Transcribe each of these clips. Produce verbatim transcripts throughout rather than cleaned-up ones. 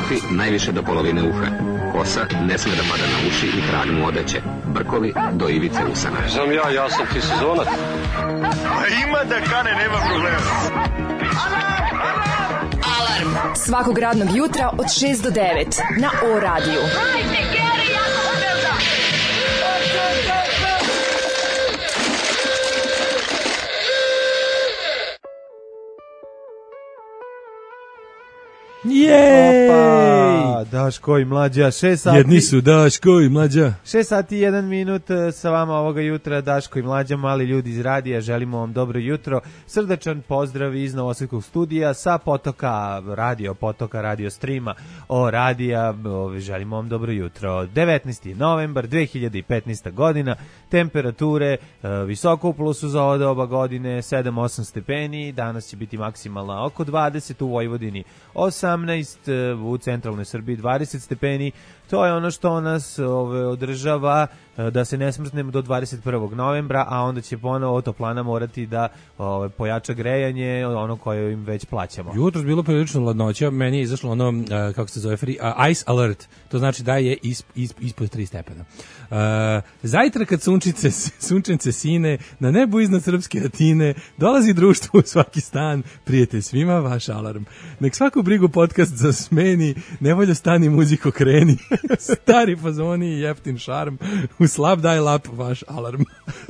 Kafi najviše do polovine uha. Kosa ne sme da pada na uši i krag mu odeće. Brkovi do ivice usana. Znam ja, ja sam ti sezonac. A ima da kane, nema problema. Alarm svakog radnog jutra od šest do devet na O radiju. Hajde, Geri, jako se velda! Jej! Opa, Daško i Mlađa, šest sati. Jedni su Daško i Mlađa. šest sati i jedan minut sa vama ovoga jutra, Daško i Mlađa, mali ljudi iz radija, želimo vam dobro jutro. Srdačan pozdrav iz Novosadskog studija sa potoka, radio potoka, radio streama, o radija, želimo vam dobro jutro. devetnaesti novembar dve hiljade petnaeste. godina, temperature visoko u plusu za ovo doba godine, sedam osam stepeni, danas će biti maksimalna oko dvadeset, u Vojvodini osamnaest, u centralnoj Srbiji dvadeset stepeni. To je ono što nas ove, održava da se ne smrznemo do dvadeset prvog novembra, a onda će ponovo toplana morati da ove, pojača grejanje, ono koje im već plaćamo. Jutros bilo prilično ladnoća, meni je izašlo ono, uh, kako se zove, free, uh, ice alert, to znači da je is, is, ispod tri stepena. Uh, zajtra kad sunčice, sunčence sine, na nebu iznad srpske Atine, dolazi društvo u svaki stan, prijete svima vaš alarm. Nek svaku brigu podcast zasmeni, nevolja stani muziko kreni, stari fazoni i jeftin šarm, u slab daj lap vaš alarm.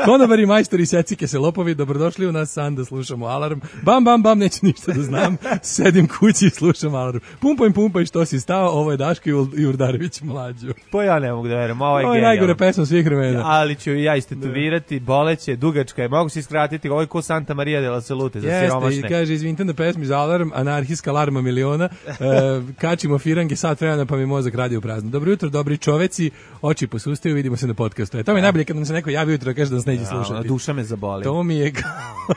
Konobari, majstori, secike se lopovi, dobrodošli u nas san da slušamo alarm. Bam, bam, bam, neću ništa da znam, sedim kući i slušam alarm. Pumpaj, pumpaj, što si stao, ovo je Daško i Urdarević Mlađo. Po ja ne mogu da verujem, ovo je Ovo je najgore pesma svih vremena. Ali ću i ja istetovirati, boleće, dugačka je, mogu se iskratiti, ovo je ko Santa Maria de la Salute za siromašne. Jeste, i kaže, izvinite na pesmi za alarm, anarhijska alarma miliona, uh, kačimo firange sat vremena pa mi mozak radi u prazno. Dobro jutro, dobri čoveci, oči posustaju, vidimo se na podcastu. E, to mi je najbolje kad nam se neko javi jutro, kaže da nas neće slušati. Duša me zaboli. To mi je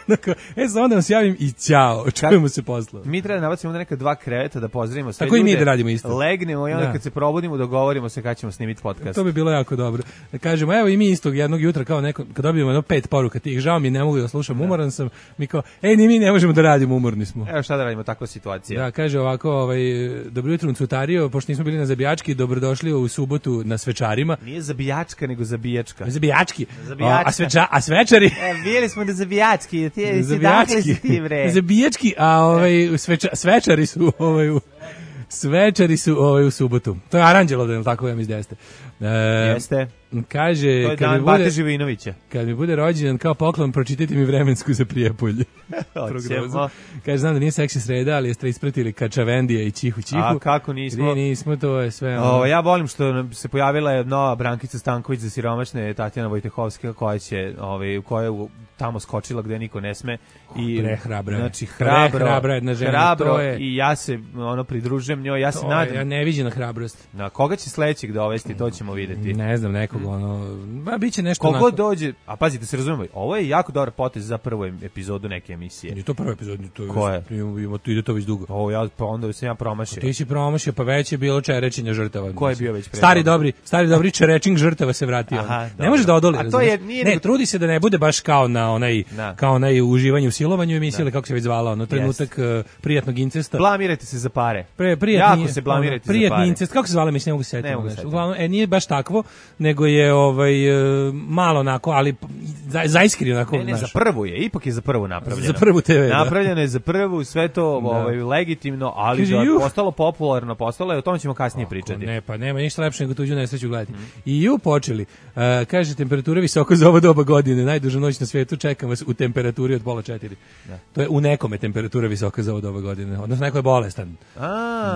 onako, e, sad onda vam se javim i ćao, čujemo se posle. Mi treba da nabacimo neka dva kreveta da pozdravimo sve Tako ljude. Tako i mi da radimo isto. Legnemo i onda da. Kad se probudimo dogovorimo se kad ćemo snimiti podcast. To bi bilo jako dobro. Da kažemo, evo i mi istog jednog jutra kao neko, kad dobijemo jedno pet poruka tih, žao mi ne mogu da slušam, umoran sam, mi kao, ej, ni mi ne možemo da radimo, umorni smo. Evo šta da radimo, takva situacija. Da, kaže ovako, ovaj, dobro jutro Cutario, pošto nismo bili na Zabijački, dobrodošli u subotu na Svečarima. Nije Zabijačka, nego Zabijačka. Zabijački. Zabijačka. A, sveča, a svečari? E, bili smo na Zabijački, ti si dakle si ti, bre. Zabijački, a ovaj, sveča, svečari su ovaj, u, svečari su ovaj, u subotu. To je Aranđelovdan, tako ja mi izdeste. E, Jeste. Kaže, to je kad dan mi bude, Bate Živinovića. Kad mi bude rođendan kao poklon, pročitajte mi vremensku za Prijepolje. Kaže, znam da nije seksi sreda, ali jeste ispratili Kačavendija i Čihu Čihu. A kako nismo? Gdje nismo, to je sve. Ono. O, ja volim što se pojavila je nova Brankica Stanković za siromašne, Tatjana Vojtehovska, koja će, ovaj, koja je tamo skočila gde niko ne sme. I, Prehrabra. Znači, hrabro, Prehrabra jedna žena, hrabro to je, i ja se ono pridružujem njoj, ja se nadam. Ja neviđena hrabrost. Na koga će sledećeg dovesti, to ćemo videti. Ne znam, nekog ono, ba biće nešto kogo onako. Dođe, a pazite, se razumemo, ovo je jako dobar potez za prvu epizodu neke emisije. Je to prva epizoda, to je. Koje? Ima tu ide to već dugo. Ovo ja pa onda sam ja promašio. Ti si promašio, pa već je bilo čerečenja žrtava. Ko je bio već pre? Stari dobri, stari dobri čerečing žrtava se vratio. Aha, ne može da odoli. A to je nije ne, nego... trudi se da ne bude baš kao na onaj da. Kao onaj uživanje u silovanju emisije, ili kako se već zvala, ono trenutak yes. uh, prijatnog incesta. Blamirajte se za pare. Pre, prijatni, jako se blamirajte ono, za pare. Incest, kako se zvala, mislim, ne mogu se setiti. Uglavnom, e, nije baš takvo, nego je ovaj uh, malo onako, ali za, zaiskreno onako. Ne, ne, za prvu je, ipak je za prvu napravljeno. Za prvu te ve. Napravljeno da. Je za prvu, sve to ovaj, legitimno, ali Kaži, da je postalo popularno, postalo je, o tome ćemo kasnije Oko, pričati. Ne, pa nema ništa lepše nego tuđu nesreću gledati. Mm. I ju počeli. Uh, kaže, temperatura visoko za ovo doba godine, najduža noć na svijetu, čekam vas u temperaturi od pola četiri. Da. To je u nekome temperatura visoka za ovo doba godine, odnosno neko je bolestan. A.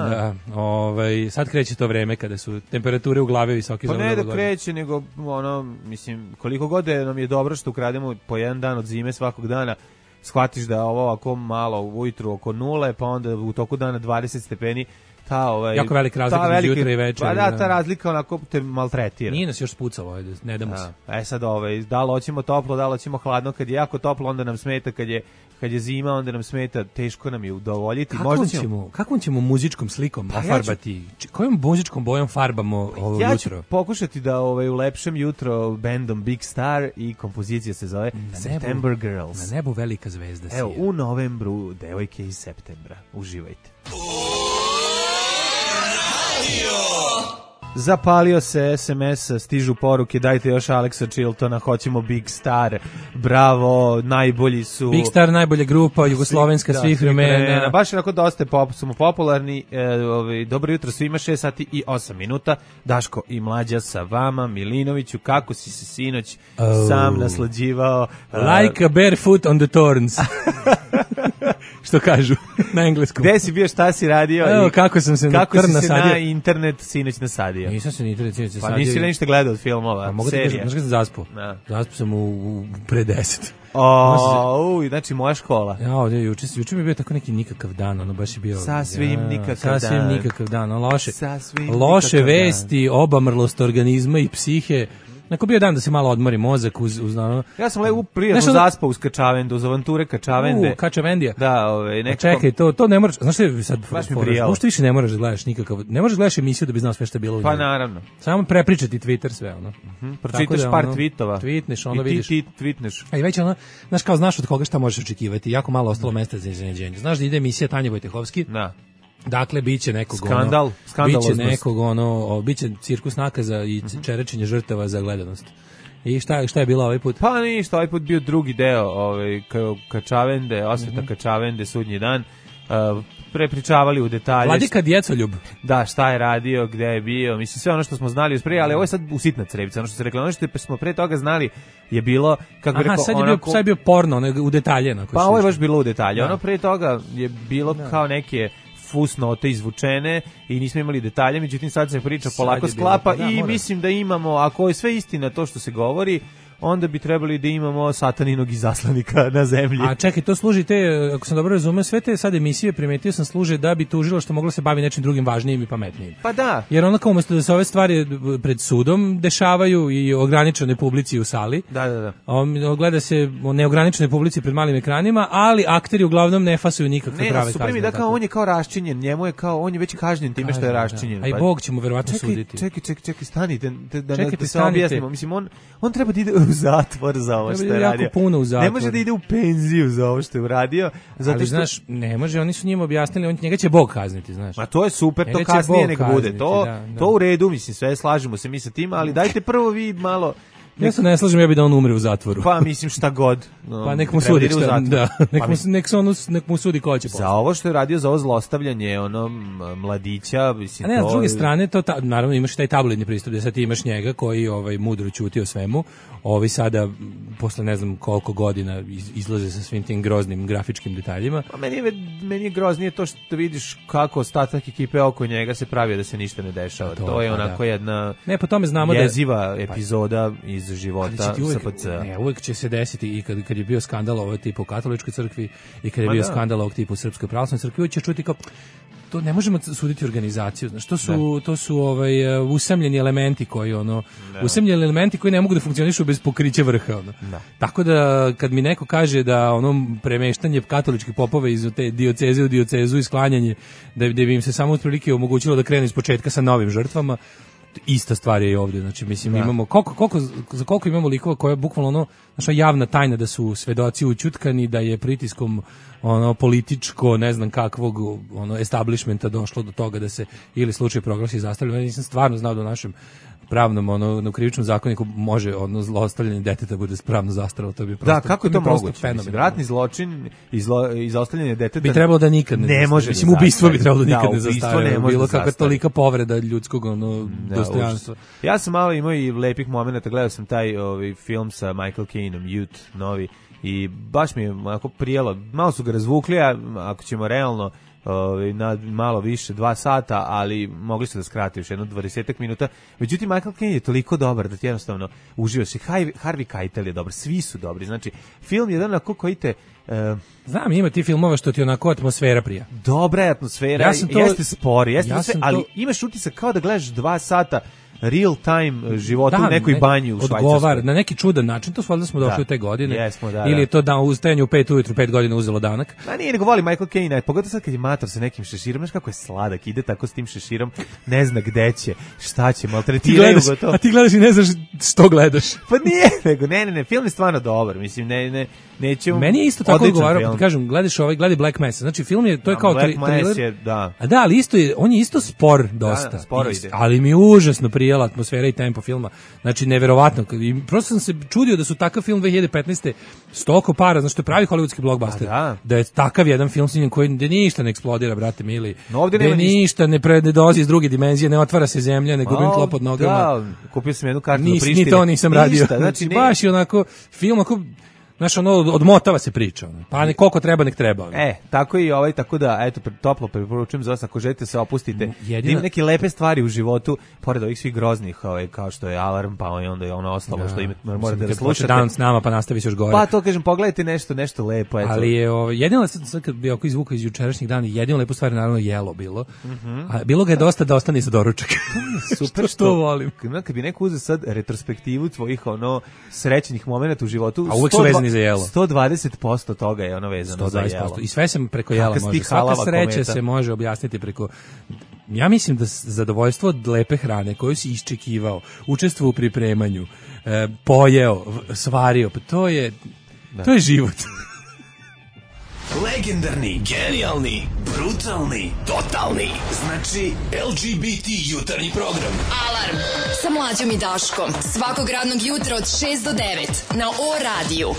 Da, ovaj, sad kreće to vreme kada su temperature u glavi visoke pa za ovo doba godine. godine. Pa ne da kreće, nego ono, mislim, koliko god je nam je dobro što ukrademo po jedan dan od zime svakog dana, shvatiš da ovo ovako malo ujutru oko nule, pa onda u toku dana dvadeset stepeni, ta ovaj jako velika razlika između jutra i večera. Pa da, ta razlika onako te maltretira. Nije nas još spucalo, ajde, ne damo se. E sad ovaj, da li hoćemo toplo, da li hoćemo hladno, kad je jako toplo onda nam smeta, kad je kad je zima onda nam smeta, teško nam je udovoljiti. Kako možda ćemo, kakvom ćemo muzičkom slikom pa ofarbati? Ja ću, kojom muzičkom bojom farbamo ovo ja jutro? Ja ću pokušati da ovaj ulepšem jutro bandom Big Star i kompozicija se zove na September nebu, Girls. Na nebu velika zvezda si. Evo, u novembru devojke iz septembra. Uživajte. Zapalio se es em es, stižu poruke, dajte još Alexa Chiltona, hoćemo Big Star, bravo, najbolji su. Big Star, najbolja grupa, jugoslovenska da, svih vremena. Baš onako dosta pop, smo popularni, e, ovaj, dobro jutro svima, šest sati i osam minuta, Daško i Mlađa sa vama, Milinoviću, kako si se sinoć oh. sam naslađivao? Like a barefoot on the thorns. Što kažu na engleskom. Gde si bio, šta si radio? Evo, i kako sam se kako na si se nasadio. na internet sinoć nasadio? Nisam se na internet sinoć nasadio. Pa nisi li ništa gledao od filmova, pa, mogu serija? Znaš kada sam zaspao? Da. Zaspao sam u, u pre deset. O, uj, znači moja škola. Ja, ovdje, juče, juče mi je bio tako neki nikakav dan, ono baš je bio... Sasvim ja, nikakav sasvim dan. Sasvim nikakav dan, ono, loše, Sasvim loše nikakav vesti, dan. Obamrlost organizma i psihe. Neko bio dan da se malo odmori mozak uz, uz ono... Ja sam lepo prijatno zaspao uz Kačavendu, uz avanture Kačavende. U, Kačavendija. Da, ove, nekako... Čekaj, to, to ne moraš... Znaš što sad... Baš mi prijalo. Možda više ne moraš da gledaš nikakav... Ne možeš da gledaš emisiju da bi znao sve što je bilo u njoj. Pa naravno. Samo prepričati Twitter sve, ono. Mm-hmm. Pročitaš da, par ono, tweetova. Tweetneš, ono i ti, vidiš. ti tweetneš. A i već ono, znaš kao, znaš od koga šta možeš očekivati. Jako malo ostalo mesta za iznenađenje. Znaš da ide emisija Tanje Vojtehovski. Da. Dakle, biće nekog skandal, ono, skandaloznost. Biće nekog ono, o, biće cirkus nakaza i čerečenje žrtava za gledanost. I šta, šta je bilo ovaj put? Pa ništa, ovaj put bio drugi deo ovaj, Kačavende, osveta mm-hmm. Kačavende, sudnji dan. Uh, prepričavali u detalje. Vladika Djecoljub. Da, šta je radio, gde je bio, mislim sve ono što smo znali usprije, ali ovo je sad usitna crevica, ono što se rekla, ono što smo pre toga znali je bilo, kako bi rekao, sad je bio, onako... sad je bio porno, ne, u detalje. Pa ovo je baš bilo u detalje, da. Ono pre toga je bilo da. Kao neke fusnote izvučene i nismo imali detalje, međutim sad se priča sad polako sklapa bilo, pa, da, i mora. Mislim da imamo, ako je sve istina to što se govori, onda bi trebali da imamo sataninog izaslanika na zemlji. A čekaj, to služi te, ako sam dobro razumeo, sve te sad emisije, primetio sam, služe da bi tužilo što moglo se bavi nečim drugim važnijim i pametnijim. Pa da. Jer ono kao umjesto da se ove stvari pred sudom dešavaju i ograničene publici u sali, da, da, da. Gleda se o neograničenoj publici pred malim ekranima, ali akteri uglavnom ne fasuju nikakve ne, prave kazne. Ne, da kao on je kao raščinjen, njemu je kao, on je već kažnjen time što je raščinjen. Da. A i Bog će mu verovatno čekaj, suditi. Čekaj, čekaj, čekaj, stanite, da, da, Čekajte, da se objasnimo. Mislim, on, on treba da ide u zatvor za ovo što je radio. Puno u zatvor. Ne može da ide u penziju za ovo što je uradio. Zato ali što... znaš, ne može, oni su njima objasnili, on, njega će Bog kazniti, znaš. Ma to je super, njega to kasnije nek kazniti, bude. To, da, da. to u redu, mislim, sve slažemo se mi sa tim, ali dajte prvo vi malo... Nek... Ja se ne slažem, ja bih da on umre u zatvoru. Pa mislim šta god. No, pa nek mu sudi šta, da. Nek, pa, mu, nek, se ono, nek mu sudi ko će za ovo što je radio, za ovo zlostavljanje ono mladića, mislim. A ne, to... s druge strane, to ta, naravno imaš taj tabloidni pristup, da sad ti imaš njega koji ovaj, mudro ćuti o svemu, ovi sada, posle ne znam koliko godina, iz, izlaze sa svim tim groznim grafičkim detaljima. A meni je, meni je groznije to što vidiš kako ostatak ekipe oko njega se pravio da se ništa ne dešava. To, to je onako da. jedna ne, po tome znamo jeziva da, epizoda iz života uvek, S P C. Ne, uvek će se desiti i kad, kad je bio skandal ovog tipa u katoličkoj crkvi i kad je Ma bio da. skandal ovog tipa u srpskoj pravoslavnoj crkvi, uvek ćeš čuti kao to ne možemo suditi organizaciju, znači to su da. to su ovaj usamljeni elementi koji ono da. usamljeni elementi koji ne mogu da funkcionišu bez pokrića vrha ono. Da. Tako da kad mi neko kaže da ono premeštanje katoličkih popova iz te dioceze u diocezu i sklanjanje da, da bi im se samo otprilike omogućilo da krenu ispočetka sa novim žrtvama, ista stvar je i ovdje, znači mislim da. imamo koliko, koliko, za koliko imamo likova koja je bukvalno ono, naša javna tajna da su svedoci ućutkani, da je pritiskom ono političko, ne znam kakvog ono establishmenta došlo do toga da se ili slučaj proglasi zastavljeno. Ja nisam stvarno znao da u našem pravnom ono na krivičnom zakoniku može ono zlostavljanje deteta bude pravno zastarelo, to bi prosto. Da, kako je to moguće? Ratni zločin i zlo, izostavljanje deteta bi trebalo da nikad ne, ne može. Mislim ubistvo bi trebalo da nikad da, ne zastare. Bilo da kakva tolika povreda ljudskog ono da, dostojanstva. Ja sam malo imao i lepih momenata, gledao sam taj ovaj film sa Michael Caineom, Youth, novi, i baš mi je onako prijelo. Malo su ga razvukli, a ako ćemo realno na malo više, dva sata, ali mogli su da skrati još jedno dvadesetak minuta. Međutim, Michael Caine je toliko dobar da ti jednostavno uživaš. I Harvey Keitel je dobar, svi su dobri. Znači, film je jedan onako koji te... Uh, Znam, ima ti filmova što ti onako atmosfera prija. Dobra je atmosfera, ja sam to, jeste spori, jeste ja sve, ali to... imaš utisak kao da gledaš dva sata real time životu Da, u nekoj ne, banji u Švajcarskoj. Odgovar, na neki čudan način, to valjda smo došli Da. u te godine. Jesmo, da, Ili da. je to da ustajanje u pet ujutru, pet godina uzelo danak. Ma nije, nego voli Michael Caine, pogotovo sad kad je mator sa nekim šeširom, znaš kako je sladak, ide tako s tim šeširom, ne zna gde će, šta će, Ti maltretiraju gledaš, ga to. a ti gledaš i ne znaš što gledaš. Pa nije, nego ne, ne, ne, film je stvarno dobar, mislim, ne, ne, nećemo... Meni je isto tako odličan odgovarao, film. kad kažem, gledaš ovaj, gledaj Black Mass. Znači film je, to je Da, kao Black tri- Mass thriller. je, da. A da, ali isto je, on je isto spor dosta. Da, sporo Isto, ide. ali mi je užasno prijela atmosfera i tempo filma. Znači neverovatno. I prosto sam se čudio da su takav film dve hiljade petnaeste stoko para, znači što je pravi hollywoodski blockbuster. da. Da je takav jedan film snimljen koji gde ništa ne eksplodira, brate mili. No, ovdje Gde nema ništa. ništa ne pre ne dolazi iz druge dimenzije, ne otvara se zemlja, ne gubim A, tlo pod nogama. Da, kupio sam jednu kartu do Nis, Prištine. ni to nisam radio. Ništa, znači, ne, baš je onako film ako znaš, ono, odmotava se priča. ono. Pa ne, koliko treba, nek treba. ono. E, tako i ovaj, tako da, eto, pre- toplo preporučujem za vas, ako želite se opustite. Jedina- Da ima neke lepe stvari u životu, pored ovih svih groznih, ovaj, kao što je Alarm, pa i onda je ono ostalo što ima, morate da Kad slušate. počne dan s nama, pa nastavi se još gore. Pa to kažem, pogledajte nešto, nešto lepo, eto. Ali je ovo, jedino sad, sad kad bi oko izvuka iz jučerašnjih dana, jedino lepo stvar je naravno jelo bilo. A bilo ga je dosta da ostane za doručak. super što volim. Kad, kad bi neko uzeo sad retrospektivu tvojih ono srećnih momenata u životu, A uvek su sto dva- vezani za jelo. sto dvadeset posto toga je ono vezano sto za dvadeset jelo. posto. I sve se preko jela Kakav si može. ti Svaka halava sreća kometa. se može objasniti preko... Ja mislim da s- zadovoljstvo od lepe hrane koju si iščekivao, učestvovao u pripremanju, e, pojeo, v- svario, pa to je... To je život. Legendarni, genijalni, brutalni, totalni. Znači L G B T jutarnji program. Alarm sa mlađom i Daškom. Svakog radnog jutra od šest do devet na O radiju.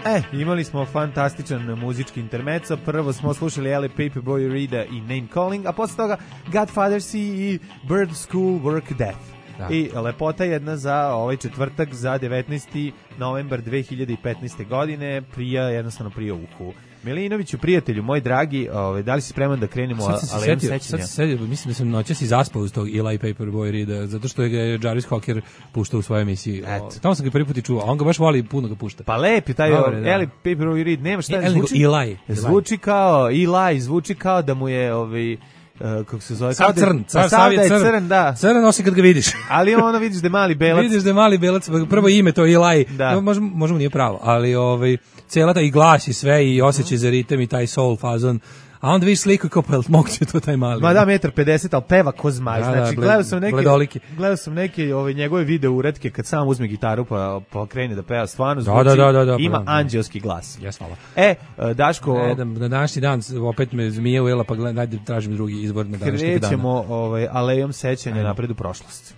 E, imali smo fantastičan muzički intermezzo. Prvo smo slušali L A Paperboy Rida i Name Calling, a posle toga Godfather C i Bird School Work Death. Da. I lepota jedna za ovaj četvrtak, za devetnaesti novembar dve hiljade petnaeste godine, prija, jednostavno prija uhu. Milinoviću, prijatelju, moj dragi, ovaj, da li si spreman da krenemo Sad sam se alejom setio, sećanja? sad se setio, mislim da sam noćas i zaspao uz tog Eli Paperboy Rida, zato što je ga Jarvis Cocker puštao u svojoj emisiji. Eto. O, tamo sam ga prvi put i čuo, a on ga baš voli i puno ga pušta. Pa lepi taj Dobre, da. Eli Paperboy Reed, nema šta, E, Eli nego zvuči, Eli. zvuči kao Eli, zvuči kao da mu je ovaj, uh, kako se zove, Sav kao da je- crn, pa sav, sav sav je da je crn. crn, da. Crn osim kad ga vidiš. Ali ono vidiš da je mali belac. Vidiš da je mali belac, prvo ime to Eli, Da. no, možemo, možemo nije pravo, ali ovaj, cijela ta i glas i sve i osjećaj za ritem i taj soul fazon, a onda vidiš sliku i kao pa moguće to taj mali. Ma da, metar pedeset, ali peva ko zmaj. Da, da, Znači, bled- gledao sam neke, bledoliki. gledao sam neke ove, njegove video uretke kad sam uzme gitaru pa, pa krene da peva, stvarno Da, zvuči, da, da, da, da, ima pa da. anđelski glas. Jes, hvala. E, Daško, E, da, na današnji dan opet me zmija ujela, pa gledaj, dajde tražim drugi izbor na današnjeg dana. krećemo ovaj, alejom sećanja napred u prošlost.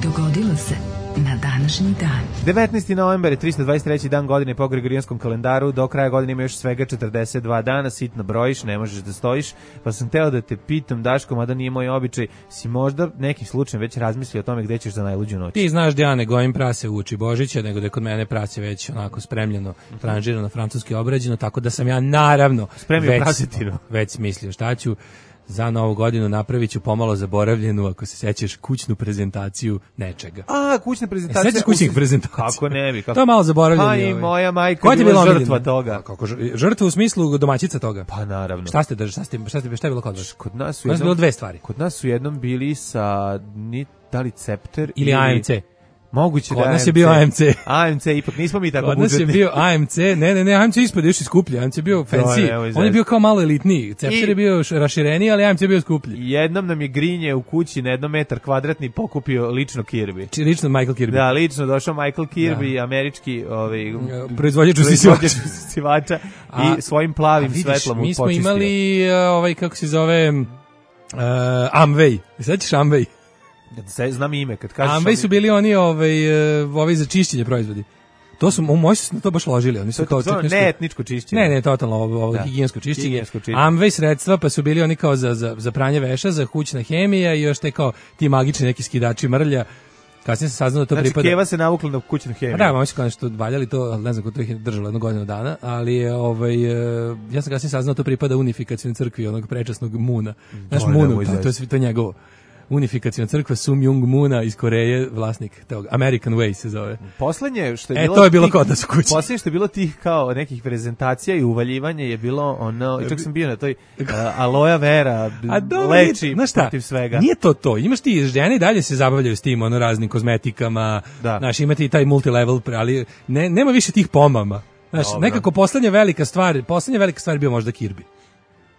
Dogodilo se na današnji dan. devetnaesti novembar je tristo dvadeset treći dan godine po Gregorijanskom kalendaru, do kraja godine ima još svega četrdeset dva dana, sitno brojiš, ne možeš da stojiš, pa sam teo da te pitam, Daško, mada nije moj običaj, si možda nekim slučajem već razmislio o tome gde ćeš za najluđu noć? Ti znaš da ja ne gojim prase u uči Božića, nego da je kod mene prase već onako spremljeno, tranžirano, francuski obrađeno, tako da sam ja naravno Spremio već, prasetinu. već smislio šta ću. Za novu godinu napravit ću pomalo zaboravljenu, ako se sećaš, kućnu prezentaciju nečega. A, kućna prezentacija. Sećaš kućnih prezentacija? Kako ne bi? Kako... To je malo zaboravljeno. Pa i ovaj. moja majka Koja ti je je bila bila žrtva omiljena? toga. A kako ž- žrtva u smislu domaćica toga? Pa naravno. Šta ste drži, šta ste, šta ste, šta je bilo kod vas? Kod nas su Kod nas je jednom, bilo dve stvari. kod nas su jednom bili sa ni, da li Cepter Ili A M C. Moguće Kod da nas je bio A M C. A M C, ipak nismo mi tako Kod nas je budžetni. bio A M C, ne, ne, ne, A M C ispod još i skuplji, A M C je bio fancy, nemoj on je zezati. bio kao malo elitniji, Cepter I- je bio š- rašireniji, ali A M C je bio skuplji. Jednom nam je grinje u kući na jednom metar kvadratni pokupio lično Kirby. Či lično Michael Kirby. Da, lično došao Michael Kirby, američki ovaj, Proizvođač proizvođač usisivača. usisivača A- i svojim A plavim vidiš, svetlom mi smo počistio. imali uh, ovaj, kako se zove, uh, Amway. Sećaš Amway? Se- Znam ime, kad kažeš... Amway su bili oni ovaj, uh, ovaj za čišćenje proizvodi. To su, moji su se na to baš ložili. Oni su To kao je to čak nešto- neetničko čišćenje. Ne, ne, totalno ovo, ovo Da. higijensko čišćenje. Higijensko čišćenje. Amway sredstva, pa su bili oni kao za, za, za pranje veša, za kućna hemija i još te kao ti magični neki skidači mrlja. Kasnije se saznalo da to Znači, pripada... Keva se navukla na kućnu hemiju. Pa da, mama su kao nešto valjali to, ali ne znam ko to ih je držalo jednu godinu dana, ali je, ovaj, e, ja sam kasnije saznao da to pripada unifikacijnoj crkvi onog prečasnog Muna. Znaš, To je Munu, nemoj to, to je zezati. sve to je njegovo. unifikaciona crkva Sum Myung Moona iz Koreje, vlasnik tog American Way se zove. Poslednje što je e, bilo to je bilo tih, kod nas u kući. Poslednje što je bilo tih kao nekih prezentacija i uvaljivanja je bilo ono, čak sam bio na toj uh, aloe vera A dobro, leči znaš šta, protiv svega. Nije to to. Imaš ti žene i dalje se zabavljaju s tim ono raznim kozmetikama. Da. Znaš, imati i taj multilevel, ali ne, nema više tih pomama. Znaš, Dobro. nekako poslednja velika stvar, poslednja velika stvar je bio možda Kirby.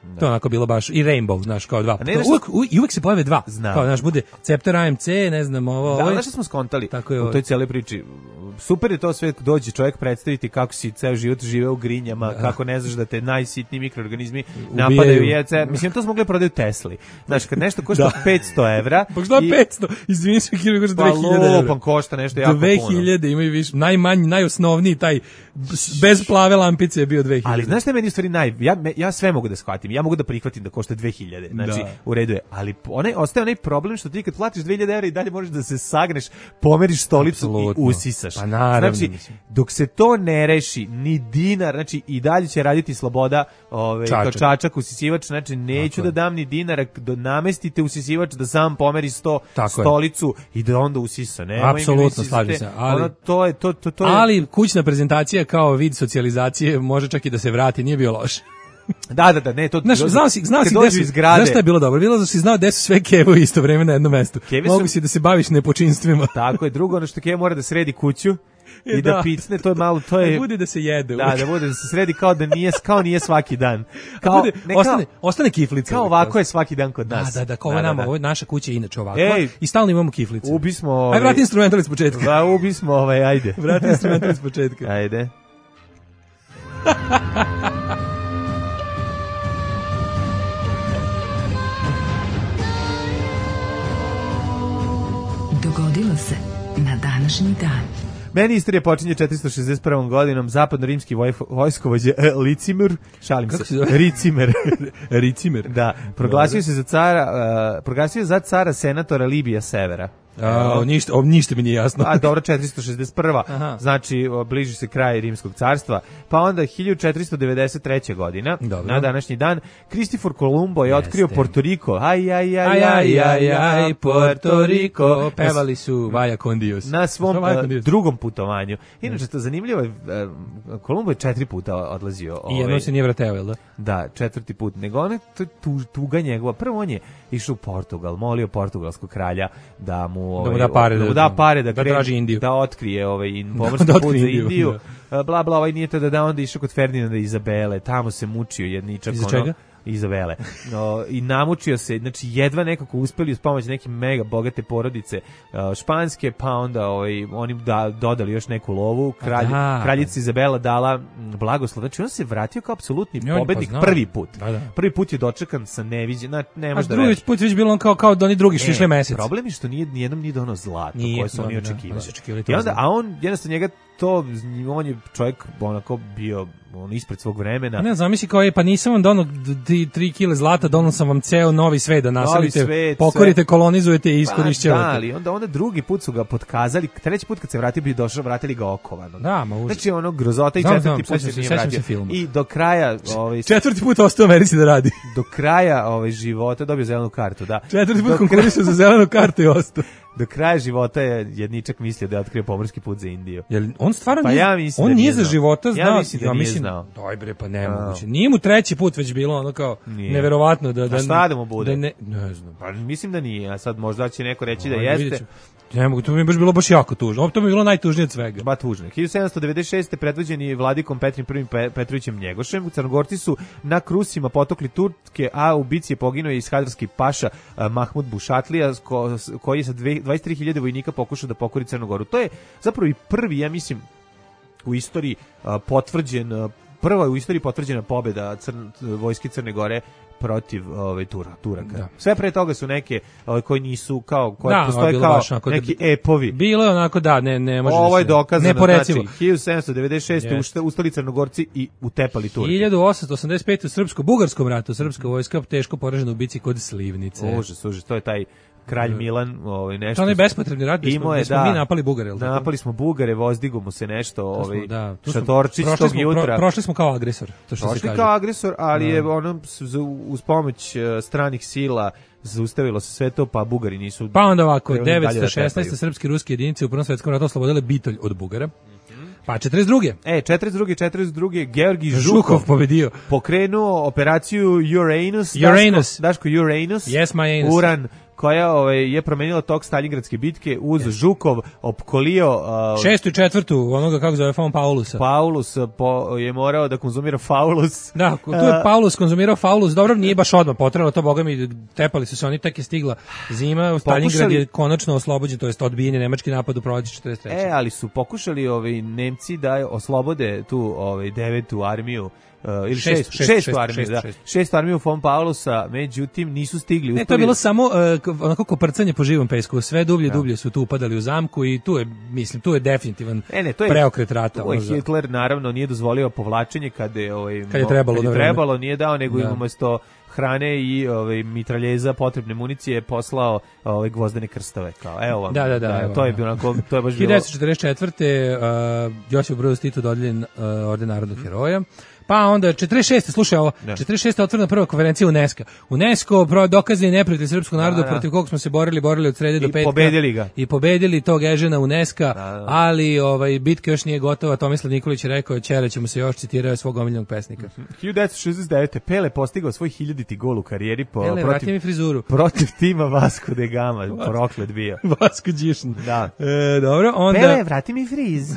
Da. To je onako bilo baš i Rainbow, znaš, kao dva. Ne, Kao, uvijek, uvijek, uvijek se pojave dva. Znam. Kao, znaš, bude Scepter A M C, ne znam, ovo... Da, ovo znaš što smo skontali tako je u ovo. toj cijeloj priči? Super je to sve, dođe čovjek predstaviti kako si ceo život živeo u grinjama, da. Kako ne znaš da te najsitniji mikroorganizmi Ubijaju. napadaju jece. Mislim, to smo mogli prodaju Tesli. Znaš, kad nešto košta da. petsto evra... Pa šta petsto? Izvini se, Kirby košta dve hiljade evra. Pa lupan košta nešto jako dve puno. dve hiljade imaju više, najmanji, najosnovniji, taj bez plave lampice je bio dve hiljade. Ali znaš šta je meni u stvari naj... Ja, ja sve mogu da shvatim, ja mogu da prihvatim da košta dve hiljade, znači da. U redu je, ali onaj, ostaje onaj problem što ti kad platiš dve hiljade evra i dalje možeš da se sagneš, pomeriš stolicu Absolutno. I usisaš. Pa naravno, znači, mislim. dok se to ne reši, ni dinar, znači i dalje će raditi sloboda ovaj, kao čačak usisivač, znači neću Tako da dam ni dinara, da namestite usisivač da sam pomeri sto Tako stolicu je. I da onda usisa. Ne, apsolutno, slažem se. Ali, ono, to je, to, to, to je... ali kućna prezentacija kao vid socijalizacije može čak i da se vrati, nije bio loš. Da, da, da, ne, to... Znaš, znao si, znao si gde su, znaš šta je bilo dobro? Bilo da si znao gde su sve kevovi isto vreme na jednom mestu. Kevi Mogu su... si da se baviš nepočinstvima. Tako je, drugo, ono što Kev mora da sredi kuću i e, da, da picne, to je malo, to je... Da bude da se jede. Da, da bude da se sredi kao da nije, kao nije svaki dan. Kao, bude, ne, ostane, kao, ostane kiflica. Kao ovako je svaki dan kod nas. Da, da, da, kao da, nama, da, da. Ovo je naša kuća inače ovako. Ej, i stalno imamo kiflice. Ubismo... Ovaj, aj, vrati instrumental iz početka. Da, ubismo, ovaj, ajde. Vrati instrumental iz početka. Ajde. Dogodilo se na današnji dan. Meni istorija počinje četiristo šezdeset prvom godinom, zapadno-rimski vojskovođa Licimir, šalim Kako se, Ricimer, Ricimer, da, proglasio se za cara, uh, proglasio za cara senatora Libija Severa. A, ništa, o, ništa mi nije jasno. A dobro, četiristo šezdeset prva Aha. Znači, bliži se kraj Rimskog carstva. Pa onda hiljadu četiristo devedeset treće godina, dobro. Na današnji dan, Kristofor Kolumbo je otkrio Porto Riko. Aj, aj, aj, aj, aj, aj, Porto Riko. Pevali su Vaja Kondios. Na svom uh, drugom putovanju. Inače, to zanimljivo je, uh, Kolumbo je četiri puta odlazio. I jedno ovaj, se nije vrateo, jel da? Da, četvrti put. Nego on je tu, tuga njegova. Prvo on je išao u Portugal, molio portugalskog kralja da mu Ovaj, da mu da pare da, da, da, pare, da, da traži Indiju, da otkrije ovaj pomorski da, da put za Indiju, da. bla bla, ovaj nije to da da onda išao kod Ferdinanda i Izabele, tamo se mučio jedničak Iza čega? Izabele. No, i namučio se, znači jedva nekako uspeli uz pomoć neke mega bogate porodice uh, španske, pa onda ovaj oni da dodali još neku lovu, kralj Aha. kraljica Izabela dala blagoslov. Znači on se vratio kao apsolutni pobednik pa prvi put. Da, da. Prvi put je dočekan sa neviđenim, ne može da drugi put već bilo on kao kao da oni drugi su išli mesec. Problem je što nije nijednom nije dono zlato nije, koje su oni očekivali. I onda a on jednostavno njega to on je čovjek onako bio on ispred svog vremena. Ne, zamisli kao je, pa nisam vam donao tri kile zlata, donao sam vam ceo novi svet da naselite, svet, pokorite, sve. Kolonizujete i iskorišćavate. Pa, da, ali onda, onda drugi put su ga potkazali, treći put kad se vratio bi došao, vratili ga okovano. Da, ma užas. Znači ono grozota i četvrti znam, put se nije vratio. I do kraja... Ovaj, četvrti put ostao u Americi da radi. Do kraja ovaj, života dobio zelenu kartu, da. Četvrti put konkurisao za zelenu kartu i ostao. Do kraja života je jedničak mislio da je otkrio pomorski put za Indiju. Jel on stvarno pa nije, ja on da nije za života znao. Ja mislim da ja nije mislim, znao. Daj bre, pa nemoguće. Nije mu treći put već bilo ono kao nije. Neverovatno da da. A šta da mu bude? Da ne, ne znam. Pa mislim da nije, a sad možda će neko reći da jeste. Ne mogu, to mi je baš bilo baš jako tužno. To mi je bilo najtužnije od svega. Ba tužno. hiljadu sedamsto devedeset šeste predvođeni vladikom Petrim prvim Petrovićem Njegošem, Crnogorci su na krusima potokli Turke, a u bici je poginuo i ishadarski paša Mahmud Bušatlija, ko, koji je sa dvadeset tri hiljade vojnika pokušao da pokori Crnogoru. To je zapravo i prvi, ja mislim, u istoriji potvrđen, prva u istoriji potvrđena pobjeda Crn, vojske Crne Gore protiv ovaj Tura, Turaka. Da. Sve pre toga su neke ovaj, koji nisu kao koje da, postoje kao neki da, epovi. Bilo je onako da ne ne može. Ovo je dokazano. Neporecivo. Znači hiljadu sedamsto devedeset šeste yes. ustali Crnogorci i utepali Turke. hiljadu osamsto osamdeset pete u srpsko-bugarskom ratu srpska vojska teško poražena u bici kod Slivnice. Užas, užas, to je taj kralj Milan, ovaj nešto. To je bespotrebni rat, imao je, smo da, mi napali Bugare, el' tako? Napali smo Bugare, vozdigo mu se nešto, ovaj da, Šatorčić tog jutra. Pro, prošli smo kao agresor, to što prošli se kaže. Kao agresor, ali da. Je ono uz pomoć stranih sila zaustavilo se sve to, pa Bugari nisu... Pa onda ovako, krenuli dalje da devetsto šesnaeste. tepaju. srpske i ruske jedinice u Prvom svetskom ratu oslobodile Bitolj od Bugara. Pa četrdeset druge. E, četrdeset druge. četrdeset druge. Georgij Žukov, Žukov pobedio. pokrenuo operaciju Uranus. Uranus. Daško, Daško Uranus. Yes, my anus. Uran, koja ovaj, je promenila tok Stalingradske bitke uz yes. Žukov, opkolio... Uh, Šestu i četvrtu, onoga kako zove Fon Paulusa. Paulus po, je morao da konzumira faulus. Da, tu je Paulus konzumirao faulus, dobro, nije baš odmah potrebalo to, boga mi, tepali su se oni, tek je stigla zima, Stalingrad je konačno oslobođen, to jest odbijen je nemački napad u proleće četrdeset treće. E, ali su pokušali ovaj, Nemci da oslobode tu ovaj, devetu armiju, Uh, ili šest, šest, šest, šestu šest, armiju, šest, da. Šest. Šestu armiju von Paulusa, međutim nisu stigli. Ne, to je bilo samo uh, onako koprcanje po živom pesku, sve dublje, da. dublje su tu upadali u zamku i tu je, mislim, tu je definitivan e, ne, to je, preokret rata. Tu je Hitler naravno nije dozvolio povlačenje kad je, ovaj, kad je trebalo, kad je da trebalo nije dao, nego da. umesto hrane i ovaj mitraljeza, potrebne municije poslao ovaj gvozdene krstove kao. Evo vam. Da, da, da, da evo, to je bilo onako, to je baš bilo. hiljadu devetsto četrdeset četvrte. Uh, Josip Broz Tito dodijeljen uh, orden narodnog mm. heroja. Pa onda četrdeset šeste. Slušaj ovo, da. četrdeset šeste. otvorena prva konferencija UNESCO. UNESCO pro dokazani neprijatelj srpskog naroda, da, da. protiv kog smo se borili, borili od srede I do petka. I pobedili ga. I pobedili tog Ežena UNESCO, da, da. ali ovaj bitka još nije gotova. Tomislav Nikolić je rekao, ćere ćemo se još, citirao svog omiljenog pesnika. hiljadu devetsto šezdeset devete. Pele postigao svoj hiljaditi gol u karijeri po Pele, protiv mi frizuru. protiv tima Vasco de Gama, proklet bio. Vasco Đišn. Da. E, dobro, onda Pele, vrati mi friz.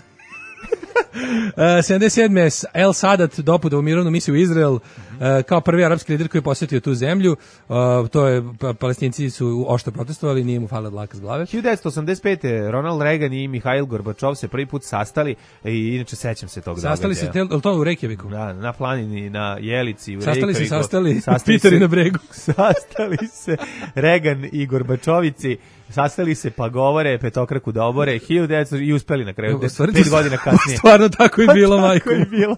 Uh, sedamdeset sedme. El Sadat dopuda u mirovnu misiju u Izrael uh, kao prvi arapski lider koji je posjetio tu zemlju. Uh, to je, pa, Palestinci su oštro protestovali, nije mu falila dlaka s glave. hiljadu devetsto osamdeset pete. Ronald Reagan i Mihail Gorbačov se prvi put sastali i inače sećam se tog događaja. Sastali se, tel, to u Reykjaviku? Da, na planini, na Jelici, u sastali Reykjaviku. Se, sastali se, sastali Piteri na bregu. Sastali se Reagan i Gorbačovici. Sastali se pa govore, petokraku da obore, hiljadu devetsto i uspeli na kraju, pet godina kasnije. Stvarno tako je bilo, majko. Tako je bilo.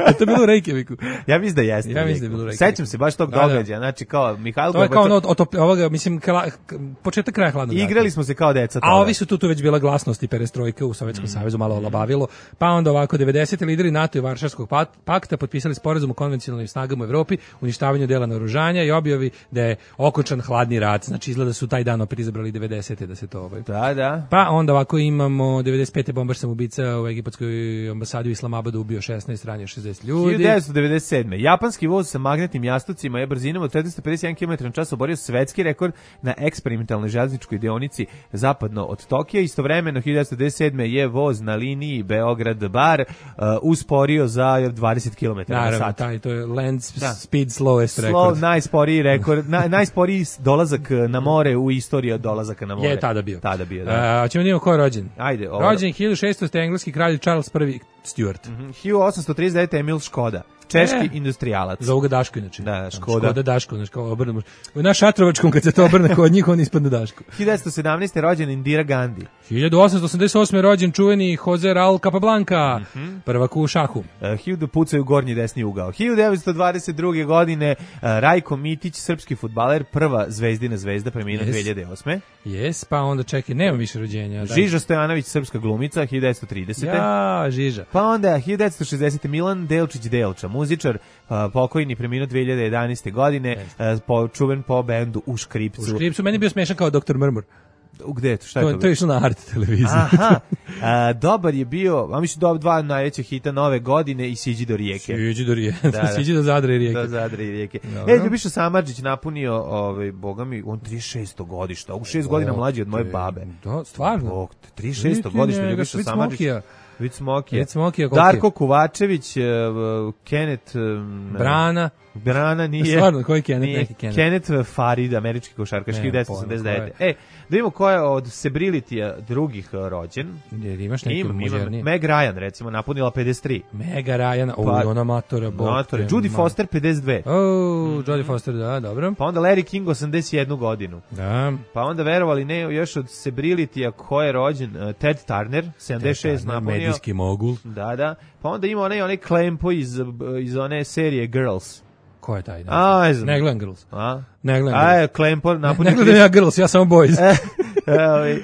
Je to bilo u Reykjaviku? Ja mislim da jeste. Ja mislim da je bilo u Reykjaviku. Sećam se baš tog da, događaja, znači kao Mihail Gorbačov. To je kao ono, otop, ovoga, mislim, kla, početak kraja hladnog rata. Igrali smo se kao deca. A ovi su tu, tu već bila glasnost i perestrojka u Sovjetskom mm. savezu, malo olabavilo. Pa onda ovako, devedesete. lideri NATO i Varšavskog pakta potpisali sporazum o konvencionalnim snagama u Evropi, uništavanju dela naoružanja i objavi da je okončan hladni rat. Znači, izgleda su taj dan opet izabrali devedesete. da se to ovaj. Da, da. Pa onda ovako imamo devedeset pete. bombaš samoubica u egipatskoj ambasadi u Islamabadu ubio šesnaest, ranio šezdeset ljudi. hiljadu devetsto devedeset sedme. Japanski voz sa magnetnim jastucima je brzinom od četiristo pedeset jedan kilometar na čas oborio svetski rekord na eksperimentalnoj željezničkoj deonici zapadno od Tokija. Istovremeno hiljadu devetsto devedeset sedme. je voz na liniji Beograd-Bar uh, usporio za dvadeset kilometara na sat. Naravno, taj, to je land da. speed slowest rekord. Slow, najsporiji rekord, na, najsporiji dolazak na more u istoriji od dolazaka na more. Je tada bio. Tada bio, da. A, ćemo da imamo ko je rođen. Ajde. Ovo. Rođen hiljadu šesnaeste. engleski kralj Charles prvi. Stuart. Mm-hmm. hiljadu osamsto trideset devete. Emil Škoda. Češki e, industrijalac. Za ovoga Daško inače. Da, Škoda. Škoda Daško, znači kao obrnemo. Na Šatrovačkom kad se to obrne kod njih on ispadne Daško. hiljadu devetsto sedamnaeste. rođen Indira Gandhi. hiljadu osamsto osamdeset osme. rođen čuveni Jose Raul Capablanca, mm-hmm. prvak u šahu. Uh, hiljadu pucaju gornji desni ugao. hiljadu devetsto dvadeset druge. godine uh, Rajko Mitić, srpski fudbaler, prva zvezdina zvezda, preminuo yes. dve hiljade osme. Jes, pa onda čekaj, nema više rođenja. Daj. Žiža Stojanović, srpska glumica, hiljadu devetsto tridesete. Ja, Žiža. Pa onda hiljadu devetsto šezdesete. Milan Delčić Delča, muzičar, uh, pokojni, preminuo dve hiljade jedanaeste. godine, yes. uh, po, čuven po bendu U Škripcu. U Škripcu, meni je bio smešan kao doktor Mrmur. U gde je to? Šta je to? To, to je išlo na Art televiziji. Aha, a, dobar je bio, a mislim do dva najveća hita nove godine i Siđi do rijeke. Siđi do rijeke, da, da. Siđi do Zadra i rijeke. Do Zadra i rijeke. Dobro. E, Ljubiša Samardžić napunio, ovaj, boga mi, on trideset šesto godište, u šest godina mlađi od moje babe. Da, stvarno? Bog, trideset šesto godište Ljubiša Samardžić. Vic Smokija. Smokija Darko Kovačević, uh, Kenneth um, Brana. Brana nije. Stvarno, koji Kenneth? Nije. Neki Kenneth. Kenneth Farid, američki košarkaš, hiljadu devetsto osamdeset devete. E, da vidimo ko je od Celebrity-a drugih rođen. Jer imaš neki Im, mužernije. Meg Ryan, recimo, napunila pedeset tri. Meg Ryan, o, pa, ona matora. Matora. Judy Foster, pedeset dve. O, mm-hmm. Jodie Foster, da, dobro. Pa onda Larry King, osamdeset jednu godinu. Da. Pa onda, verovali ne, još od Celebrity-a ko je rođen, uh, Ted Turner, sedamdeset šest napunio. Medijski mogul. Da, da. Pa onda ima onaj, onaj Klempo iz, iz one serije Girls. Ko je taj? A, ne znam. Ne gledam Girls. A? Ne gledam Girls. A, Klempo napunio... Ne, ne gledam ja Girls, ja samo Boys.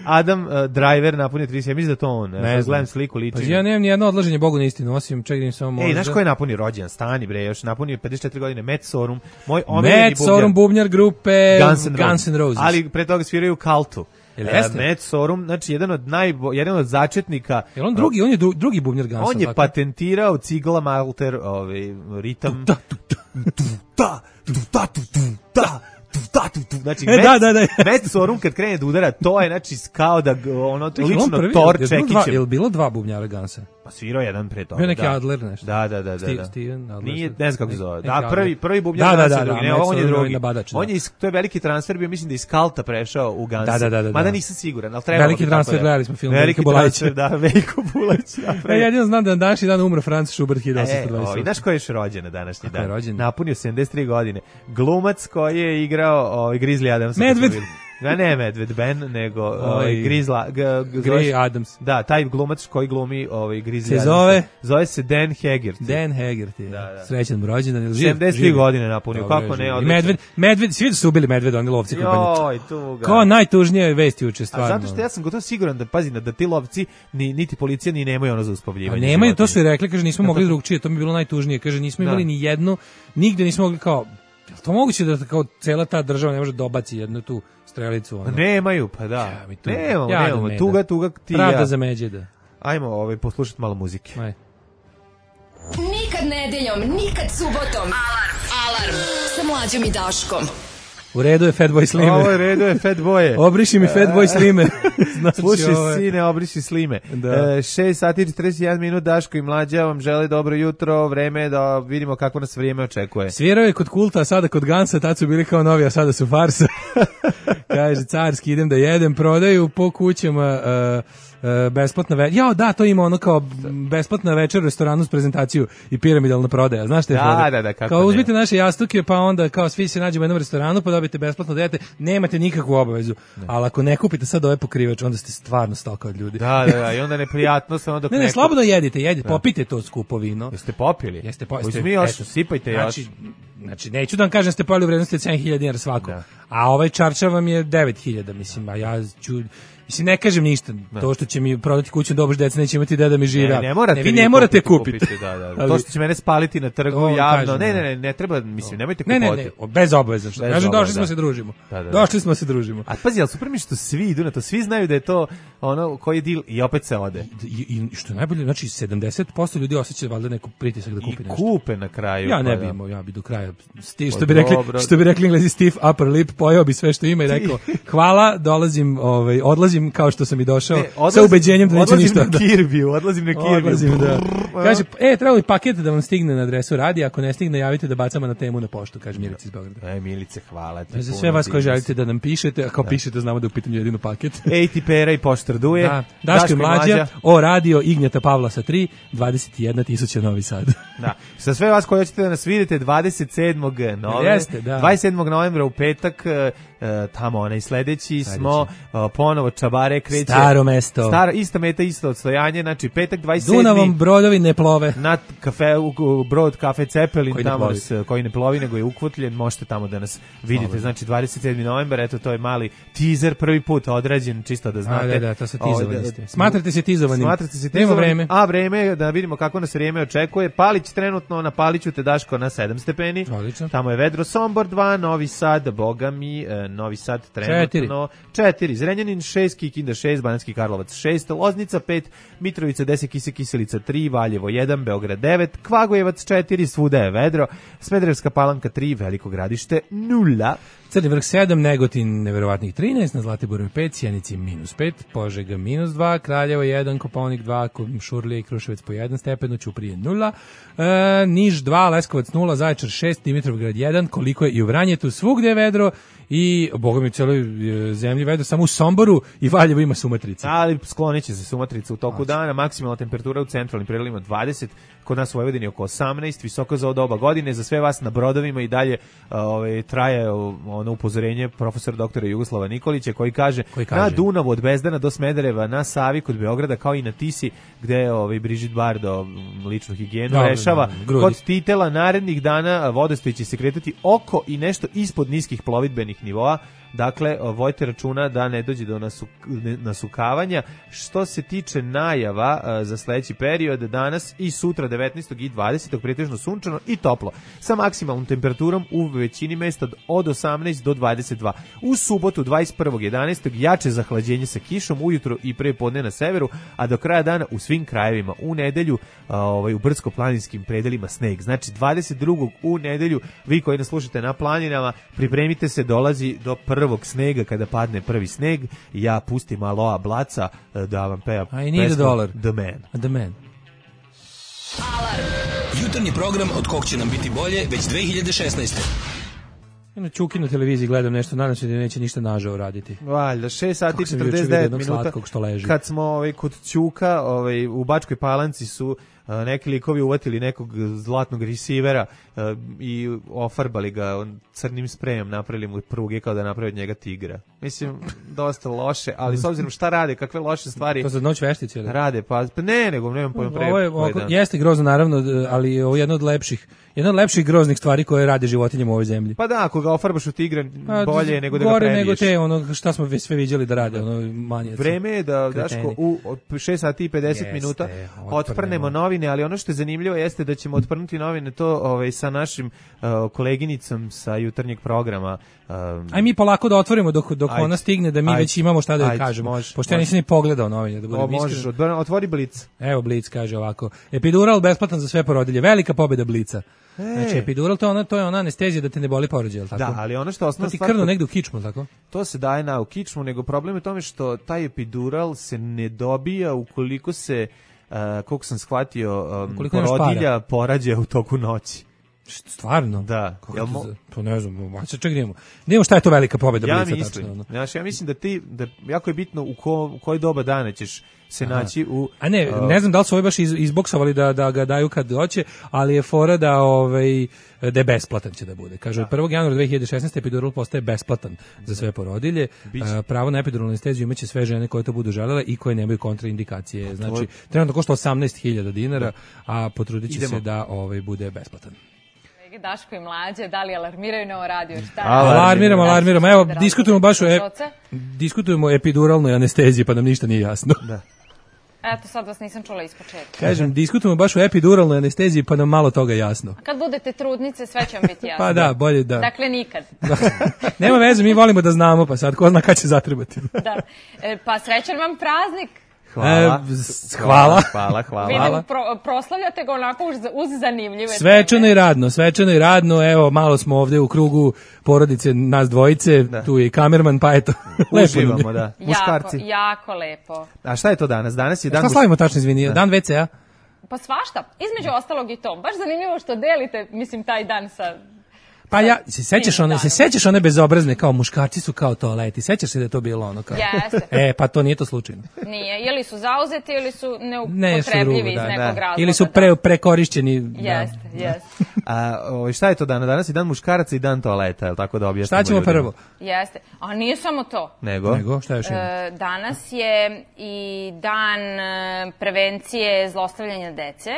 Adam uh, Driver napunio trideset sedam, mislim da to on. Ne znam, znam. gledam sliku, liči. Pa ja nemam ni jedno odlaženje Bogu na istinu, osim ček da im samo možda. Ej, znaš ko je napunio rođendan? Stani bre, još napunio pedeset četiri godine, Matt Sorum, moj omiljeni Matt Sorum, bubnjar grupe Guns N' Roses. Guns N' Roses. Ali pre toga sviraju u Cultu. Jel Uh, jeste? Matt Sorum, znači jedan od najbo, jedan od začetnika. Jel on drugi, on je dru, drugi bubnjar Gunsa. On je tako? patentirao cigla Malter, ovaj ritam. Da, tu, tu. Da, tu, da, tu, tu, da. Da, tu, tu. Znači, E, da, da, da. Matt Sorum kad krene da udara, to je znači kao da g- ono Čekaj, on lično prvi, Thor jel bilo dva- čekićem. Jel bilo dva bubnjara Gunsa? Pa svirao jedan pre toga. Bio neki da. Adler nešto. Da, da, da, da. Steve- da. Steven Adler. Nije, ne znam kako se zove. Neki Da, prvi Adler. prvi bubnjar Da, da, Gunsa, da, drugi. da, Ne, Matt on je Sorum drugi. nabadač, da. On je iz, to je veliki transfer bio, mislim da iz Kalta prešao u Gunsa. Da, da, da, da, Mada da. nisam siguran, al treba. Veliki transfer, gledali smo film Veliki Veljka Bulajića. transfer, da, Veljko Bulajić. Ja jedino znam da na današnji dan umro Franz Schubert hiljadu osamsto E, dvadeset o, i osam. znaš ko je još rođen na današnji Kako je dan? rođen? Napunio sedamdeset tri godine. Glumac koji je igrao ovaj Grizzly Adams. Medved. Da, ne Medved Ben, nego ovaj Grizzla, g, g, Gray Adams. Da, taj glumac koji glumi ovaj Grizzly Se Adams. zove? Zove se Dan Haggerty. Dan Haggerty. Da, da. Srećan mu rođendan. Jel živ? sedamdeset tri Živ. godine napunio, Dobro, kako je ne, živ. I odličan. Medved, Medved, svi su ubili Medveda, oni lovci koji Joj, tuga. Kao najtužnije vesti juče, stvarno. A zato što ja sam gotovo siguran da, pazi, da ti lovci, ni, niti policija, ni nemaju ono za A uspavljivanje. nemaju, to su i životinja. rekli, kaže, nismo mogli drugčije, to mi je bilo najtužnije, kaže, nismo Da. imali ni jednu, nigde nismo mogli kao, jel to moguće da kao cela ta država ne može dobaci jednu tu strelicu? Ono? Nemaju, pa da. Ja, mi tuga. Nemamo, Jadan nemamo. Meda. Tuga, tuga ti i Pravda ja. za Međeda. Ajmo ovaj, poslušati malo muzike. Aj. Nikad nedeljom, nikad subotom. Alarm. Alarm. Sa mlađom i Daškom. U redu je Fatboy Slimer. Ovo je redu je Fatboye. Obriši mi Fatboy Slimer. Znači, Slušaj, ovo je- sine, obriši slime. Da. E, šest sati i četrdeset jedan minut, Daško i Mlađa vam žele dobro jutro, vreme je da vidimo kako nas vrijeme očekuje. Svirao je kod Kulta, a sada kod Gansa, tad su bili kao novi, a sada su farsa. Kaže, carski, idem da jedem, prodaju po kućama uh, uh, besplatna večer. Jao, da, to ima ono kao besplatna večer u restoranu s prezentaciju i piramidalna prodaja. Znaš te Da, fore? da, da, kako Kao ne. uzmite naše jastuke, pa onda kao svi se nađemo u jednom restoranu, pa dobijete besplatno da jedete, nemate nikakvu obavezu. Ali ako ne kupite sad ove pokrivač, onda ste stvarno stoka od ljudi. Da, da, da, i onda neprijatno se onda dok Ne, ne, neko- slobodno jedite, jedite, popite to skupo vino. Jeste popili? Jeste po, Uzmi još, eto, sipajte znači, još. Znači, neću da vam kažem da ste pojeli u vrednosti od sedam hiljada dinara svako. Da. A ovaj čarča vam je devet hiljada, mislim, a ja ću... Mislim, ne kažem ništa. To što će mi prodati kuću da obož deca, neće imati deda da mi živi. Ne, ne morate vi ne morate kupiti. da, da. Ali- To što će mene spaliti na trgu To javno. kažem, ne, da. ne, ne, ne treba, mislim, nemojte Ne, kupovati. ne, ne, bez obaveza. Što Bez kažem, došli obaveza, smo da. se družimo. Da, da, da. Došli smo se družimo. A pazi, ali super mi što svi idu na to, svi znaju da je to ono koji je deal i opet se ode. I, i što je najbolje, znači sedamdeset posto ljudi osjeća valjda neku pritisak da I kupi nešto. kupe na kraju. Ja ne pa bi da. imao, ja bi do kraja sti, što Pa bi rekli, dobro. što bi rekli Englezi stiff upper lip, pojeo bi sve što ima i rekao hvala, dolazim, ovaj odlazim kao što sam i došao Ne, sa ubeđenjem da neću odlazim ništa. na Kirbiju, odlazim na Kirbiju. Odlazim, da. Kaže, e, treba li paket da vam stigne na adresu radi, ako ne stigne, javite da bacamo na temu na poštu, kaže Milica iz Beograda. Aj, Milice, hvala ti. Za puno, sve vas ti koji si. želite da nam pišete, a kao pišete, znamo da je u pitanju jedino paket. Ej ti pera i poštar duje. Da, Daško i Mlađa, o radio Ignjata Pavla sa tri, dvadeset jedna tisuća Novi Sad. Da. Sa sve vas koji hoćete da nas vidite dvadeset sedmog novembra, Jeste, da. dvadeset sedmog novembra u petak, e, e, tamo onaj sledeći smo e, ponovo Čabare kreće. Staro mesto. Stara, ista meta, isto odstojanje, znači petak dvadeset sedmi Dunavom brodovi ne plove. na kafe, u, u brod kafe Cepelin, Koji ne tamo plovi. nas, koji ne plovi, nego je ukvotljen, možete tamo da nas vidite, znači dvadeset sedmi novembar, eto to je mali teaser, prvi put odrađen, čisto da znate. A, da, da, to se Ovaj, tizovani da- ste. Smatrate se tizovanim. Smatrate se Nema tizovanim, vreme. a vreme je da vidimo kako nas vrijeme očekuje. Palić trenutno na Paliću te Daško na sedam stepeni. Odlično. Tamo je vedro. Sombor dva, Novi Sad, Boga mi, e, Novi Sad trenutno četiri. Zrenjanin šest, Kikinda šest, Banatski Karlovac šest, Loznica pet, Mitrovica deset, Kise Kiselica tri, Valjevo jedan, Beograd devet, Kvagojevac četiri, svuda je vedro, Smederevska Palanka tri, Veliko Gradište nula. Crni vrh sedam, Negotin neverovatnih trinaest, na Zlatiboru pet, Sjenici minus pet, Požega minus dva, Kraljevo jedan, Kopaonik dva, Šurlija i Kruševac po jedan stepen, Ćuprije nula, e, Niš dva, Leskovac nula, Zaječar šest, Dimitrovgrad jedan, koliko je i u Vranjetu, svugde je vedro i, boga mi, u celoj e, zemlji vedro, samo u Somboru i Valjevo ima sumatrice. Ali sklonit će se sumatrica u toku dana, maksimalna temperatura u centralnim predelima dvadeset, kod nas u Vojvodini oko osamnaest, visoko za ovo doba godine, za sve vas na brodovima i dalje ovaj, traje ono upozorenje profesora doktora Jugoslava Nikolića koji kaže, Koji kaže? na Dunavu od Bezdana do Smedereva, na Savi kod Beograda kao i na Tisi gde ovaj, Brigitte Bardo ličnu higijenu Dobro, rešava. da, grudi. Kod Titela narednih dana vodostaj će se kretati oko i nešto ispod niskih plovidbenih nivoa, Dakle, vojte računa da ne dođe do nasu, nasukavanja. Što se tiče najava a, za sledeći period, danas i sutra devetnaestog i dvadesetog pretežno sunčano i toplo, sa maksimalnom temperaturom u većini mesta od osamnaest do dvadeset dva. U subotu dvadeset prvog jedanaestog jače zahlađenje sa kišom ujutro i pre podne na severu, a do kraja dana u svim krajevima. U nedelju a, ovaj, u brdsko-planinskim predelima sneg. Znači dvadeset drugog u nedelju, vi koji nas slušate na planinama, pripremite se, dolazi do prvog snega kada padne prvi sneg. Ja pustim Aloa Blaca da vam peva pesmu The Man. The Man. Alarm. Jutarnji program od kog će nam biti bolje već dve hiljade šesnaeste. Na Čuki na televiziji gledam nešto, nadam se da neće ništa nažao raditi. Valjda, šest sati i četrdeset devet minuta. Kad smo ovaj, kod Ćuka, ovaj, u Bačkoj Palanci su uh, neki likovi uvatili nekog zlatnog resivera uh, i ofarbali ga on, crnim sprejem, napravili mu pruge kao da napravi od njega tigra. Mislim, dosta loše, ali s obzirom šta rade, kakve loše stvari... To za noć veštice? Rade, pa, pa ne, nego nemam pojma pre... Ovo je, ovo, jeste grozno, naravno, ali ovo je jedno od lepših, jedna od lepših groznih stvari koje rade životinjama u ovoj zemlji. Pa da, ako ga ofarbaš u tigra, bolje je nego da ga gore prebiješ. Nego te, ono, šta smo sve viđali da rade, ono, manje. Vreme je da, Daško, u šest sati i pedeset jeste, minuta otprnemo. otprnemo novine, ali ono što je zanimljivo jeste da ćemo otprnuti novine to ovaj, sa našim uh, koleginicom sa jutarnjeg programa. Um, Aj mi polako da otvorimo dok, dok ona stigne, da mi ajde, već imamo šta da joj kažemo. Može, pošto ja nisam ni pogledao novine. Da o, možeš, otvori Blic. Evo Blic kaže ovako. Epidural besplatan za sve porodilje. Velika pobjeda Blica. E. Znači epidural to je ona to je ona anestezija da te ne boli porođaj, al tako? Da, ali ono što osnovna stvar, ti krnu negde u kičmu, tako? To se daje na u kičmu, nego problem je u tome što taj epidural se ne dobija ukoliko se uh, koliko sam shvatio um, porodilja porađa u toku noći. Stvarno? Da. Jel mo... To ne znam, a čekaj idemo. Nemo šta je to velika pobjeda ja Blica mislim, tačno. Znaš, ja mislim da ti da jako je bitno u, ko, u koji doba dana ćeš se Aha. naći u... A ne, uh, ne znam da li su ovi baš iz, izboksovali da, da ga daju kad hoće, ali je fora da, ovaj, da je besplatan će da bude. Kaže, od prvog januara dve hiljade šesnaeste epidural postaje besplatan za sve porodilje. Uh, pravo na epiduralnu anesteziju imaće sve žene koje to budu želele i koje nemaju kontraindikacije. Znači, trenutno košta osamnaest hiljada dinara, a potrudit će se da ovaj, bude besplatan. Daško i Mlađe, da li alarmiraju na ovo radio? Šta? Alarmiramo, alarmiramo. Evo, diskutujemo baš o, e, diskutujemo o epiduralnoj anesteziji, pa nam ništa nije jasno. Da. Eto, sad vas nisam čula ispočetka. Kažem, diskutujemo baš o epiduralnoj anesteziji, pa nam malo toga jasno. A kad budete trudnice, sve će vam biti jasno. Pa da, bolje da. Dakle, nikad. Da. Nema veze, mi volimo da znamo, pa sad ko zna kad će zatrebati. Da. E, pa srećan vam praznik. Hvala. E, hvala. Hvala, hvala. Vidim, pro, proslavljate ga onako uz, uz zanimljive svečano teme. I radno, svečano i radno. Evo, malo smo ovde u krugu porodice, nas dvojice, da. Tu je i kamerman, pa eto. Uživamo, da. Muškarci. Jako, jako lepo. A šta je to danas? Danas je dan... Šta slavimo tačno, izvini? Da. Dan ve ce a? Pa svašta. Između ostalog i to. Baš zanimljivo što delite, mislim, taj dan sa... Pa ja, se sećaš one, se sećaš one bezobrazne kao muškarci su kao toaleti. Sećaš se da je to bilo ono kao? Jeste. E, pa to nije to slučajno. Nije, ili su zauzeti ili su neupotrebljivi ne, iz da, nekog da. razloga. Ili su pre, prekorišćeni. Jeste, da. jeste. A o, šta je to danas? Danas je dan muškaraca i dan toaleta, je li tako da objasnimo? Šta ćemo ljudima? prvo? Jeste. A nije samo to. Nego? Nego, šta još ima? E, danas je i dan prevencije zlostavljanja dece.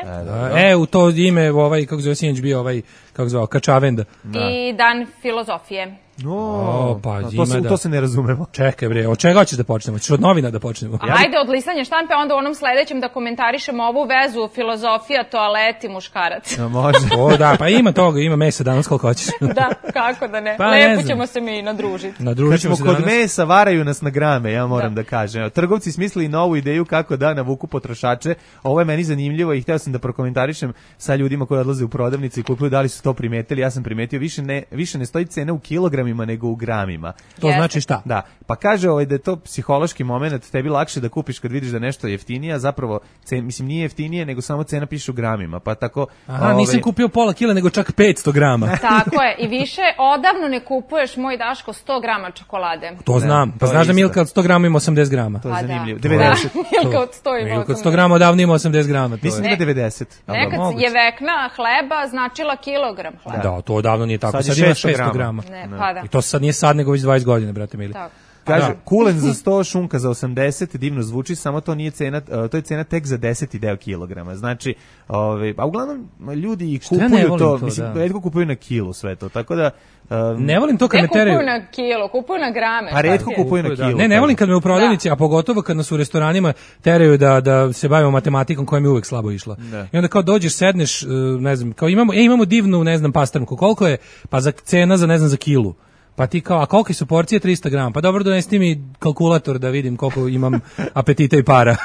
E, e u to ime ovaj, kako zove sinoć bio ovaj, kako zvao, Kačavenda. Da. I dan filozofije. No, o, pa, to, se, da. to se ne razumemo. Čekaj bre, od čega hoćeš da počnemo? Hoćeš od novina da počnemo? A hajde od listanja štampe, onda u onom sledećem da komentarišemo ovu vezu filozofija, toaleti, muškarac. No, može. O da, pa ima toga, ima mesa danas koliko hoćeš. Da, kako da ne. Pa, lepo ne ćemo se mi nadružiti. Nadružit ćemo se danas. Kod mesa varaju nas na grame, ja moram da, da kažem. Trgovci smislili novu ideju kako da navuku potrošače. Ovo je meni zanimljivo i hteo sam da prokomentarišem sa ljudima koji odlaze u prodavnice i kupuju, da li su to primetili. Ja sam primetio, više ne, više ne stoji cena u kilogramima nego u gramima. To yes. znači šta? Da, pa kaže ovaj da je to psihološki moment, tebi lakše da kupiš kad vidiš da nešto je jeftinije, a zapravo cen, mislim nije jeftinije, nego samo cena piše u gramima, pa tako. Aha, ovaj... nisam kupio pola kila, nego čak petsto grama. Tako je, i više odavno ne kupuješ, moj Daško, sto grama čokolade. To znam, pa znaš da Milka od sto grama ima osamdeset grama. To je zanimljivo. Da. devedeset. Da, Milka od sto ima osamdeset. Milka od sto grama odavno ima osamdeset grama. To mislim da je devedeset. Nekad je vekna hleba značila kilogram hleba. Da, to odavno nije tako, sad, sad ima šesto grama. Ne, pa da. I to sad nije sad, nego već dvadeset godina, brate mili. Tako. Kaže, Da. kulen za sto, šunka za osamdeset, divno zvuči, samo to nije cena, to je cena tek za deseti deo kilograma. Znači, ovaj, a uglavnom ljudi i Šta ja ne kupuju volim to, to, mislim, da. retko kupuju na kilu sve to, tako da... Um, Ne volim to kad Ne me kupuju teraju. na kilo, kupuju na grame. Pa šta retko ti je? kupuju na Da. kilu. Ne, ne volim kad me u prodavnici, a pogotovo kad nas u restoranima teraju da da se bavimo matematikom koja mi je uvek slabo išla. Da. I onda kao dođeš, sedneš, uh, ne znam, kao imamo, e, imamo divnu, ne znam, pastrnku. Koliko je? Pa za cena za, ne znam, za kilu. Pa ti kao, a kolike su porcije? trista grama. Pa dobro, donesti mi kalkulator da vidim koliko imam apetita i para.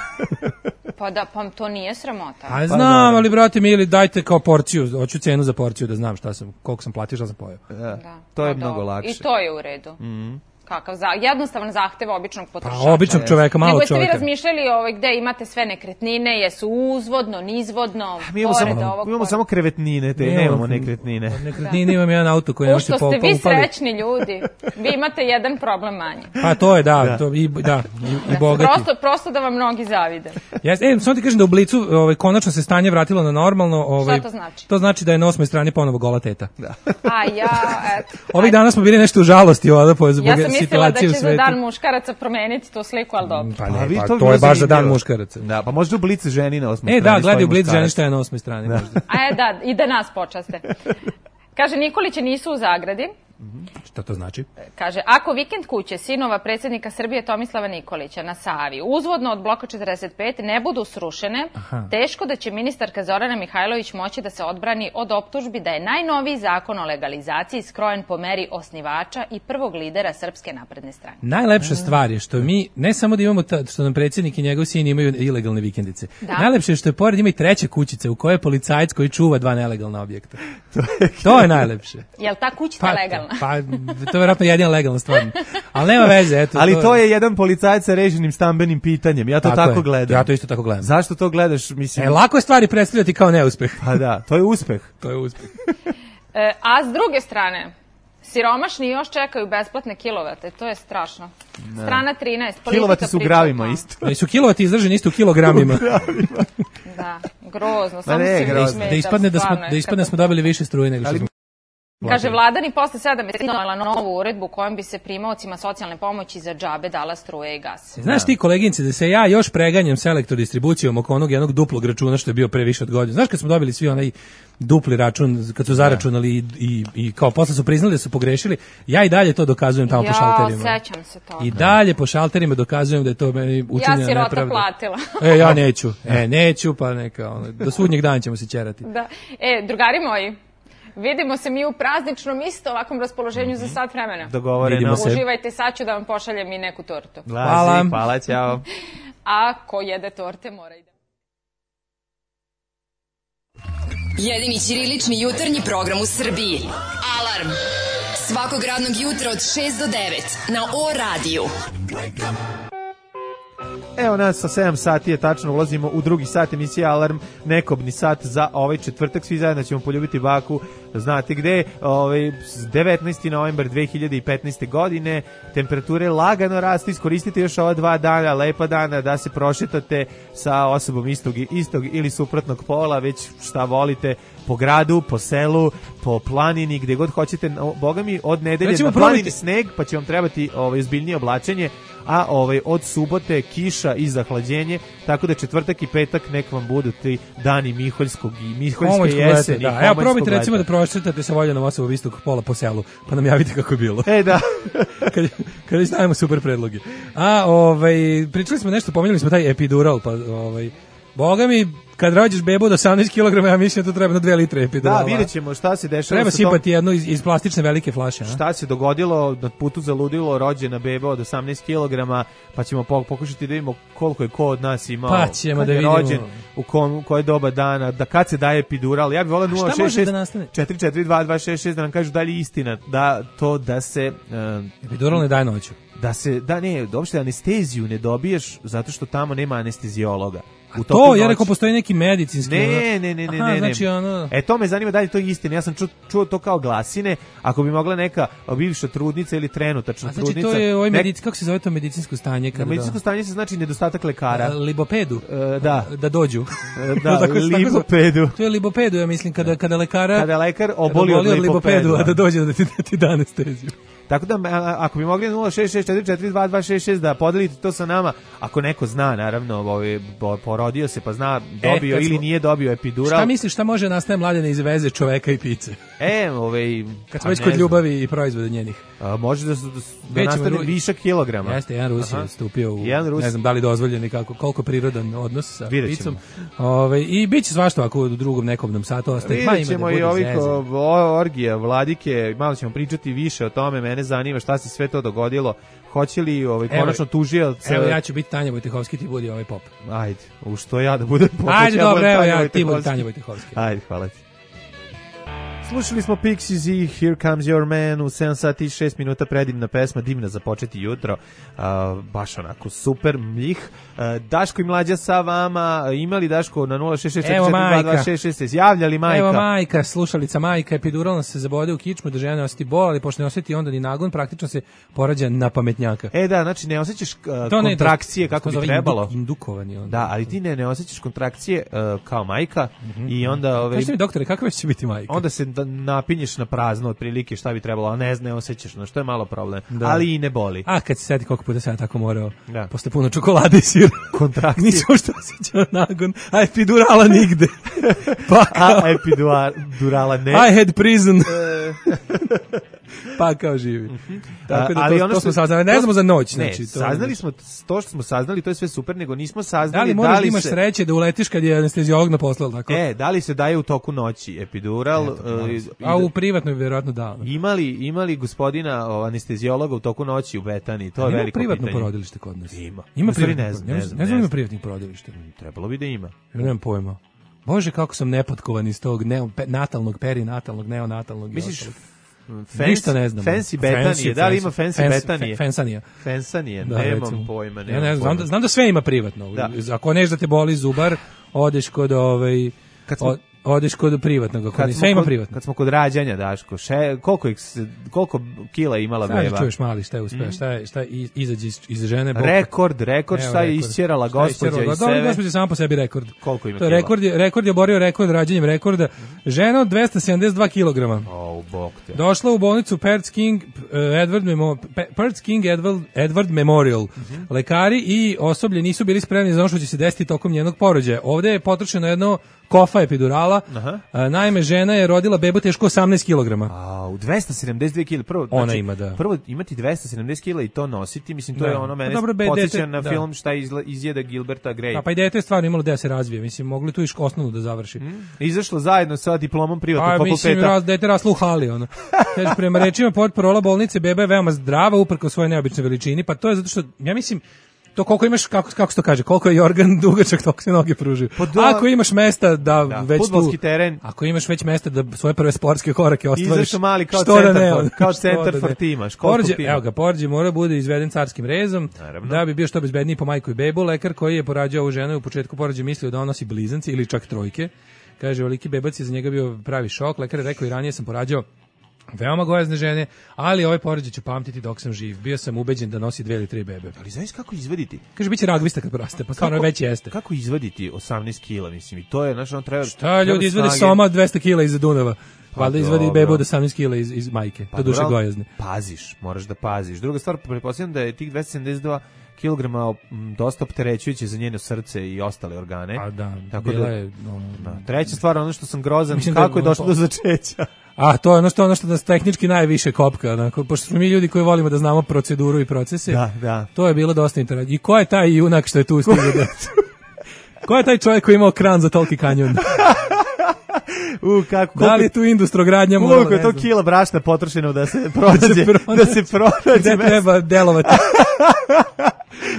Pa da, pa to nije sramota. A znam, ali brate mi, ili dajte kao porciju, hoću cenu za porciju da znam šta sam, koliko sam platio, šta sam pojeo. Da, Da, to je pa mnogo dobro. lakše. I to je u redu. Mhm. Kakav za, jednostavan zahtev običnog potrošača. Pa običnog čoveka, malog Nego jeste vi čoveka. razmišljali ovaj, gde imate sve nekretnine, jesu uzvodno, nizvodno, Mi imamo pored samo, ovog... mi imamo pored- samo krevetnine, te Nemamo- nemamo nekretnine. Nekretnine imam jedan auto koji ne U može što po, ste pa vi upali. srećni ljudi, vi imate jedan problem manje. Pa to je, da, Da. to i, da, i, i Da, bogati. prosto, prosto da vam mnogi zavide. Jes, e, samo ti kažem da u Blicu ovaj, konačno se stanje vratilo na normalno. Ovaj, Šta to znači? To znači da je na osmoj strani ponovo gola teta. Da. A ja, eto. Ovih dana smo bili nešto u žalosti ovdje po zbog Ja sam mislila da situacije u će za svetu. dan muškaraca promeniti tu sliku, ali dobro. Pa A ne, vi pa, to bi to bilo je baš za dan zanimljivo. muškaraca. Da, pa možda u Blic ženi na osmoj E, strani da, gledaj stoji u Blic muškarac. ženi šta je na osmoj strani. Možda. A je, da, i da nas počaste. Kaže, Nikoliće nisu u zagradi. Šta to znači? Kaže, ako vikend kuće sinova predsjednika Srbije Tomislava Nikolića na Savi uzvodno od bloka četrdeset pet ne budu srušene, Aha. teško da će ministarka Zorana Mihajlović moći da se odbrani od optužbi da je najnoviji zakon o legalizaciji skrojen po meri osnivača i prvog lidera Srpske napredne stranke. Najlepša stvar je što mi, ne samo da imamo ta, što nam predsjednik i njegov sin imaju ilegalne vikendice. Da. Najlepše je što je pored ima i treća kućica u kojoj je policajac koji čuva dva nelegalna objekta. To je najlepše. Jel ta kućica legalna? Pa, to je vjerojatno jedina legalna stvar. Ali nema veze, eto. Ali to je jedan policajac sa reživnim stambenim pitanjem. Ja to Tako tako, je. gledam. Ja to isto tako gledam. Zašto to gledaš? Mislim, E, lako je stvari predstavljati kao neuspeh. pa da, to je uspeh. To je uspeh. E, a s druge strane, siromašni još čekaju besplatne kilovate, to je strašno. Strana trinaest, politika Kilovati su u priča o gravima tome. isto. Ali su kilovati izraženi isto u kilogramima. Da, grozno, Ma samo ne, se mi grozno. smeta, Da ispadne da smo, stvarno je da ispadne da smo katastrofa. dobili više struje nego što Ali- smo. Kaže, vlada ni posle sedam meseci donela novu uredbu kojom bi se primaocima socijalne pomoći za džabe dala struje i gas. Znaš ti koleginice da se ja još preganjam s elektrodistribucijom oko onog jednog duplog računa što je bio pre više od godine. Znaš kad smo dobili svi onaj dupli račun, kad su zaračunali i, i, i kao posle su priznali da su pogrešili, ja i dalje to dokazujem tamo po Ja, šalterima. sećam se toga. I dalje po šalterima dokazujem da je to meni učinjena Ja sirota nepravda. platila. E, ja neću. E, neću, pa neka, ono, do sudnjeg dana ćemo se ćerati. Da. E, drugari moji, vidimo se mi u prazničnom isto ovakvom raspoloženju za sat vremena. Dogovoreno. Vidimo se. Uživajte, sad ću da vam pošaljem i neku tortu. Hvala. Lazi, hvala, ćao. A ko jede torte mora i da... Jedini ćirilični jutarnji program u Srbiji. Alarm. Svakog radnog jutra od šest do devet na O radiju. Evo nas sa sedam sati je tačno, ulazimo u drugi sat emisije Alarm, nekobni sat za ovaj četvrtak, svi zajedno ćemo poljubiti baku, znate gde, ovaj, devetnaesti novembar dve hiljade petnaeste godine, temperature lagano rastu, iskoristite još ova dva dana, lepa dana, da se prošetate sa osobom istog, istog ili suprotnog pola, već šta volite, po gradu, po selu, po planini, gde god hoćete, no, boga mi, od nedelje Recimo, na planini probajte- sneg, pa će vam trebati ovaj, ozbiljnije oblačenje, a ovaj od subote kiša i zahlađenje, tako da četvrtak i petak nek vam budu ti dani Miholjskog i Miholjske Homoljskog jeseni. leta, da. Evo Homoljskog probajte recimo da leta. prošetate sa Voljanom osobom istog pola po selu, pa nam javite kako je bilo. E, da. kad, kad već stavimo super predloge. A, ovaj, pričali smo nešto, pominjali smo taj epidural, pa, ovaj, boga mi, kad rođeš bebu od osamnaest kilograma, ja mislim da to treba na dve litre epidurala. Da, vidjet ćemo šta se dešava Treba sa tom, sipati jednu iz, iz plastične velike flaše. A? šta se dogodilo na putu za ludilo, rođena beba od osamnaest kilograma, pa ćemo po- pokušati da vidimo koliko je ko od nas imao, Pa ćemo kad da je vidimo. rođen, u, kom, u koje doba dana, da kad se daje epidural. Ja bih volao šta nula šest može šest da nastane? četiri četiri dva dva šest šest da nam kažu da li je istina da to da se uh, Epidural ne daje noću. da se da ne, uopšte anesteziju ne dobiješ zato što tamo nema anestezijologa. U To, toku ja noći. rekao, postoji neki medicinski... Ne, ono- ne, ne, ne, Aha, ne, ne. znači ono... E, to me zanima da li je to istina. Ja sam čuo, čuo to kao glasine. Ako bi mogla neka bivša trudnica ili trenutačna A znači trudnica... to je ovaj nek- medic, kako se zove to medicinsko stanje? Na Kada medicinsko stanje se znači nedostatak lekara. da, libopedu. E, da. Da dođu. E, da, Tako se- tako se- libopedu. To je libopedu, ja mislim, kada, kada lekara... Kada lekar kada oboli od od libopedu. a da dođe da ti, da ti da anesteziju. Tako da, a, ako bi mogli nula šest šest četiri četiri dva dva šest šest da podelite to sa nama, ako neko zna, naravno, ovaj, porodio se pa zna, dobio e, ili smo, nije dobio epidural. Šta misliš, šta može nastaje Mladene iz veze čoveka i pice? E, ovaj... Kad smo već kod ljubavi i proizvoda njenih. A, može da, da, da nastane višak kilograma. Jeste, jedan Rus je stupio u, jedan Rus... ne znam da li dozvoljen i kako, koliko prirodan odnos sa picom. Ove, I bit će svašta ako u drugom nekobnom satu ostaje. Vidjet ćemo i ovih orgija, vladike, malo ćemo pričati više o tome, mene zanima šta se sve to dogodilo. Hoće li ovaj konačno tužioc? Evo ja ću biti Tanja Vojtehovski, ti budi ovaj pop. Ajde, u što ja da budem pop. Ajde, ja dobro, evo ja, ti budi Tanja Vojtehovski. Ajde, hvala ti. Slušali smo Pixies i Here Comes Your Man u sedam sati i šest minuta, predivna pesma, divna za početi jutro, uh, baš onako super mljih. Uh, Daško i Mlađa sa vama, imali Daško na nula šest šest četiri četiri dva dva šest šest, javljali majka. Evo majka, slušalica majka, epiduralno se zabode u kičmu da žena ne osjeti bol, ali pošto ne osjeti onda ni nagon, praktično se porađa na pametnjaka. E da, znači ne osjećaš uh, kontrakcije kako bi trebalo. Indu, indukovani onda. Da, ali ti ne, ne osjećaš kontrakcije uh, kao majka mm-hmm. i onda... Ove, Kažete mi doktore, kako će biti majka? Onda se da napinješ na prazno otprilike šta bi trebalo, a ne znam, ne osjećaš, no što je malo problem. Da. Ali i ne boli. A kad se seti koliko puta sam ja tako morao, da. Posle puno čokolade i sira. Kontrakcije. Nisam što osjećao nagon, a epidurala nigde. Pa a epidurala ne. I had prison. Pa kao živi. Mm-hmm. Tako da ali to, ono što, to smo saznali, ne znamo za noć. Ne, znači, to saznali smo, to što smo saznali, to je sve super, nego nismo saznali da li, da li imaš se... sreće da uletiš kad je anesteziolog na poslu, tako? E, da li se daje u toku noći epidural? Eto, uh, a u privatnoj vjerojatno da. Imali, imali gospodina o, anesteziologa u toku noći u Betani, to je ima veliko pitanje. Ima privatno porodilište kod nas? Ima. Ima privatno, ne znam, ne znam, ne znam ima privatnih porodilišta. Trebalo bi da ima. Ja nemam pojma. Bože, kako sam nepotkovan iz tog neo, pe, natalnog, perinatalnog, neonatalnog. Misliš, Fans, ništa ne znam. Fancy Betanije, da li ima Fancy fans, Betanije? Fansanija. Fansanije, da, nemam recimo. Pojma. Nemam ja ne znam, pojma. znam, da, znam da sve ima privatno. Da. Ako neš da te boli zubar, odeš kod ovaj... Kad smo, odeš kod privatnog, ako sve ima privatno. Kad smo kod rađanja, Daško, še, koliko, koliko kila je imala beba? Sad čuješ mali, šta je uspeo, mm. šta je, šta je izađe iz, iz žene. Bok. Rekord, rekord, šta je isćerala gospođa iz sebe? Dobro, gospođa sama po sebi rekord. Koliko ima to je kila? Rekord je, rekord je oborio rekord rađanjem rekorda. Žena od dvesta sedamdeset dva kilograma. Oh, bok te. Došla u bolnicu Perth King, uh, Edward, Memo, Perth King Edward, Edward Memorial. Mm-hmm. Lekari i osoblje nisu bili spremni za ono što će se desiti tokom njenog porođaja. Ovde je potrošeno jedno kofa epidurala. Aha. A, naime, žena je rodila bebu teško osamnaest kilograma. A, u dvesta sedamdeset dve kile. Prvo, ona znači, ima, da. Prvo imati dvesta sedamdeset kila i to nositi, mislim, to da. je ono mene podsjeća na da. Film šta izla, izjeda Gilberta Grape. A pa i dete je stvarno imalo da se razvije. Mislim, mogli tu iš osnovnu da završi. Mm. Izašlo zajedno sa diplomom privatnog fakulteta. A, mislim, raz, dete raslo u hali, ono. Kaže, prema rečima portparola bolnice, beba je veoma zdrava, uprkos svojoj neobičnoj veličini, pa to je zato što, ja mislim, to koliko imaš, kako, kako se to kaže, koliko je organ dugačak, toliko se noge pružuju. Ako imaš mesta da, da već fudbalski tu, teren. Ako imaš već mesta da svoje prve sportske korake ostvariš. Izašao mali kao centar, da ne, kao centar for timaš. Porđe, evo ga, Porđe mora bude izveden carskim rezom, naravno, da bi bio što bezbedniji po majku i bebu. Lekar koji je porađao ovu ženu u početku porođaja mislio da on nosi blizance ili čak trojke. Kaže, veliki bebac je za njega bio pravi šok. Lekar je rekao i ranije sam porađao veoma gojazne žene, ali ovaj porođaj ću pamtiti dok sam živ. Bio sam ubeđen da nosi dve ili tri bebe. Ali znaš kako izvaditi? Kaže, biće ragvista kad poraste, pa stvarno već jeste. Kako izvaditi osamnaest kila, mislim, i to je, znaš, on treba... Šta ljudi izvade soma dvesta kila iz Dunava? Pa valjda izvadi bebu od osamnaest kila iz, iz majke, pa, to duše gojazne. Paziš, moraš da paziš. Druga stvar, pretpostavljam da je tih dvesta sedamdeset dva kilograma dosta opterećujuće za njeno srce i ostale organe. A da, tako bila da, je... No, da. Treća stvar, ono što sam grozan, mislim kako da, je došlo do začeća. A to je ono što ono što nas tehnički najviše kopka, onako, pošto smo mi ljudi koji volimo da znamo proceduru i procese. Da, da. To je bilo dosta interesantno. I ko je taj junak što je tu stigao decu? Ko je taj čovjek koji je imao kran za toliki kanjon? U, kako, da li je tu industrogradnja? Koliko je to kila brašna potrošeno da se pronađe? Da se pronađe. Gde treba delovati?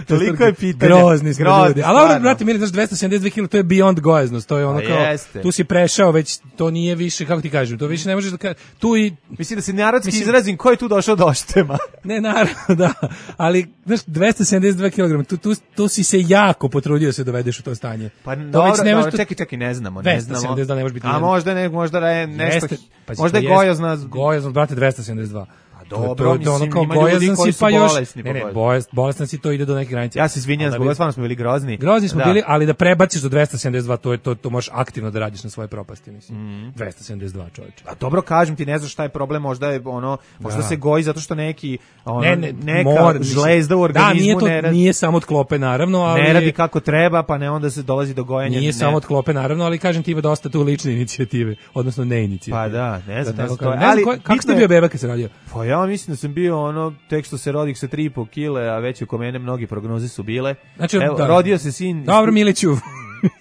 Toliko je pitanje. Grozni smo grozni, ljudi. Ali ovo, brate, mili, znaš, dvesta sedamdeset dve kila, to je beyond gojaznost. To je ono kao, jeste. Tu si prešao već, to nije više, kako ti kažem, to više ne možeš da kažem. Tu i... Mislim da se narodski mislim, izrazim, ko je tu došao do oštema? Ne, naravno, da. Ali, znaš, dvesta sedamdeset dva kilograma, tu, tu, tu si se jako potrudio da se dovedeš u to stanje. Pa dobro, dobro to... čekaj, čekaj, ne znamo, ne znamo. dvesta sedamdeset dva ne može biti. A možda, ne, možda je nešto, Jeste, pa možda je gojaznost. Gojaznost, brate, dvesta sedamdeset dva. dobro, to, to, mislim, kao ima ljudi bojazan koji si, su pa još, bolesni, ne, ne, pa bolest, bolestan si, to ide do neke granice. Ja se izvinjam, zbog stvarno smo bili grozni. Grozni smo da. bili, ali da prebaciš do dvesta sedamdeset dva, to je to, to možeš aktivno da radiš na svoje propasti, mislim. Mm. dvesta sedamdeset dva, čoveče. A dobro, kažem ti, ne znaš šta je problem, možda je ono, možda Da. se goji zato što neki ono, Ne, ne, neka mora, žlezda u Da, organizmu nije to ne radi, nije samo od klope naravno, ali ne radi kako treba, pa ne onda se dolazi do gojenja. Nije ne. samo od klope naravno, ali kažem ti ima dosta tu lične inicijative, odnosno ne inicijative. Pa da, ne znam, Da ne tako znam, to je- kažem. Ne znam ali ko- kako bitno ste je- bio beba kad se rodio? Pa ja mislim da sam bio ono, tek što se rodik sa tri i po kile, a već oko mene mnogi prognoze su bile. Znači, Evo, da. rodio se sin Dobro, Miliću.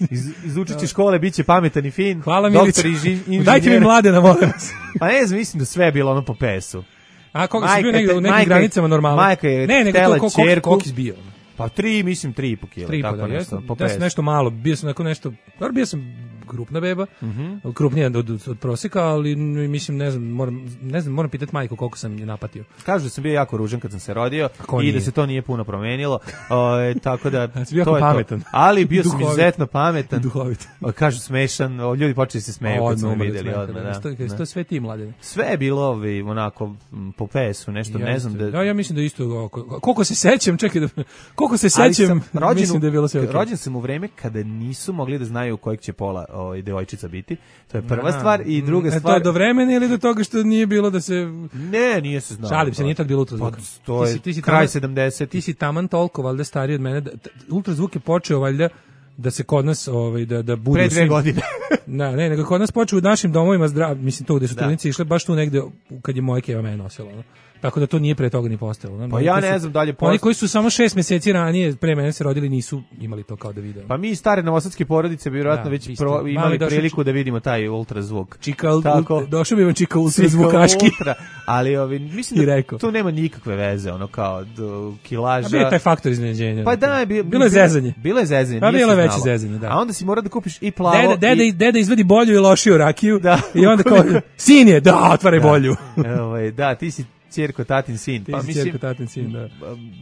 iz, iz učiće škole, bit će pametan i fin. Hvala doktor Miliću. inži- inženjer. Dajte mi mladena, molim vas. Pa ne znam, mislim da sve je bilo ono po pesu. A koga si Majka bio negde te- u nekim majka- granicama normalno? majka je ne, nego htela to koliko ćerku. koliko si bio? Pa tri, mislim, tri i po kile. Tri tako da, nešto, jesam. po Ja sam pesu. nešto malo, bio sam neko nešto, dobro, bio sam krupna beba, Mhm. krupnija od, od, od proseka, ali n- mislim, ne znam, moram, ne znam, moram pitati majku koliko sam je napatio. Kažu da sam bio jako ružan kad sam se rodio ko i nije? da se to nije puno promenilo. O, tako da si bio to jako je to. pametan. Ali bio sam Duhovit. izuzetno pametan. Duhovit. O, kažu smešan, o, ljudi počeli se smeju kad su me Odmah, videli odmah, odmah, da. da. To, je- Da. to je sve ti, mladene. Sve je bilo ovi, onako m, po pesu, nešto, ne znam da... Da, ja mislim da isto, oko- koliko se sećam, čekaj da, koliko se Ali sećam, sam rođen, mislim da je bilo sve u- okej. rođen sam u vreme kada nisu mogli da znaju kojeg će pola ovaj, devojčica biti. To je prva Aha. stvar i druga E, To stvar... je do vremena ili do toga što nije bilo da se... Ne, nije se znao. Šalim se, nije tako bilo ultrazvuka. Pa, to Ti je si- ti si kraj taman- sedamdesetih. Ti si taman toliko, valjda, stariji od mene. Da, t- ultrazvuk je počeo, valjda, da se kod nas, ovaj, da, da budu... Pre dve svi- godine. Da, ne, nego kod nas počeo u našim domovima zdrav, mislim to gde su Da. trudnice išle, baš tu negde u- kad je moja keva mene nosila. No? Tako da to nije pre toga ni postojalo. No? Pa Oni ja koji ne su- znam da li je Oni posto- koji su samo šest meseci ranije pre mene se rodili nisu imali to kao da vide. Pa mi iz stare novosadske porodice bi vjerojatno Da, već isto. pro, Mali imali došao priliku či- da vidimo taj ultrazvuk. Čika, ul- Tako. ul- došao bi vam čika Čika ultrazvukaški. ultra, ali ovi, mislim I da rekao. tu nema nikakve veze, ono kao do, kilaža. A bio je taj faktor iznenađenja. Pa da, je bio, bilo je zezanje. Bilo je zezanje, Pa nije bilo se je veće znalo. zezanje, da. A onda si mora da kupiš i plavo Deda, deda, i... i... deda izvedi bolju i lošiju rakiju Da. i onda kao, sin je, da, otvaraj bolju. Ovaj, da, ti si ćerko, tatin sin. Ti pa si mislim, ćerko, tatin sin, da.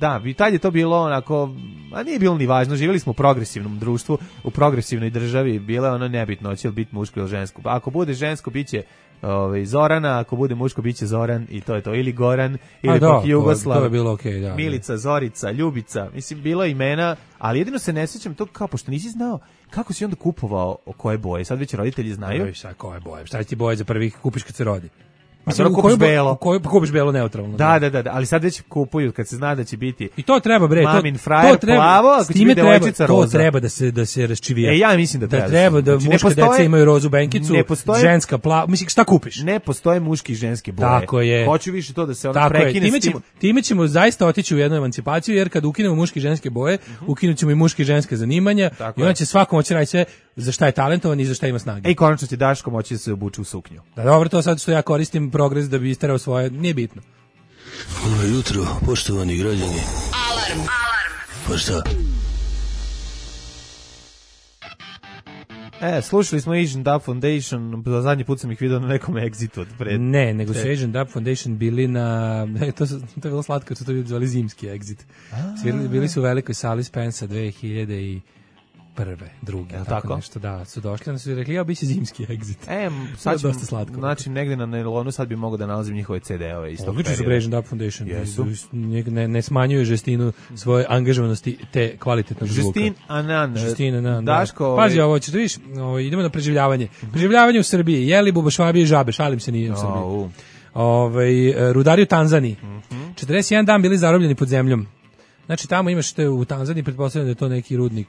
Da, i tad je to bilo onako, a nije bilo ni važno, živjeli smo u progresivnom društvu, u progresivnoj državi, bilo je ono nebitno, hoće li biti muško ili žensko. Ako bude žensko, bit će ovaj, Zorana, ako bude muško, bit će Zoran i to je to, ili Goran, ili A da, pak to je- Jugoslav, to je bilo okej, da, da. Milica, Zorica, Ljubica, mislim, bilo je imena, ali jedino se ne sjećam to kao, pošto nisi znao kako si onda kupovao o koje boje, sad već roditelji znaju. Oj, šta koje boje? Šta će ti boje za prvih kupiš kad se rodi? dobro, u kupiš koju bo- belo. u koju- kupiš belo neutralno. Da, da, da, da, ali sad već kupuju kad se zna da će biti. I to treba bre, to, Mamin frajer to treba, plavo, ako s će time biti treba, devojčica to roza. treba da se da se raščivija. E, ja mislim da treba da da treba se- da znači, ne muške postoje- deca imaju rozu benkicu, ne postoje- ženska plava, mislim šta kupiš? Ne postoje muški i ženske boje. Tako je. Hoću više to da se ona Tako je, prekine time s tim. ćemo, time ćemo zaista otići u jednu emancipaciju, jer kad ukinemo muške i ženske boje, ukinut ćemo i muške i ženske zanimanja, Tako i onda je. će svako moći raditi sve za šta je talentovan i za šta ima snage. E, i konačno će Daško moći da se obuče u suknju. Da, dobro, to sad što ja koristim progres da bi isterao svoje, nije bitno. Dobro jutro, poštovani građani. Alarm. Alarm. Pa šta? E, slušali smo Asian Dub Foundation, za zadnji put sam ih vidio na nekom Exitu od pred... Ne, nego su Te- Asian Dub Foundation bili na, to, su, to je bilo slatko, su to bili zvali zimski exit. Svirali, bili su u velikoj sali Spensa dve hiljade prve, druge, Jel tako, tako? nešto, da, su došli, onda su rekli, ja, bit će zimski exit. E, To je sad ću, dosta slatko. znači, negde na nailonu sad bi mogao da nalazim njihove ce de-ove iz tog Odlično su perioda. Asian Dub Foundation, Jesu. ne, ne, ne smanjuju žestinu svoje angažovanosti te kvalitetnog zvuka. Justin Anan. Justin Anan, da. Daško... Pazi ovaj- ovo, ćeš da vidiš, ovo, idemo na preživljavanje. Preživljavanje u Srbiji, jeli bubašvabije i žabe, šalim se, nije u Srbiji. Au. Ovaj, rudari u Tanzaniji. Mhm. četrdeset jedan dan bili zarobljeni pod zemljom. Znači tamo imaš te u Tanzaniji, pretpostavljam da je to neki rudnik.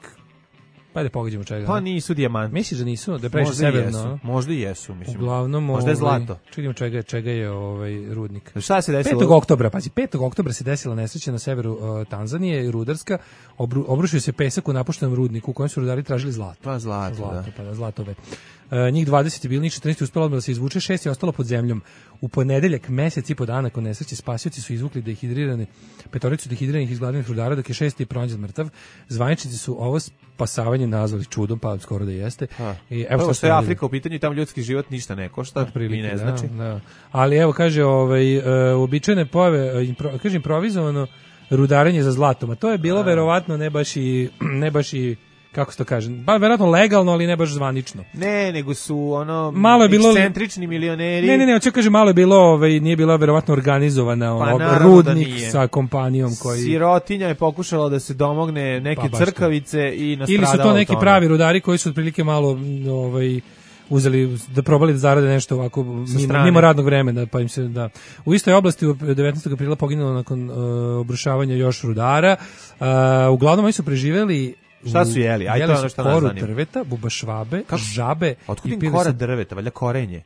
Pa da pogađamo čega. Pa ne? nisu dijamanti. Misliš da nisu, da je previše Možda i severno? jesu, a? možda i jesu, mislim. Uglavnom, Možda je ovaj, zlato. čekajmo čega, čega je ovaj rudnik. Šta se desilo? petog oktobra, pazi, petog oktobra se desila nesreća na severu uh, Tanzanije, rudarska, obru, obrušio se pesak u napuštenom rudniku u kojem su rudari tražili zlato. Pa zlato, Zlato, da. pa da, zlatove. Uh, njih dvadeset je bilo, njih četrnaest je uspelo odmah da se izvuče, šest je ostalo pod zemljom. U ponedeljak, mesec i po dana nakon nesreće, spasioci su izvukli dehidrirane, petoricu dehidriranih izgladnih rudara, dok je šesti pronađen mrtav. Zvaničnici su ovo spasavanje nazvali čudom, pa skoro da jeste. Ha. I evo Prvo šta što ste je radili. Afrika u pitanju i tamo ljudski život ništa ne košta, Otprilike, i ne da, znači. da. Ali evo kaže, ovaj uh, uobičajene pojave, uh, impro, kaže improvizovano rudarenje za zlatom, a to je bilo verovatno ne baš i ne baš i kako se to kaže, ba verovatno legalno, ali ne baš zvanično. Ne, nego su ono malo je bilo ekscentrični milioneri. Ne, ne, ne, hoće kaže malo je bilo, ovaj nije bila verovatno organizovana ono, pa, rudnik sa kompanijom koji sirotinja je pokušala da se domogne neke pa, crkavice i nastradala. Ili su to neki pravi rudari koji su otprilike malo ovaj uzeli da probali da zarade nešto ovako mimo, mimo radnog vremena, pa im se da. U istoj oblasti u devetnaestog aprila poginulo nakon uh, obrušavanja još rudara. Uh, uglavnom oni su preživeli. Šta su jeli? Aj to je ono što nas zanima. Drveta, bubašvabe, žabe. Otkud im kora drveta? Valjda korenje.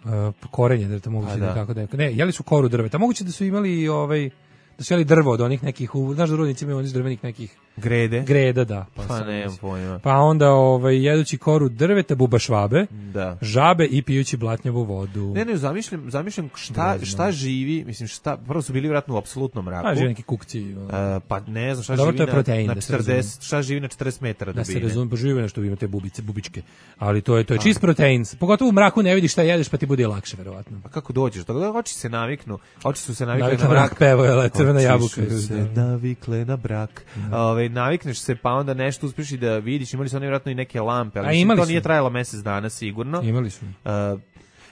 Uh, korenje drveta moguće da tako da. Ne, jeli su koru drveta. Moguće da su imali ovaj da su jeli drvo od onih nekih, znaš da rudnici imaju onih drvenih nekih grede. Greda, da. Pa, pa nemam pojma. Pa onda ovaj, jedući koru drveta, bubašvabe, da. Žabe i pijući blatnjavu vodu. Ne, ne, zamišljam, zamišljam šta, šta živi, mislim, šta, prvo su bili vjerojatno u apsolutnom mraku. A živi neki kukci. Uh, pa ne znam, šta dobro, živi protein, na, na četrdeset, šta živi na četrdeset metara da dubine. Da se razumije, pa živi nešto, ima te bubice, bubičke. Ali to je, to je čist protein. Pogotovo u mraku ne vidiš šta jedeš, pa ti bude lakše, verovatno. Pa kako dođeš? Tako oči se naviknu, oči su se navikle na mrak. Pevo je crvena jabuka. Oči su se navikle na brak. Ove, navikneš se pa onda nešto uspješ i da vidiš, imali su oni vjerojatno i neke lampe, ali mislim, to nije trajalo mjesec dana sigurno. Imali su. Uh,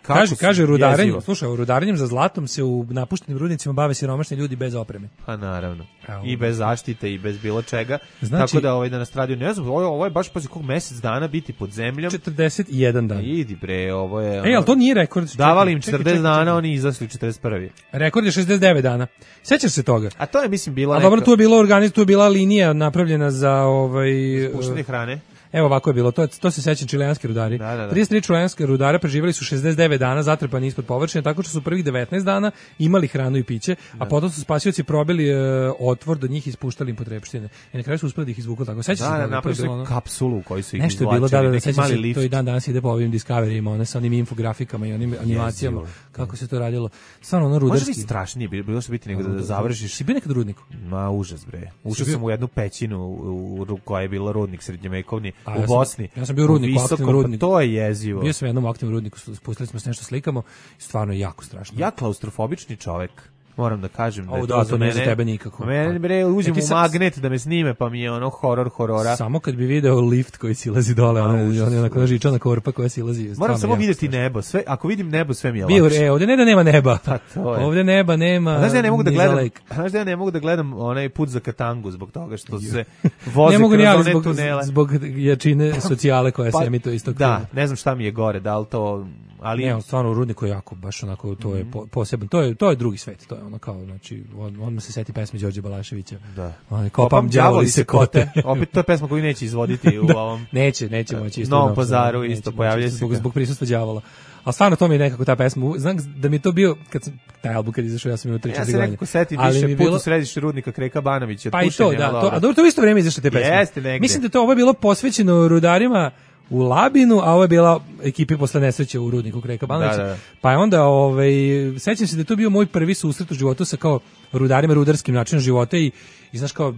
kaže, kaže rudarenjem, slušaj, rudarenjem za zlatom se u napuštenim rudnicima bave siromašni ljudi bez opreme. Pa naravno. Evo. I bez zaštite i bez bilo čega. Znači, tako da ovaj da nas radio, ne znam, ovo, ovo je baš pazi kog mjesec dana biti pod zemljom. četrdeset jedan dan. Idi bre, ovo je. Ej, al to nije rekord. Davali im četrdeset dana, oni izašli četrdeset prvi. Rekord je šezdeset devet dana. Sećaš se toga? A to je mislim bilo. A neka... dobro, tu je bilo organiz, tu je bila linija napravljena za ovaj spuštanje hrane. Evo ovako je bilo, to, to se sećam čileanski rudari. Da, da, da. trideset tri čileanske rudara preživjeli su šezdeset devet dana zatrpani ispod površine, tako što su prvih devetnaest dana imali hranu i piće, da. A potom su spasioci probili e, otvor do njih i ispuštali im potrepštine. I na kraju su uspeli da ih izvuku tako. Sećaš da, se da, napravili ono... kapsulu u kojoj su ih nešto izvlačili, je bilo, da, da, neki mali lift. To i dan danas ide po ovim Discoveryima, one sa onim infografikama i onim animacijama, Jezivo. Kako se to radilo. Stvarno ono rudarski. Može biti strašnije, bilo što biti nego da, da završiš. Si bio nekad u rudniku? Ma, užas bre. Ušao sam u jednu pećinu u, u, koja je bila rudnik srednjovekovni A, u ja Bosni. Ja sam bio u rudniku, aktivnom rudniku. To je jezivo. Bio sam u jednom aktivnom rudniku, spustili smo se nešto slikamo i stvarno je jako strašno. Ja klaustrofobični čovjek. Moram da kažem da je to, to ne za tebe nikako. Mene bre uđem u magnet da me snime, pa mi je ono horor horora. Samo kad bi video lift koji silazi dole, ona ona onako žičana korpa koja silazi. Moram samo vidjeti nebo, sve ako vidim nebo sve mi je lakše. Bio, e, ovdje ne da nema neba. Pa to je. Ovdje neba nema. Znaš da ja ne mogu da gledam, znaš da ja ne mogu da gledam onaj Put za Katangu zbog toga što se voze kroz one zbog, tunele. Zbog jačine socijale koja pa, se emituje istog. Da, ne znam šta mi je gore, da li to ali ne, stvarno u rudniku je jako baš onako to je po, poseban, to je to je drugi svet, to je ono kao znači on, on se seti pesme Đorđe Balaševića. Da. On kopam đavoli se kote. Opet to je pesma koju neće izvoditi u da, ovom. Neće, neće moći isto. U Novom Pazaru isto pojavljuje se zbog, zbog prisustva đavola. A stvarno to mi je nekako ta pesma. Znam da mi je to bio kad sam taj album kad izašao ja sam imao tri četiri godine. Ja se nekako setim više Put bilo... u središte rudnika Kreka Banovića. Pa i to, da, to, a dobro to u isto vrijeme izašle te pesme. Jeste negde. Mislim da to ovo je bilo posvećeno rudarima u Labinu, a ovo je bila ekipi posle nesreće u rudniku Kreka Banovića. Da, da. Pa je onda, ovaj, sećam se da je to bio moj prvi susret u životu sa kao rudarima, rudarskim načinom života i, i znaš kao,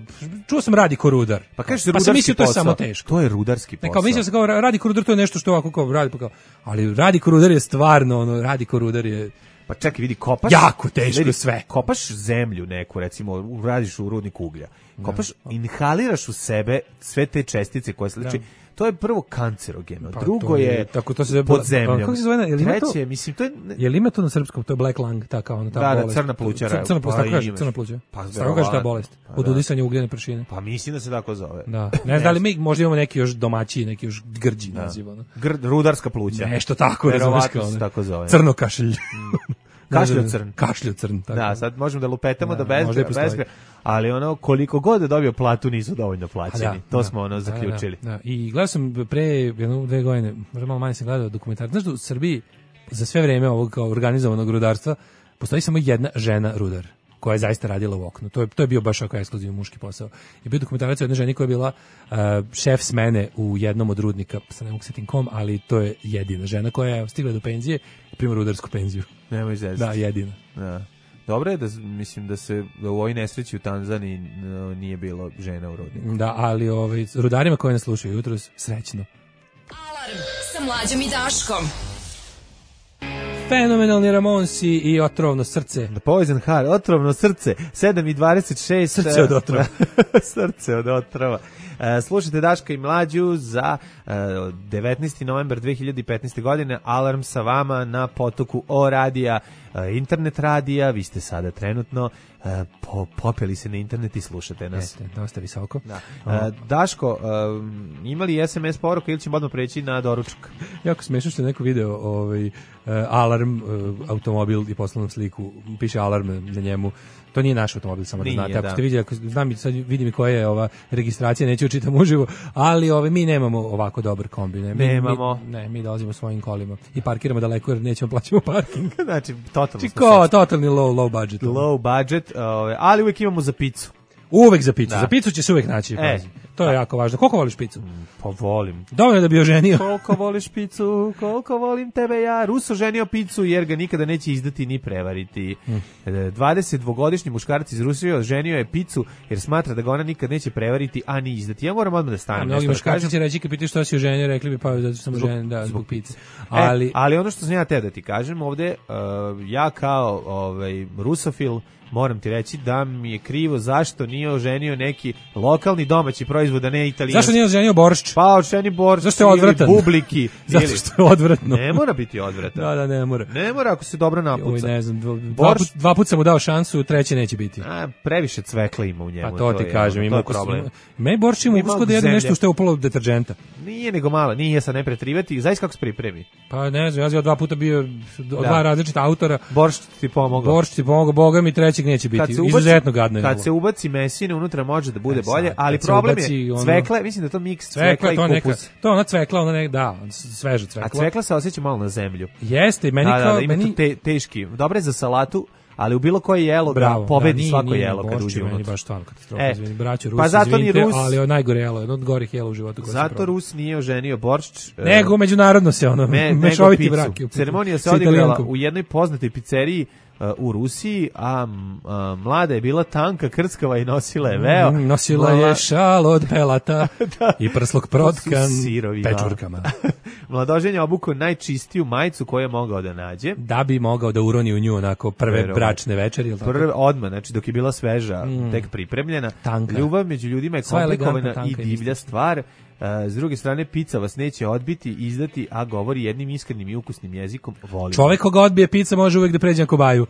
čuo sam radi ko rudar. Pa kažeš se pa rudarski mislio, posao. To je samo teško. To je rudarski posao. Ne, kao mislio sam kao radi ko rudar, to je nešto što ovako kao radi, pa kao, ali radi ko rudar je stvarno, ono, radi ko rudar je... Pa čekaj, vidi, kopaš... Jako teško vidi, sve. Kopaš zemlju neku, recimo, radiš u rudniku uglja. Kopaš, da. Inhaliraš u sebe sve te čestice koje se liči. To je prvo kancerogeno, pa, drugo je, je tako to se zove, pod zemljom. Kako se zove? Je li treće, to, mislim, to je... Je li ima to na srpskom? To je black lung, ta kao ona, ta da, bolest. Da, crna plućara. Crna pluća, tako kaže, crna pluća. Pa, tako kaže ta bolest. Pa, od udisanja ugljene prašine. Pa mislim da se tako zove. Da. Ne znam da li mi možda imamo neki još domaći, neki još grđi da. Naziv. Ono. Gr, rudarska pluća. Nešto tako, verovatno se tako zove. Crno kašelj. Kašlju crn. Kašlju crn, tako. Da, sad možemo da lupetamo da, da bez, bez, ali ono, koliko god da dobio platu nisu dovoljno plaćeni. Da, to da, smo ono zaključili. Da, da, da. I gledao sam pre jedno, dve godine, možda malo manje sam gledao dokumentar. Znaš da u Srbiji za sve vreme ovog kao organizovanog rudarstva postoji samo jedna žena rudar koja je zaista radila u oknu. To je, to je bio baš ako ekskluzivni muški posao. Je bio dokumentarac o jednoj ženi koja je bila uh, šef smene u jednom od rudnika, sad ne mogu setim kom, ali to je jedina žena koja je stigla do penzije i prima rudarsku penziju. Nemoj zezati. Da, jedina. Da. Dobro je da, mislim da se da u ovoj nesreći u Tanzaniji no, nije bilo žena u rudniku. Da, ali ovaj, rudarima koji nas slušaju jutros, srećno. Alarm sa Mlađom i Daškom. Fenomenalni Ramonsi i Otrovno srce. The Poison Heart, Otrovno srce, sedam i dvadeset šest. Srce od otrova. Srce od otrova. E, slušajte Daška i Mlađu za e, devetnaesti novembar dve hiljade petnaeste. godine. Alarm sa vama na potoku O radija, e, internet radija. Vi ste sada trenutno e, po, popeli se na internet i slušate nas. Jeste, dosta visoko. Da. E, Daško, e, imali es em es poruka ili ćemo odmah preći na doručak? Jako smešno što je neko video ovaj, uh, alarm, uh, automobil i poslao nam sliku, piše alarm na njemu. To nije naš automobil, samo da Nije, znate. Ako da. ste vidjeli, ako znam i sad vidim i koja je ova registracija, neću učitam uživo, ali ove, mi nemamo ovako dobar kombi. Ne, mi, Nemamo. Mi, ne, mi dolazimo svojim kolima i parkiramo daleko jer nećemo plaćamo parking. Znači, totalno smo Čiko, sečni. totalni low, low budget. Low budget, ove, ali uvijek imamo za picu. Uvek za picu. Da. Za picu će se uvek naći. E. pazi. To je jako važno. Koliko voliš picu? Pa volim. Dovoljno da bi oženio. Koliko voliš picu, koliko volim tebe ja. Ruso ženio picu jer ga nikada neće izdati ni prevariti. Mm. dvadesetdvogodišnji muškarac iz Rusije ženio je picu jer smatra da ga ona nikad neće prevariti, a ni izdati. Ja moram odmah da A stanem. mnogi nešto da muškarci kažem. će reći kad pitaš što si oženio, rekli bi pa zato što sam Zbog- oženjen, da, zbog zbog pice. Ali, Ali e, ali ono što sam ja te da ti kažem ovde, uh, ja kao ovaj, rusofil moram ti reći da mi je krivo zašto nije oženio neki lokalni domaći proizvod, a ne italijanski. zašto nije oženio boršč? Pa oženi boršč Zašto je ili odvratan? bubliki. Zato ili- što je odvratno. Ne mora biti odvratan. Da, da, ne mora. Ne mora ako se dobro Oj, napuca. ne znam, dva, dva, Boršč- put, dva put sam mu dao šansu, treće neće biti. A, previše cvekla ima u njemu. Pa to ti je, kažem, ono, ima to je ukus. problem. Me boršč ima Ima ukus kod da jedem zemlje. nešto što je upalo deterđenta. Nije nego malo, nije sad ne pretrivati. Zaista kako se pripremi. Pa ne znam, ja sam dva puta bio od dva različita autora. Boršč ti pomogao. Boršč ti pomogao, boga mi trećeg neće biti. Izuzetno gadno je. Kad bilo. se ubaci mesine unutra može da bude E, sad, bolje, ali kad se problem ubaci je ono- cvekla, mislim da je to miks cvekla, Cvekla, i to neka, kupus. to ona cvekla, ona nek, da, sveža cvekla. A cvekla se osjeća malo na zemlju. Jeste, meni Da, da, kao, da, ima meni, to te, teški. Dobro je za salatu, ali u bilo koje jelo bravo, da pobedi da, nije- svako nije jelo kad boršč uđe je meni unutra. baš stvarno katastrofa, E, izvini, braćo Rusi, pa zato ni izvinite, Rus- ali je najgore jelo, jedno od gorih jela u životu koje sam Zato probao. Rus nije oženio boršč. e, Nego međunarodno se ono, Me, nego mešoviti picu. brak. je u pitanju. Ceremonija se Sa odigrala Italijankom. u jednoj poznatoj pizzeriji uh, u Rusiji, a, m, a mlada je bila tanka, krckava i nosila je veo. Mm, nosila Mla- je šal od pelata i prsluk protkan To su sirovi, pečurkama. Mladoženje je obukao najčistiju majicu koju je mogao da nađe. Da bi mogao da uroni u nju onako prve Verovatno. bračne večeri, ili tako? Prve odmah, znači dok je bila sveža, tek pripremljena. Tanka. Ljubav među ljudima je Sva elegantna, komplikovana i tanka i divlja stvar. Uh, s druge strane, pizza vas neće odbiti, izdati, a govori jednim iskrenim i ukusnim jezikom. Volim. Čovek koga odbije pizza može uvek da pređe na kobaju.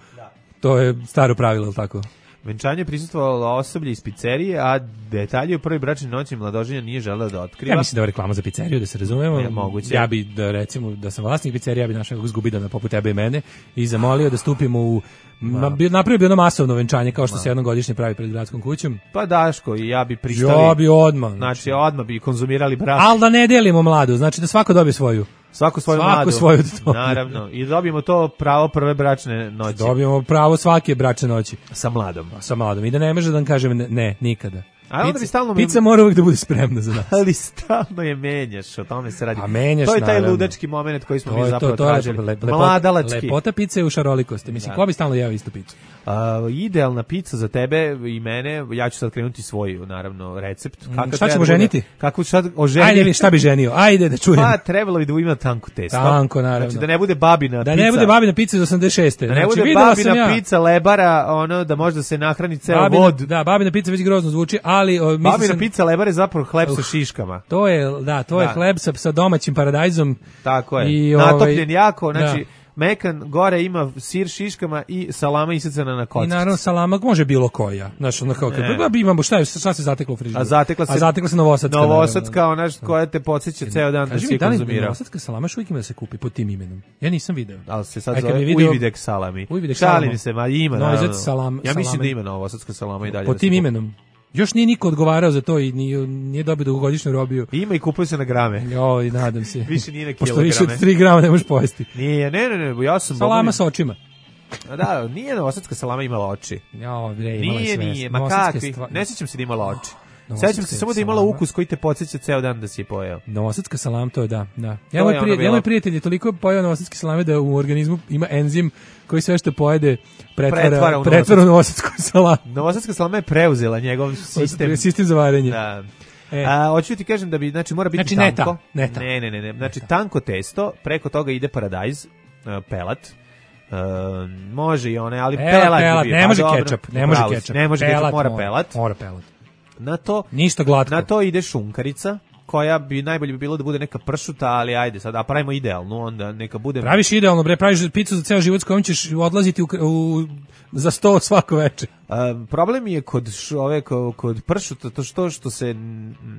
To je staro pravilo, ili tako? Venčanje je prisustvovalo osoblje iz pizzerije, a detalje u prvoj bračnoj noći mladoženja nije želeo da otkriva. Ja mislim da je reklama za pizzeriju, da se razumemo. Je, moguće. Ja bi, da, recimo, da sam vlasnik pizzerije, ja bi našao nekog zgubidana poput tebe i mene i zamolio da stupimo u... Ma, bi, napravio bi ono masovno venčanje, kao što se jednom godišnje pravi pred gradskom kućom. Pa Daško i ja bi pristali. Ja bi odmah. Znači, odmah bi konzumirali brak. Ali da ne delimo mladu, znači da svako dobije svoju. Svako svoju Svako mladu. svoju da dobije. Naravno. I dobijemo to pravo prve bračne noći. Dobijemo pravo svake bračne noći. Sa mladom. Sa mladom. I da ne može da vam kažem ne, ne nikada. A onda bi stalno... Pizza mora uvijek da bude spremna za nas. Ali stalno je menjaš, o tome se radi. A menjaš, to je taj naravno. ludački moment koji smo To mi je zapravo to, to je tražili. lepo- lepota- Mladalački. Lepota pice je u šarolikosti. Mislim, Da. ko bi stalno jeo istu picu? Uh, idealna pizza za tebe i mene, ja ću sad krenuti svoj, naravno, recept. Kako šta treba ćemo da bude- ženiti? Kako ću sad oženiti? Ajde, šta bi ženio? Ajde da čujem. Pa, trebalo bi da ima tanko testo. Tanko, naravno. Znači, da ne bude babina Da pizza. ne bude babina pizza iz osamdeset šeste. Da ne Znači, bude videla sam babina ja. pizza lebara, ono, da možda se nahrani ceo Babina, vod. da, babina pizza već grozno zvuči, ali o, mislim Babina sam, pizza lebara je zapravo hleb sa šiškama. to je, da, to je Da. hleb sa, sa domaćim paradajzom. Tako je. I, Natopljen ovaj, jako, znači, da. mekan, gore ima sir šiškama i salama isecana na I kockice. naravno salama može bilo koja. Znaš, ono kao, Ne. kad bi imamo, šta, je, šta se zateklo u frižideru? A zatekla se, A zatekla se novosadska. Novosadska, ona š- koja te podsjeća ceo dan da Kaži si mi, da li konzumirao. novosadska salama još uvijek ima da se kupi pod tim imenom? Ja nisam video. Ali se sad Aj, kad zove bi video- Ujvidek salami. Ujvidek Šalim salama. se, ma ima, Novosadska naravno. salam- Ja mislim salame. da ima novosadska salama i dalje. Pod da se tim kupi. imenom. Još nije niko odgovarao za to i nije, nije dobio dugogodišnju robiju. Ima i kupuje se na grame. Joj, nadam se. Više nije na Pošto više kilograme. od tri grama ne možeš pojesti. Nije, ne, ne, ne, ja sam... Salama boga sa očima. mi- Da, nije novosadska salama imala oči. Jo, bre, imala je Nije, sve. nije, ma Novosadske kakvi. stva- Ne sjećam se da imala oči. Novosadska Sećam se samo da je imala salama. ukus koji te podsjeća ceo dan da si je pojeo. Novosadska salam, to je da, da. Ja To moj, je ono prije, ja bilo- moj prijatelj je toliko pojeo novosadske salame da u organizmu ima enzim koji sve što pojede pretvara, Pretvara u pretvara u novosadsku salamu. Novosadska salama je preuzela njegov sistem. Sistem za varenje. Da. E. A, hoću ti kažem da bi, znači, mora biti Znači, ne tanko. ta, ne ta. Ne, ne, ne, ne. Znači, tanko testo, preko toga ide paradajz, uh, pelat, uh, može i one, ali Pelat, pelat, bi pelat, bio. ne Pa može dobro, kečap, ne može upravo si, kečap. Ne može Pelat kečap, mora mora, pelat. Mora pelat. Na to, ništa glatko. Na to ide šunkarica, koja bi najbolje bi bilo da bude neka pršuta, ali ajde sad, a pravimo idealnu, onda neka bude... Praviš idealno, bre, praviš picu za ceo život s kojom ćeš odlaziti u, u, za sto svako veče. Um, problem je kod š, ove, kod, kod pršuta to što, što se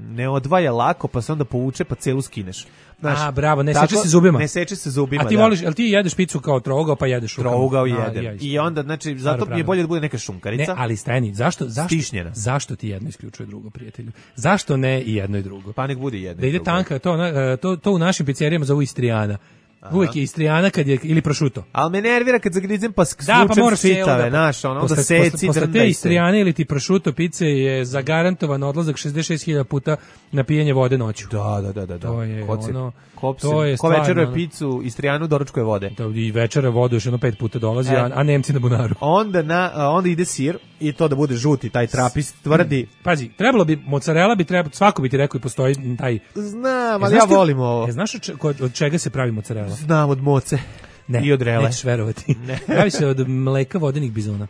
ne odvaja lako, pa se onda povuče, pa celu skineš. Znaš, a, bravo, ne tako, seče se zubima. Ne seče se zubima, A ti da. voliš, jel ti jedeš picu kao trougao, pa jedeš rukama? Trougao A, jedem. ja I onda, znači, zato mi je bolje da bude neka šunkarica. Ne, ali stani, zašto, zašto, Stišnjena. zašto ti jedno isključuje drugo, prijatelju? Zašto ne i jedno i drugo? Pa nek bude jedno da ide drugo. tanka, to, to, to u našim pizzerijama zovu Istrijana. Aha. Uvijek je Istrijana kad je, ili prosciutto. Ali me nervira kad zagrizem pa skvučem da, pa moraš čitave, naš, ono, onda seci, posle, posle te Istrijane ili ti prosciutto pice je zagarantovan odlazak šezdeset šest hiljada puta na pijenje vode noću. Da, da, da, da. To je Koci, ono, kopse, to je ko večeruje picu, Istrijanu, doručkuje vode. Da, i večera vodu još jedno pet puta dolazi, e, a, a Nemci na bunaru. Onda, na, onda ide sir i to da bude žuti, taj trapist, tvrdi. Pazi, trebalo bi, mozzarella bi trebalo, svako bi ti rekao i postoji taj... Znam, ali ja volim ovo. E, znaš od, od, od čega se pravi mozzarella? Znam, od moce. Ne, i od rele. Nećeš verovati. Ne. Pravi se od mleka vodenih bizona,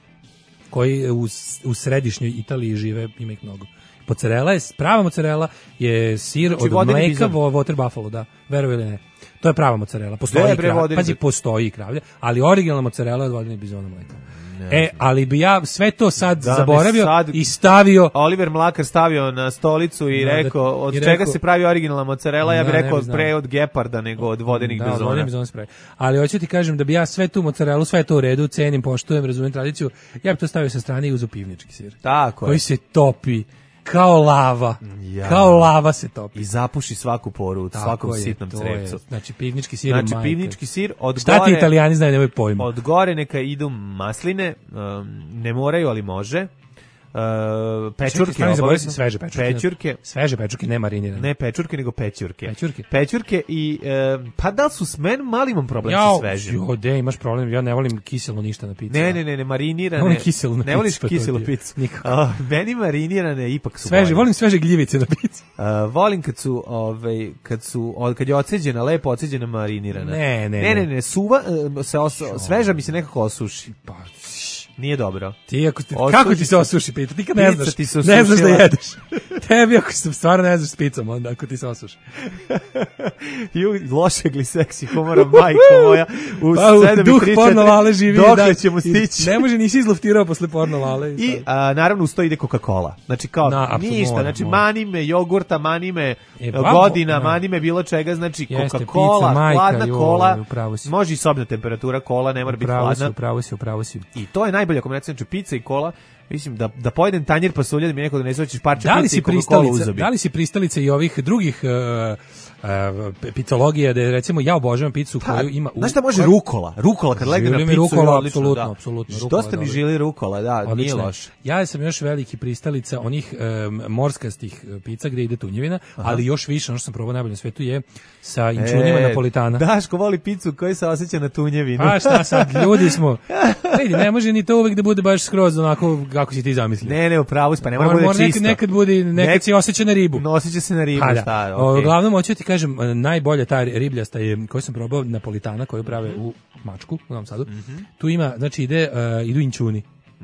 koji u, u središnjoj Italiji žive, ima ih mnogo. Mozzarella je, prava mozzarella je sir znači, od mleka vo, water buffalo, da, verovi ili ne. To je prava mozzarella. Postoji i kravlja, pazi, postoji i kravlja, ali originalna mozzarella je od vodenih bizona mleka. Ne, e, ali bi ja sve to sad da zaboravio sad i stavio... Oliver Mlakar stavio na stolicu i da, rekao, od i čega rekao, se pravi originalna mozzarella, ja bih da, rekao bi pre od geparda nego od vodenih da, bizona. Da, od vodenih bizona se pravi. Ali hoću ti kažem da bi ja sve tu mozzarellu, sve to u redu, cenim, poštujem, razumem tradiciju, ja bih to stavio sa strane i uz pivnički sir. Tako koji je. se topi kao lava. Ja. Kao lava se topi. I zapuši svaku poru u svakom je, sitnom crevcu. Znači pivnički sir. Znači pivnički sir od Šta gore. Šta ti Italijani znaju, nemoj pojma. Od gore neka idu masline, um, ne moraju, ali može. Uh, pečurke, obavezno, sveže pečurke. Pečurke. Sveže pečurke, ne marinirane. Ne pečurke, nego pečurke. Pečurke. Pečurke i uh, pa da li su s men mali imam problem ja, sa svežim. Jo, de, imaš problem, ja ne volim kiselo ništa na pici. Ne, ne, ne, ne marinirane. Ne volim kiselo na pici. Ne voliš kiselu picu. Nikako. Uh, meni marinirane ipak su sveže, bolje. Volim sveže gljivice na pici. Uh, volim kad su, ovaj, kad su, kad je oceđena, lepo oceđena marinirana. Ne, ne, ne. Ne, ne, ne, suva, uh, se os, sveža mi se nekako osuši. Pa, nije dobro. Ti ako ti, kako ti se osuši pita? Ti kad ne znaš, ti se ne znaš da jedeš. Tebi ako se stvarno ne znaš s picom, onda ako ti se osuši. Ju, loše gliseksi humora, majko moja. U pa, sedam duh porno lale živi. Dok da, ćemo stići. Ne može, nisi izluftirao posle porno lale. I, I a, naravno uz to ide Coca-Cola. Znači kao Na, ništa, mora, znači mora. manime jogurta, manime e, godina, no. manime bilo čega, znači Jeste, Coca-Cola, pizza, majka, hladna joj, kola. Si. Može i sobna temperatura kola, ne mora biti hladna. Upravo si, upravo si. I to je najbolja kombinacija, znači pizza i kola. Mislim da da pojedem tanjir pasulja da mi neko donese hoćeš parče da pice i Coca-Cola u zubi. Da li si pristalica i ovih drugih uh, uh, pitologija da je, recimo ja obožavam picu pa, koju ima... Znaš šta može koja... rukola? Rukola kad legne na picu rukola, je odlično. Apsolutno, da. apsolutno. Dosta mi želi rukola, da, odlično. Nije loše. Ja sam još veliki pristalica onih um, morskastih pica gde ide tunjevina, aha. Ali još više, ono što sam probao najbolje na svetu je sa inčunima e, napolitana. Daško voli picu koja se osjeća na tunjevinu. A šta sad, ljudi smo. Vidi, ne može ni to uvek da bude baš skroz onako kako si ti zamislio. Ne, ne, upravo si, pa ne mora bude čisto. Nekad, nekad bude, nekad Nek... si osjeća na ribu. Osjeća se na ribu, pa, da. šta, okay. Uglavnom, hoću ti kažem, najbolja ta ribljasta je, koju sam probao, napolitana, koju prave u Mačku, u Novom Sadu. Mm-hmm. Tu ima, znači, ide, uh, idu inčuni.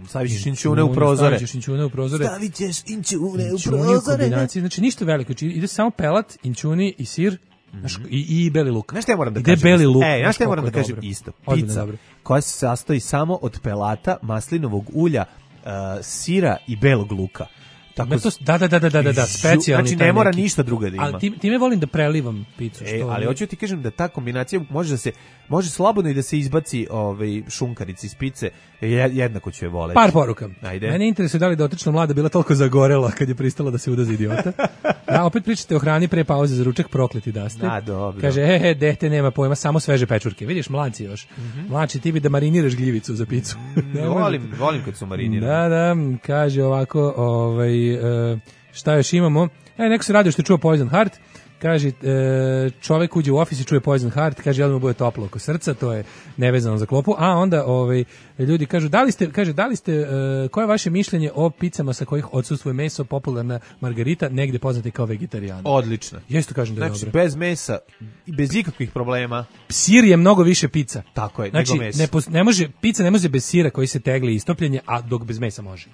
Stavit ćeš inčune u prozore. Stavit ćeš inčune u prozore. Stavit ćeš inčune u prozore. Znači, ništa veliko. Ide samo pelat, inčuni i sir. Znaš, i, i beli luk. Znaš šta ja moram da Ide kažem? beli luk. E, znaš šta ja moram da kažem dobro. Isto? Pizza koja se sastoji samo od pelata, maslinovog ulja, uh, sira i belog luka. Tako to, da, da, da, da, da, da, specijalni. Znači ne mora neki. Ništa drugo da ima. Ali ti, time volim da prelivam picu. E, ali hoću ti kažem da ta kombinacija može da se, može slobodno i da se izbaci ovaj, šunkarica iz pice, jednako ću je voleti. Par poruka. Ajde. Mene interesuje da li dotična mlada bila toliko zagorela kad je pristala da se uda za idiota. Da, opet pričate o hrani pre pauze za ručak, prokleti da ste. Da, dobro. Kaže, he, he, dete nema pojma, samo sveže pečurke. Vidiš, mlanci još. Mm-hmm. Mlači, ti bi da mariniraš gljivicu za picu. ne, volim, volim kad su marinirani. Da, da, kaže ovako, ovaj, uh, šta još imamo? E, neko se radio što je čuo Poison Heart. Kaže, e, čovek uđe u ofis i čuje Poison Heart, kaže, jel mu bude toplo oko srca, to je nevezano za klopu, a onda ovaj, ljudi kažu, da li ste, kaže, da li ste, e, koje je vaše mišljenje o picama sa kojih odsustvuje meso, popularna margarita, negde poznate kao vegetarijana? Odlično. Jesto kažem da je znači, dobro. Bez mesa i bez ikakvih problema. Sir je mnogo više pica. Tako je, znači, nego meso. Ne, ne može, pica ne može bez sira koji se tegli istopljenje, a dok bez mesa može.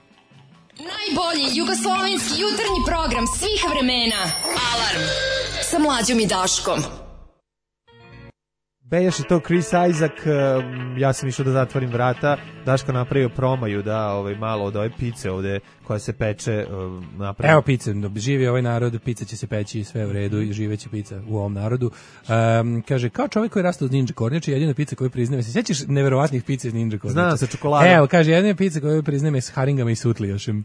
Najbolji jugoslovenski jutarnji program svih vremena. Alarm sa Mlađom i Daškom. Bejaš je to Chris Isaac, ja sam išao da zatvorim vrata, Daško napravio promaju da ovaj, malo od ove pice ovde koja se peče napravio. Evo pice, živi ovaj narod, pica će se peći, sve u redu i živeće pica u ovom narodu. Um, kaže, kao čovjek koji je rastao od ninja kornjače, jedina pica koju priznaje, se sjećaš neverovatnih pica iz ninja kornjača? Znam, sa čokoladom. Evo, kaže, jedina pica koju priznaje s haringama i sutlijošem.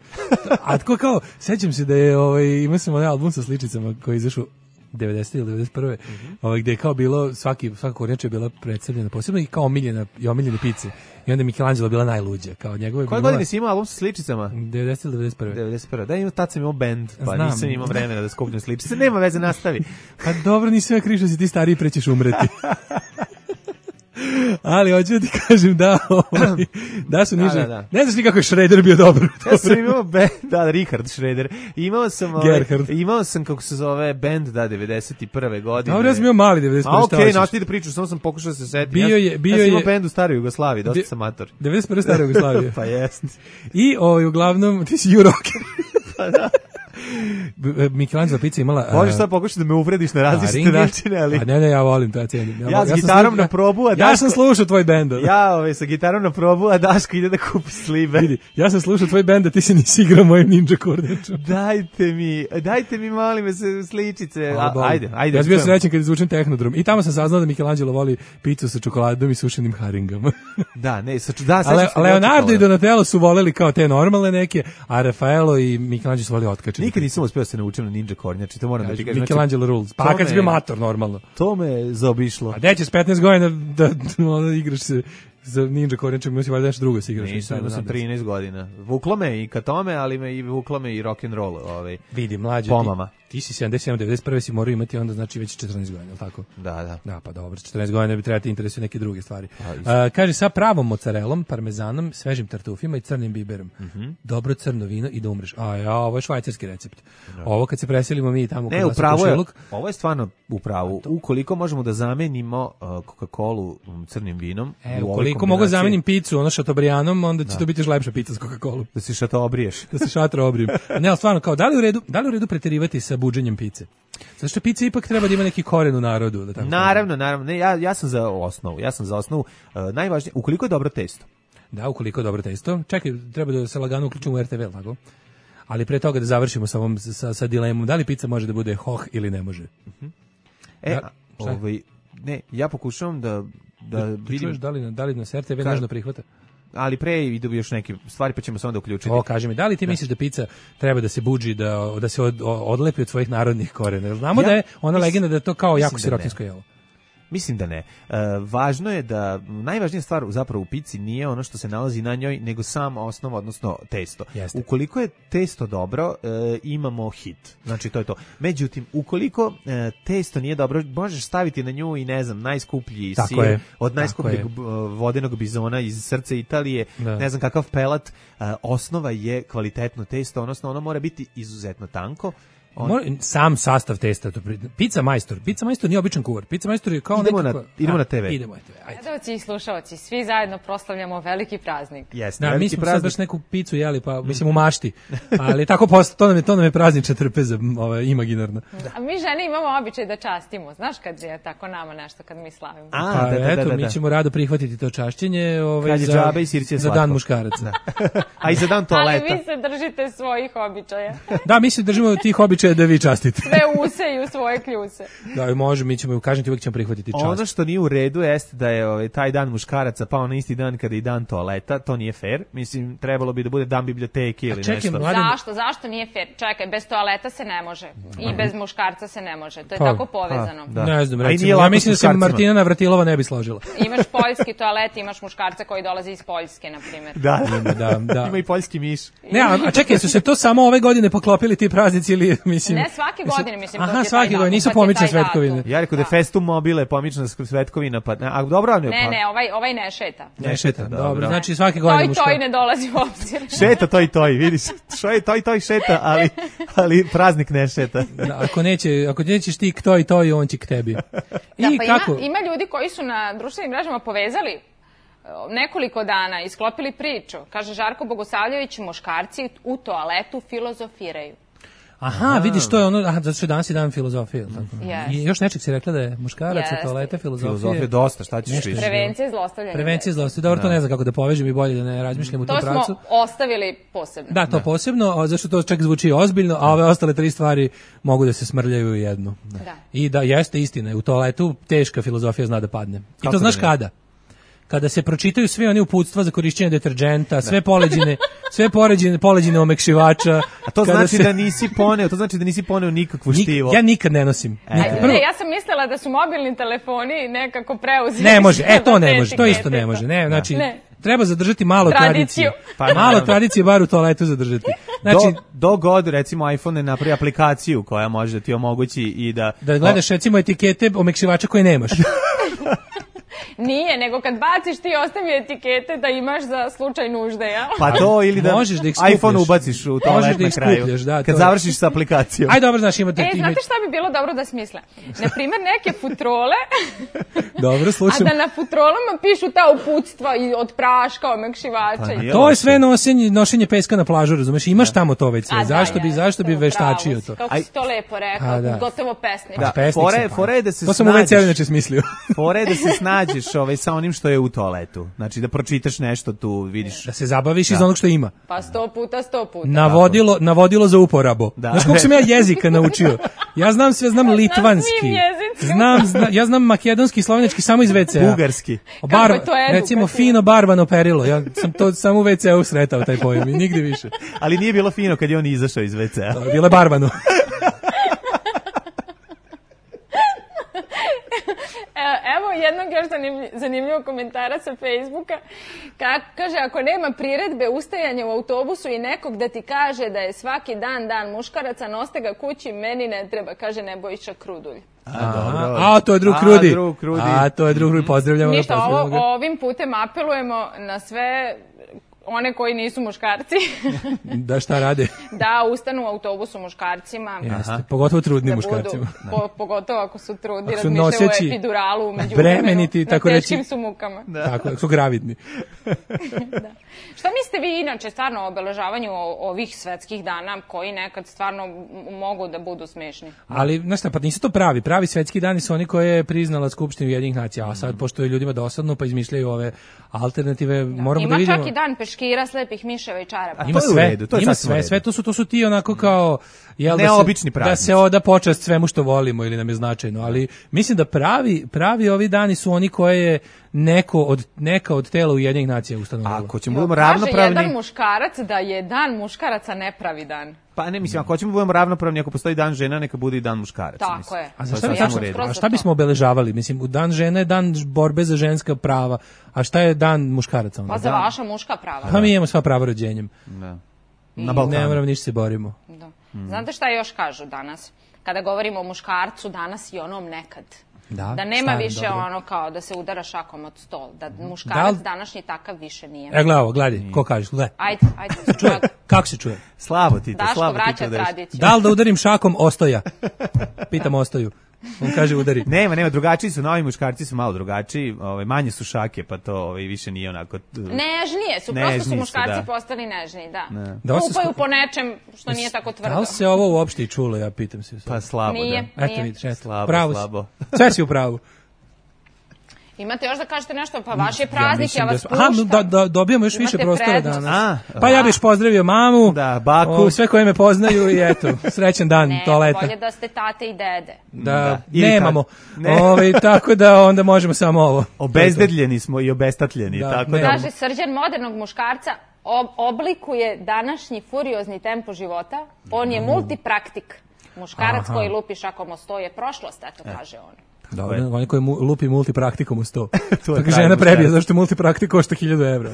A tko kao, sećam se da je, ovaj, imao sam onaj album sa sličicama koji je izašao devedesete ili devedeset prve Mm-hmm. Ovaj gde je kao bilo svaki svaka kornjača je bila predstavljena posebno i kao omiljena i omiljene pice. I onda je Michelangelo bila najluđa, kao njegove. Koje godine si imao album sa sličicama? devedesete ili devedeset prve devedeset prve Da, imao tad sam imao bend, pa Znam. nisam imao vremena da skupljam sličice. Nema veze, nastavi. Pa dobro, nisi sve krišao, si ti stariji, pre ćeš umreti. Ali hoću da ti kažem da ovaj, da su niže. Da, da, da. Ne znaš ni kako je Schroeder bio dobro. Ja sam imao band, da, Richard Schroeder. Imao sam ovaj, imao sam kako se zove band da devedeset prve godine. Dobro, ja sam imao mali devedeset prve A okej, okay, nastavi da pričaš, samo sam pokušao da se setim. Bio je, bio ja sam imao je bend u staroj Jugoslaviji, dosta sam mator. devedeset prve stare Jugoslavije. Pa jest. I ovaj uglavnom ti si Euroker. Pa da. Michelangelo pizza imala... Možeš sad pokušati da me uvrediš na različite načine, ali... A ne, ne, ja volim to, ja cijenim. Ja, ja s ja gitarom na probu, a ja, Daško... Ja sam slušao tvoj bend. Ja ove, sa gitarom na probu, a Daško ide da kupi slibe. Vidi, ja sam slušao tvoj bend, a ti se nisi igrao mojim ninja kornjačom. Dajte mi, dajte mi, molim me, sličice. A, ajde, ajde. Ja sam bio srećen kad izvučem Tehnodrom. I tamo sam saznao da Michelangelo voli picu sa čokoladom i sušenim haringama. Da, ne, sa da, Ale, Leonardo i Donatello su voleli kao te normalne neke, a Rafaelo i Michelangelo su voleli otkačene. Nikad nisam uspeo se naučiti na ninja kornjači, to moram da ti kažem. Michelangelo rules. Pa kad si bio mator, normalno. To me zaobišlo. A gde ćeš petnaest godina da, da, da igraš se za ninja kornjačem, mislim valjda nešto drugo se igraš. Nisam, imao sam trinaest godina. Vuklo me i ka tome, ali me i vuklo me i rock and roll, ovaj. Vidi, mlađe, pomama. Ti, ti si sedamdeset sedam devedeset prve si morao imati onda znači već četrnaest godina, je l' tako? Da, da. Da, pa dobro, četrnaest godina bi trebati interesuju neke druge stvari. A, kaže, sa pravom mozzarellom, parmezanom, svežim tartufima i crnim biberom. Mm-hmm. Dobro crno vino i da umreš. A ja, ovo je švajcarski recept. No. Ovo kad se preselimo mi tamo ne, upravo je, ovo je stvarno upravo. Ukoliko možemo da zamenimo uh, Coca-Colu um, crnim vinom, e, ukoliko mogu zamenim picu, ono šatobrijanom, onda će da. to biti još lepša pica s Coca-Colom. Da se šato obriješ. Da se šatro obrijem. Ne, ali stvarno, kao, da li u redu, da li u redu preterivati sa buđenjem pice? Zato što pica ipak treba da ima neki koren u narodu. Da tako naravno, kažem. naravno. Ne, ja, ja sam za osnovu. Ja sam za osnovu. Uh, najvažnije, ukoliko je dobro testo. Da, ukoliko je dobro testo. Čekaj, treba da se lagano uključimo u er te ve, tako? Ali pre toga da završimo sa, ovom, sa, sa dilemom, da li pizza može da bude hoh ili ne može? Uh-huh. E, da, ovaj, ne, ja pokušavam da, da, da vidim... Čuješ da li, da li nas er te ve nežno prihvata? Ali pre idu još neke stvari, pa ćemo se onda uključiti. O, kaži mi, da li ti da. misliš da pizza treba da se buđi, da, da se od, odlepi od svojih narodnih korena? Znamo ja, da je ona mis, legenda da je to kao jako sirotinsko jelo. Mislim da ne. E, važno je da, najvažnija stvar zapravo u pici nije ono što se nalazi na njoj, nego sam osnov, odnosno testo. Jeste. Ukoliko je testo dobro, e, imamo hit. Znači, to je to. Međutim, ukoliko e, testo nije dobro, možeš staviti na nju i, ne znam, najskuplji Tako sir, je. od najskupljeg vodenog bizona iz srca Italije, da. ne znam kakav pelat, e, osnova je kvalitetno testo, odnosno ono mora biti izuzetno tanko. On... Mora, sam sastav testa, to pizza majstor. Pizza majstor nije običan kuvar. Pizza majstor je kao idemo nekako... Na, idemo a, na te ve. Idemo na te ve. Ajde. Gledalci i slušalci, svi zajedno proslavljamo veliki praznik. Jeste, da, veliki mi smo praznik. sad baš neku picu jeli, pa mislim u mašti. Ali tako posto, to nam je, to nam je praznična trpeza, ovaj, imaginarna. Da. A mi žene imamo običaj da častimo. Znaš kad je tako nama nešto, kad mi slavimo? A, pa, da, da, eto, da, da, da. mi ćemo rado prihvatiti to čašćenje ovaj, za, za, i za dan muškaraca. A i za dan toaleta. Ali vi se držite svojih običaja. Da, mi se držimo tih običaja da vi častite. Sve use i u svoje kljuse. Da, i može, mi ćemo, kažem ti, uvijek ćemo prihvatiti čast. Ono što nije u redu jeste da je ovaj, taj dan muškaraca pao na isti dan kada je i dan toaleta, to nije fair. Mislim, trebalo bi da bude dan biblioteke ili čekaj, nešto. Mladen... Zašto? Zašto nije fair? Čekaj, bez toaleta se ne može. I bez muškarca se ne može. To je pa, tako povezano. Pa, da. Ne znam, recimo, ja mislim da se Martina Navratilova ne bi složila. Imaš poljski toalet, imaš muškarca koji dolazi iz Poljske, na primjer. Da, da, da, da. Ima i poljski miš. Ne, a, a čekaj, su se to samo ove godine poklopili ti praznici ili, mislim... Ne, svake godine, mislim, aha, to svake godine, nisu pomične svetkovine. Ja rekao da je Festum mobile pomična svetkovina, pa a dobro, ne, ne, ne, ovaj ovaj ne šeta. Ne šeta, dobro. Znači svake godine muško. Toj toj ne dolazi u obzir. Šeta toj toj, vidiš. Što je toj toj šeta, ali ali praznik ne šeta. Da, ako neće, ako nećeš ti k toj toj, on će k tebi. I da, pa kako? Ima, ima ljudi koji su na društvenim mrežama povezali nekoliko dana isklopili priču. Kaže Žarko Bogosavljević, muškarci u toaletu filozofiraju. Aha, vidiš, to je ono, aha, zato što danas je dan filozofije. Tako. Yes. I još nečeg si rekla da je muškarac, Yes. toalete, filozofije. Filozofije dosta, šta ćeš više? Prevencija zlostavljanja. Prevencija zlostavljanja. Dobro, to ne znam kako da povežem i bolje da ne razmišljam u tom to pravcu. smo ostavili posebno. Da, to da. posebno, a zašto to čak zvuči ozbiljno, a ove ostale tri stvari mogu da se smrljaju u jednu. Da. I da, jeste istina, u toaletu teška filozofija zna da padne. I kako to znaš da kada? Kada se pročitaju sve oni uputstva za korišćenje deterđenta, sve poleđine, sve poređene, poleđine omekšivača. A to kada znači se... da nisi poneo, to znači da nisi poneo nikakvu štivo. Nik, ja nikad ne nosim. E. Nikad. Prvo, ne, ja sam mislila da su mobilni telefoni nekako preuzeli. Ne može, e to ne može, to isto ne može. Ne, znači ne. Treba zadržati malo tradicije. Pa malo tradicije bar u toaletu zadržati. Znači do, do god recimo iPhone ne napravi aplikaciju koja može da ti omogući i da da gledaš recimo etikete omekšivača koje nemaš. Nije, nego kad baciš ti ostavi etikete da imaš za slučaj nužde, ja? Pa to ili da, možeš da iPhone ubaciš u toalet na kraju. Da, kad to završiš sa aplikacijom. Aj dobro, znaš, imate... E, znate šta bi bilo dobro da smisle? Naprimjer, neke futrole, dobro, slušam. A da na futrolama pišu ta uputstva i od praška, omekšivača. Pa, to je sve nošenje, nošenje peska na plažu, razumeš? Imaš da. tamo to već sve. Zašto bi, zašto bi veštačio to? Kako si to lepo rekao, da. gotovo pesnik. Da, pesnik fore, fore da se to sam u ve ce inače smislio. Fore da se snađeš ovaj, sa onim što je u toaletu. Znači da pročitaš nešto tu, vidiš. Da se zabaviš da. iz onog što ima. Pa sto puta, sto puta. Navodilo, navodilo za uporabu. Da. Znaš koliko sam ja jezika naučio? Ja znam sve, znam litvanski. Znam, zna, ja znam makedonski, slovenački samo iz ve ce a. Bugarski. Bar, recimo fino barbano perilo. Ja sam to samo u ve ce a sretao taj pojam i nigde više. Ali nije bilo fino kad je on izašao iz ve ce a. Bilo je barbano. Evo jednog još zanimljivog komentara sa Facebooka. Ka, kaže, ako nema priredbe ustajanja u autobusu i nekog da ti kaže da je svaki dan dan muškaraca, noste ga kući, meni ne treba, kaže Nebojša Krudulj. A, dobro. A, to je drug Krudi. A, drug Krudi. A, to je drug Krudi, pozdravljamo. Ništa, ovo, ovim putem apelujemo na sve one koji nisu muškarci. Da šta rade? Da ustanu u autobusu muškarcima. Jeste, pogotovo trudnim da muškarcima. Po, pogotovo ako su trudni, ako su razmišljaju o epiduralu umeđu bremeniti, tako na reći. teškim su mukama. Da. Tako, ako su gravidni. Da. Šta mislite vi inače stvarno o obeležavanju ovih svetskih dana koji nekad stvarno mogu da budu smešni? Ali, znaš šta, pa nisu to pravi. Pravi svetski dani su oni koje je priznala Skupština Ujedinjenih nacija, a sad, pošto je ljudima dosadno, pa izmišljaju ove alternative, da. moramo Ima da vidimo. Ima čak i dan peškira, slepih miševa i čarapa. Ima sve, redu, to je ima sve, sve to su, to su ti onako kao... Jel, neobični da se, da se oda počast svemu što volimo ili nam je značajno, ali mislim da pravi, pravi ovi dani su oni koje je neko od, neka od tela Ujedinjenih nacija ustanovila. Ako ćemo budemo ravnopravni... Kaže jedan muškarac da je dan muškaraca nepravi dan. Pa ne, mislim, ako ćemo budemo ravnopravni, ako postoji dan žena, neka bude i dan muškaraca. Tako mislim. je. A, za šta, bi, tačno, a šta bismo obeležavali? Mislim, u dan žene je dan borbe za ženska prava, a šta je dan muškaraca? Onda? Pa za vaša muška prava. Pa mi imamo sva prava rođenjem. Da. Na Balkanu. Ne moramo ništa se borimo. Da. Mm. Znate šta još kažu danas? Kada govorimo o muškarcu danas i onom nekad. Da, da nema starim, više dobro. Ono kao da se udara šakom od stol. Da muškarac da današnji takav više nije. E, gledaj ovo, gledaj, ko kažeš, gledaj. Ajde, ajde. Čuje, kako se čuje? Slabo ti to, Daško slabo vraća ti to tradiciju. Da li da udarim šakom Ostoja? Pitam Ostoju. On kaže udari. Nema, nema, drugačiji su, novi muškarci su malo drugačiji, ovaj, manje su šake, pa to ovaj, više nije onako... Nežnije su, nežniji prosto su muškarci su, da. postali nežniji, da. Ne. Da Kupaju sk... po nečem što nije tako tvrdo. Da li se ovo uopšte i čulo, ja pitam se. Pa slabo, nije, da. Nije, Eto vidiš, eto, slabo, pravo slabo. Sve si u pravu. Imate još da kažete nešto, pa vaš je praznik, ja, ja vas da, puštam. Aha, da, da, dobijamo još više prostora prednost. danas. A, pa ja bih pozdravio mamu, da, baku, o, sve koje me poznaju i eto, srećan dan ne, toaleta. Ne, bolje da ste tate i dede. Da, da. nemamo. Ne. Ove, tako da onda možemo samo ovo. Obezdedljeni smo i obestatljeni. Da, tako da. Kaže, srđan modernog muškarca ob oblikuje današnji furiozni tempo života. On je multipraktik. Muškarac Aha. koji lupi šakom o sto je prošlost, eto kaže on. Dobro, on je koji mu, lupi multipraktikom u sto. Tako žena prebije, zašto multipraktik košta hiljadu evra.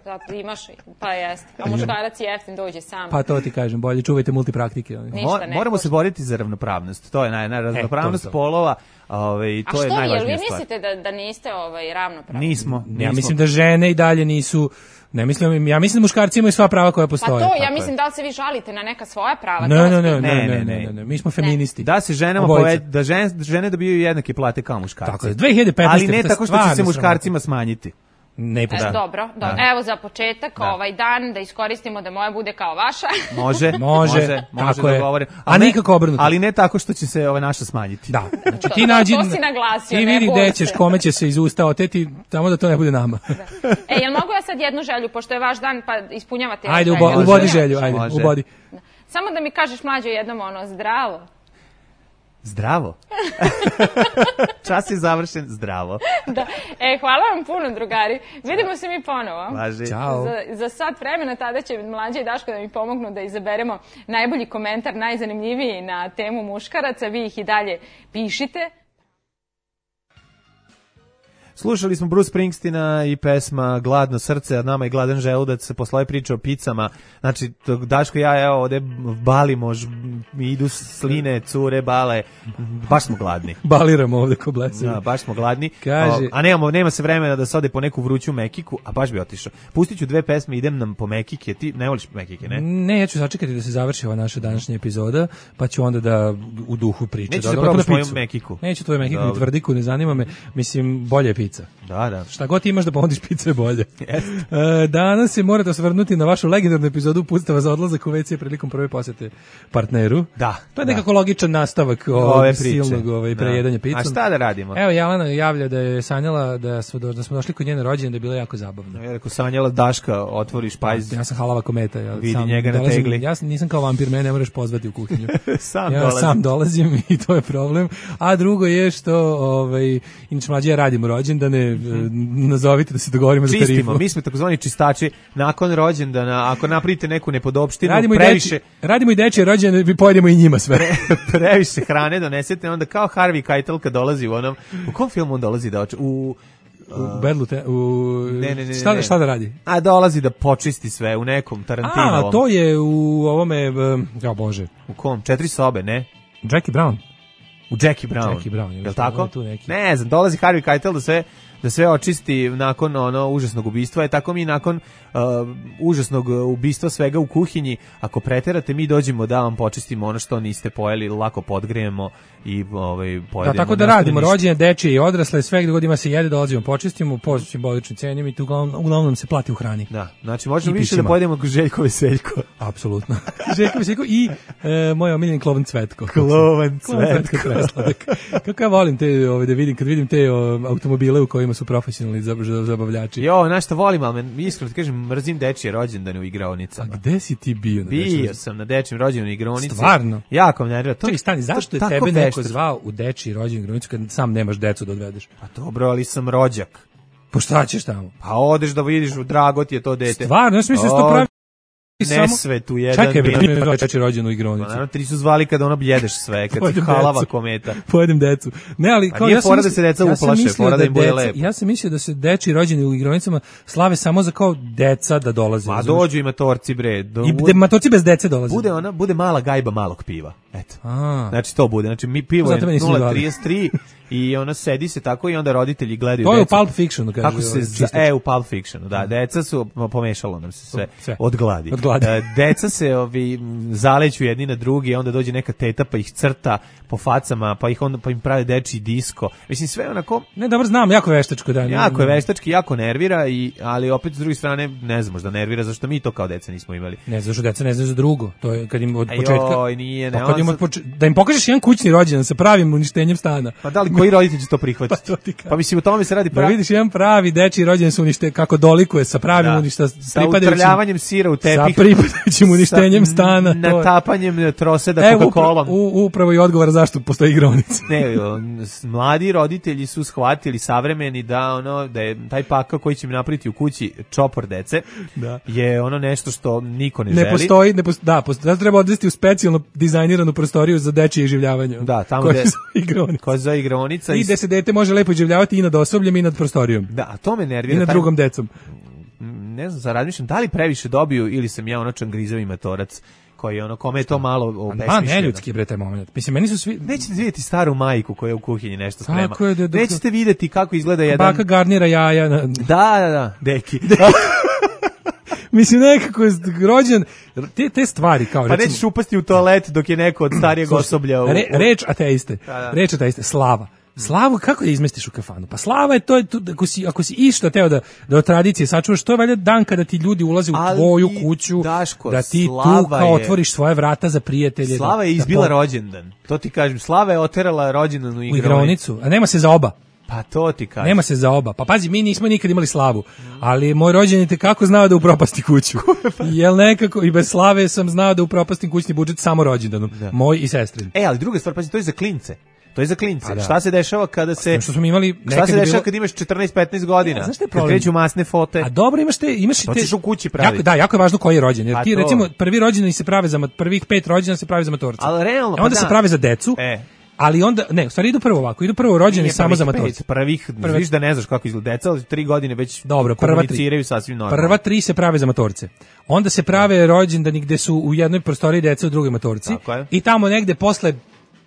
Zato imaš, pa jeste. A muškarac je jeftin, dođe sam. Pa to ti kažem, bolje čuvajte multipraktike. Ništa ne Moramo se boriti za ravnopravnost. To je naj, naj, ravnopravnost e, to polova. Ovaj, to A je što, najvažnija jel vi stvar. mislite da, da niste ovaj, ravnopravni? Nismo, nismo. Ja mislim da žene i dalje nisu... Ne mislim, ja mislim da muškarci imaju sva prava koja postoje. Pa to, ja mislim da li se vi žalite na neka svoja prava? Ne, ne, ne, ne, ne, ne, ne, mi smo feministi. Da se ženama poved, da žene, žene dobijaju jednake plate kao muškarci. Tako je, dve hiljade petnaeste. Ali ne tako što će se muškarcima smanjiti. Ne E, postoji. dobro, dobro. Da. Evo za početak Da. ovaj dan da iskoristimo da moja bude kao vaša. Može, Može, može, može tako da je. govorim. A nikako obrnuto. Ali ne tako što će se ova naša smanjiti. Da, znači To- ti to- nađi, to si naglasio, ti ne vidi boj gde se. ćeš, kome će se iz usta oteti, tamo da to ne bude nama. E, jel mogu ja sad jednu želju, pošto je vaš dan, pa ispunjavate Ajde, želju? ubo, ubodi želju, ajde, Može. ubodi. Samo da mi kažeš mlađo jednom ono, zdravo. Zdravo. Čas je završen, zdravo. Da. E, hvala vam puno, drugari. Vidimo se mi ponovo. Važi. Ćao. Za, za sat vremena tada će Mlađa i Daško da mi pomognu da izaberemo najbolji komentar, najzanimljiviji na temu muškaraca. Vi ih i dalje pišite. Slušali smo Bruce Springsteena i pesma Gladno srce, a nama je gladan želudac posle ove priče o picama. Znači, Daško i ja, evo, ovde balimo, ž- mi idu sline, cure, bale, baš smo gladni. Baliramo ovde ko blesavi. Da, baš smo gladni. Kaže- O, a nemamo, nema se vremena da se ode po neku vruću mekiku, a baš bi otišao. Pustit ću dve pesme, idem nam po mekike. Ti ne voliš mekike, ne? Ne, ja ću sačekati da se završi ova naša današnja epizoda, pa ću onda da u duhu priča. Nećeš da, da da probaš otvorim moju picu. mekiku? Neću tvoju mekiku, ni Dobro. tvrdiku, ne zanima me. Mislim, bolje je pica. Da, da. Šta god imaš da ponudiš, pica je bolje. E, danas se morate osvrnuti na vašu legendarnu epizodu Pustava za odlazak u ve ce prilikom prve posete partneru. Da, To je da. nekako logičan nastavak ovog Ove priče. silnog ovaj, Da. prejedanja picom. A šta da radimo? Evo, Jelena javlja da je sanjala da smo, do, da smo došli kod njene rođene, da je bilo jako zabavno. Ja rekao, sanjala Daška, otvori špajz. Ja sam halava kometa. Ja Vidi sam njega na dolazim- tegli. Ja sam- nisam kao vampir, mene ne moraš pozvati u kuhinju. Sam ja dolazim. sam dolazim i to je problem. A drugo je što, ovaj, inače mlađe ja radim rođendane, e, nazovite da se dogovorimo za Čistimo, tarifu. mi smo takozvani čistači. Nakon rođendana, ako napravite neku nepodopštinu, Radimo i, previše, deči, radimo i dečje rođendane, vi pojedemo i njima sve. previše hrane donesete, onda kao Harvey Keitel kad dolazi u onom, u kom filmu on dolazi da oče? U, U bedlu te, u, Ne, ne, ne, šta, da- ne. šta da radi? a dolazi da počisti sve u nekom Tarantinovom. A, to je u ovome, um, ja bože, U kom? Četiri sobe, ne? Jackie Brown. U Jackie Brown. Jackie Brown, Jel jel tako? je tu neki? Ne znam, dolazi Harvey Keitel da sve da sve očisti nakon ono užasnog ubistva, je tako mi nakon uh, užasnog ubistva svega u kuhinji, ako preterate mi dođemo da vam počistimo ono što niste pojeli, lako podgrejemo i ovaj pojedemo. Da, tako da Ne ostane radimo ništa. rođenje, dečije i odrasle, sve gdje god ima se jede, dolazimo, počistimo, po simboličnim cenima i tu uglavnom, uglavnom se plati u hrani. Da, znači možemo I više da pićima. pojedemo kao Željko Veseljko. Apsolutno. Željko Veseljko i e, moj omiljeni Klovan Cvetko. Klovan Klovan Cvetko Cvetko. presladak. Kako ja volim te, ovaj, da vidim, kad vidim te o, automobile u kojima su profesionalni zab- za- zabavljači. Jo, znaš što volim, ali me, iskreno ti kažem, mrzim dečije rođendane u igraonicama. A gde si ti bio? na Bio dečjem? sam na dečijem rođendanu u igraonici. Stvarno? Jako me nervira. To- Čekaj, stani, zašto to je tako tebe neko veštački. zvao u dečiji rođendan igronicu kad sam nemaš decu da odvedeš? Pa dobro, ali sam rođak. Pa šta ćeš tamo? Pa odeš da vidiš, drago ti je to dete. Stvarno, ja sam mislio da se to O, pravi samo... Nesvetu jedan. Čekaj, bio. bre, dečiji rođendan u Pa igronicu. naravno, tri su zvali kada ono bjedeš sve, kad si Pojedem halava decu. kometa. Pojedem decu. Ne, ali Pa kao nije ja sam fora da mislio- se deca ja sam uplaše, mislio fora da im bude deca- lepo. Ja sam mislio da se deči rođeni u igronicama slave samo za kao deca da dolaze. Ma razumeš? dođu i matorci bre. Do, I de, matorci bez dece dolaze. bude ona, bude mala gajba malog piva. Eto. A. Znači to bude. Znači mi pivo je Zato me nisu nula zvali. trideset tri i ona sedi se tako i onda roditelji gledaju To je u decu. Pulp Fictionu, kaže. Kako se ovaj, za, čistač. e u Pulp Fictionu, da, deca su ma, pomešalo nam se sve, Sve. od gladi. Od gladi. E, deca se ovi m, zaleću jedni na drugi, onda dođe neka teta pa ih crta po facama, pa ih onda pa im prave dečiji disko. Mislim sve onako Ne, dobro znam, jako veštačko da. ne- jako je ne- veštački, jako nervira i ali opet s druge strane ne znam, možda nervira zašto mi to kao deca nismo imali. Ne, zašto deca ne znaju za drugo. To je kad im od Aj, početka. joj, nije, ne, Pa kad on im od sad- poče- da im pokažeš jedan kućni rođendan sa pravim uništenjem stana. Pa da li koji roditelj će to prihvatiti? Pa to ti kažem. Pa mislim o tome se radi Da pravi. vidiš jedan pravi dečiji rođendan sa unište kako dolikuje sa pravim Da. uništa Sa pripadajućim utrljavanjem sira u tepih. sa pripadajućim uništenjem sa stana. to je- Natapanjem troseda Evo Coca-Colom. upra- u- upravo i odgovor zašto postoji igronica. Ne, on, s- mladi roditelji su shvatili savremeni da ono da je taj pakao koji će im napraviti u kući čopor dece Da. je ono nešto što niko ne, Ne želi. postoji, ne postoji, da, postoji, zato treba odvesti u specijalno dizajniranu prostoriju za dečije življavanje. Da, tamo koja gde- se zove igronica. Ko za igraonica I gde se dete može lepo življavati i nad osobljem i nad prostorijom. Da, a to me I nervira. nad taj- drugom decom. Ne znam, za razmišljam, da li previše dobiju ili sam ja ono čangrizavi matorac koji ono, kome je to malo Pa obesmišljeno. neljudski je bre taj moment. Mislim, meni su svi... Nećete vidjeti staru majku koja u kuhinji nešto sprema. Tako je, da- da- Nećete vidjeti kako izgleda jedan... Baka garnira jaja. Na... Da, da, da, deki. Mislim, nekako je rođen... Te, te stvari kao... Pa recimo- nećeš upasti u toalet dok je neko od starijeg Slušaj, osoblja... U, Re, reč ateiste. Da, da. Reč ateiste. Slava. Slavu kako da izmestiš u kafanu? Pa slava je to, je to ako si ako si išta teo da da od tradicije sačuvaš, to je valjda dan kada ti ljudi ulaze u Ali, tvoju kuću, Daško, da ti Slava tu kao je- otvoriš svoje vrata za prijatelje. Slava da- je da izbila po- rođendan. To ti kažem, Slava je oterala rođendan u u igraonicu. igraonicu, a nema se za oba. Pa to ti kažem. Nema se za oba. Pa pazi, mi nismo nikad imali slavu, ali moj rođendan te kako znao da upropasti kuću. Jel nekako i bez slave sam znao da upropastim kućni budžet samo rođendanom, moj i sestrin. E, ali druga stvar, pazi, to je za klince. To je za klince. Pa da. Šta se dešava kada se Što smo imali Šta nekad se je dešava bilo- kad imaš četrnaest petnaest godina? Ja, znaš šta je Kad problem? kreću masne fote. A dobro, imaš te, imaš i To te. ćeš u kući praviti. Jako, da, jako je važno koji je rođen. Jer Pa ti to. recimo prvi rođendani se prave za mat- prvih pet rođendana se pravi za matorce. Ali realno, A pa onda da. se prave za decu. E. Ali onda ne, u stvari idu prvo ovako, idu prvo rođendani Nije samo prvih za pet, matorce. Prvih, Prve- viš da ne znaš kako izgleda deca, ali tri godine već Dobro, prva tri. komuniciraju sasvim normalno. Prva tri se prave za matorce. Onda se prave rođendani gde su u jednoj prostoriji deca, u drugoj matorci. Tako je. I tamo negde posle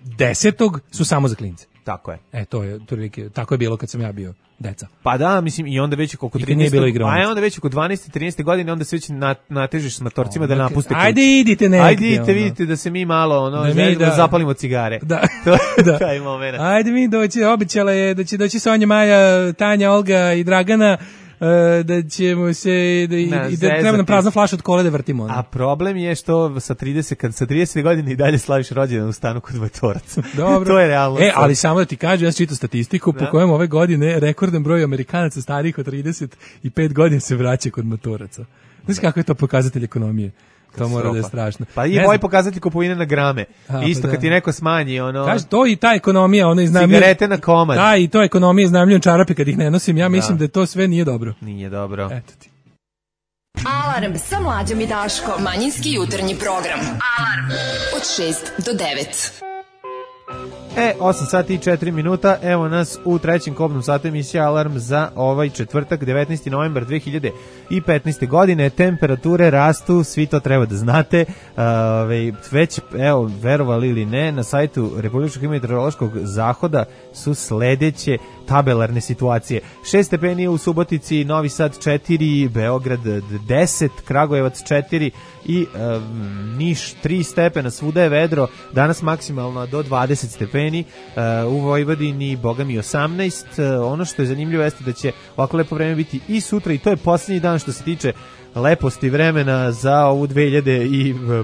desetog su samo za klince. Tako je. E, to je, otprilike, tako je bilo kad sam ja bio deca. Pa da, mislim, i onda već oko I kad nije trinaeste bilo igraonice. A je onda već oko dvanaeste trinaeste godine, onda se već na, natežeš s matorcima da Onda napuste ka- kuću. ajde idite negdje, Ajde idite, ono. vidite da se mi malo, ono, Da mi želimo da da- zapalimo cigare. Da, To je da. taj moment. Ajde mi doći, obećala je da će doći Sonja, Maja, Tanja, Olga i Dragana, e, da ćemo se, da, i, Na, i da treba nam zezati. prazna flaša od kole da vrtimo. ono. A problem je što sa trideset, kad sa trideset godina i dalje slaviš rođendan u stanu kod Vatoraca. Dobro. To je realno. E, ali samo da ti kažem, ja sam čitao statistiku po Da. kojem ove godine rekordan broj Amerikanaca starijih od trideset pet godina se vraća kod matoraca. Znaš kako je to pokazatelj ekonomije? To mora da je strašno. Pa i Ne moj znam. pokazatelj kupovine na grame. A, Isto pa kad da. ti neko smanji, ono... Kaže, to i ta ekonomija, ona iznajmljuje... Cigarete na komad. Da, i to ekonomija iznajmljujem čarape kad ih ne nosim. Ja mislim Da. da, to sve nije dobro. Nije dobro. Eto ti. Alarm sa mlađom i Daškom. Manjinski jutarnji program. Alarm od šest do devet. E, osam sati i četiri minuta, evo nas u trećem kobnom satu emisije Alarm za ovaj četvrtak, devetnaesti novembar dve hiljade petnaeste. godine. Temperature rastu, svi to treba da znate. Ove, već, evo, verovali ili ne, na sajtu Republičkog meteorološkog zahoda su sledeće tabelarne situacije. šest stepeni u Subotici, Novi Sad četiri, Beograd deset, Kragujevac četiri i um, Niš tri stepena, svuda je vedro, danas maksimalno do dvadeset stepeni, uh, u Vojvodini bogami osamnaest. Uh, ono što je zanimljivo jeste da će ovako lepo vreme biti i sutra i to je posljednji dan što se tiče leposti vremena za ovu dve hiljade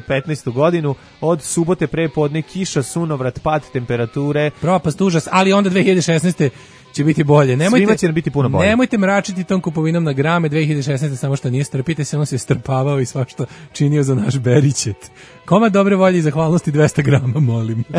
petnaestu. godinu. Od subote prepodne kiša, sunovrat, pad temperature. Propast, užas, ali onda dve hiljade šesnaeste. će biti bolje. Nemojte, Svima će nam biti puno bolje. Nemojte mračiti tom kupovinom na grame dve hiljade šesnaeste. samo što nije, strpite se, on se strpavao i svašta činio za naš beričet. Komad dobre volje i zahvalnosti dvesta grama, molim. uh,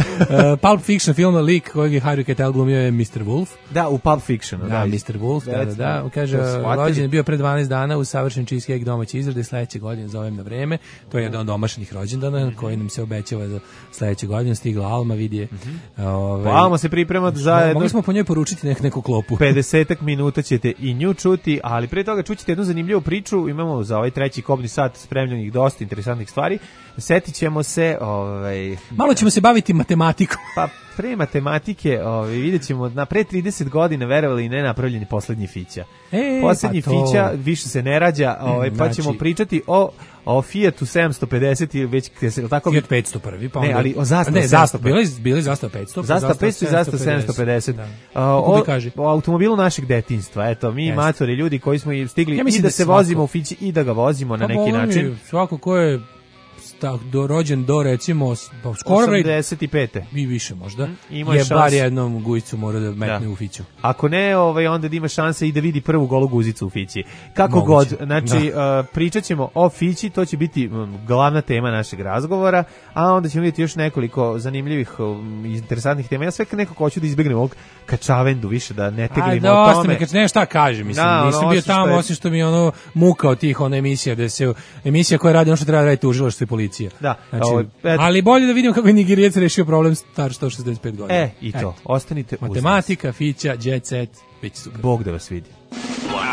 Pulp Fiction film lik kojeg je Harry Keitel glumio je mister Wolf. Da, u Pulp Fictionu. Da, mister Wolf, da, da, da. Kaže, rođen je bio pre dvanaest dana u savršen cheesecake domaće izrade, sledeće godine zovem na vreme. To je jedan od domašenih rođendana koji nam se obećava za sledeće godine. Stigla Alma, vidi je. Mm-hmm. Ove, Alma se priprema za jedno... Mogli smo po njoj poručiti nek, neku klopu. pedesetak minuta ćete i nju čuti, ali pre toga čućete jednu zanimljivu priču. Imamo za ovaj treći kobni sat spremljenih dosta interesantnih stvari. Setit ćemo se... Ovaj, Malo ćemo se baviti matematikom. Pa pre matematike, ovaj, vidjet ćemo na pre trideset godina, verovali i ne, napravljeni poslednji fića. E, poslednji pa to... fića više se ne rađa, ovaj, pa znači... ćemo pričati o o Fiatu sedamsto pedeset ili već tako Fiat petsto prvi, pa onda... Ne, ali o Zastava ne, Zastava, bili bili Zastava petsto, Zastava petsto i Zastava sedamsto pedeset. Da. O, o automobilu našeg detinjstva. Eto, mi Jest. matori, ljudi koji smo stigli ja i da, da se svako... vozimo u Fići i da ga vozimo na pa neki način. Mi, svako ko je tak, do, rođen do recimo pa skoro osamdeset pete. I više možda. Mm, je šans... bar jednom guzicu mora da metne da. u Fiću. Ako ne, ovaj, onda da ima šanse i da vidi prvu golu guzicu u Fići. Kako Moguće. god, znači da. uh, pričat ćemo o Fići, to će biti um, glavna tema našeg razgovora, a onda ćemo vidjeti još nekoliko zanimljivih um, interesantnih tema. Ja sve nekako hoću da izbjegnem ovog kačavendu više, da ne teglimo a, o tome. Mi, ne, šta kažem, mislim, da, nisam ono, bio tamo, je... osim što mi ono muka od tih ono emisija, da se, emisija koja radi ono što treba raditi tužilaštvo i policija. Da, znači, ovo, et... ali bolje da vidimo kako je Nigerijac rešio problem star sto šezdeset pet godina. E, i to. Et. Ostanite uz matematika, Fića, jet set, već super. Bog da vas vidi.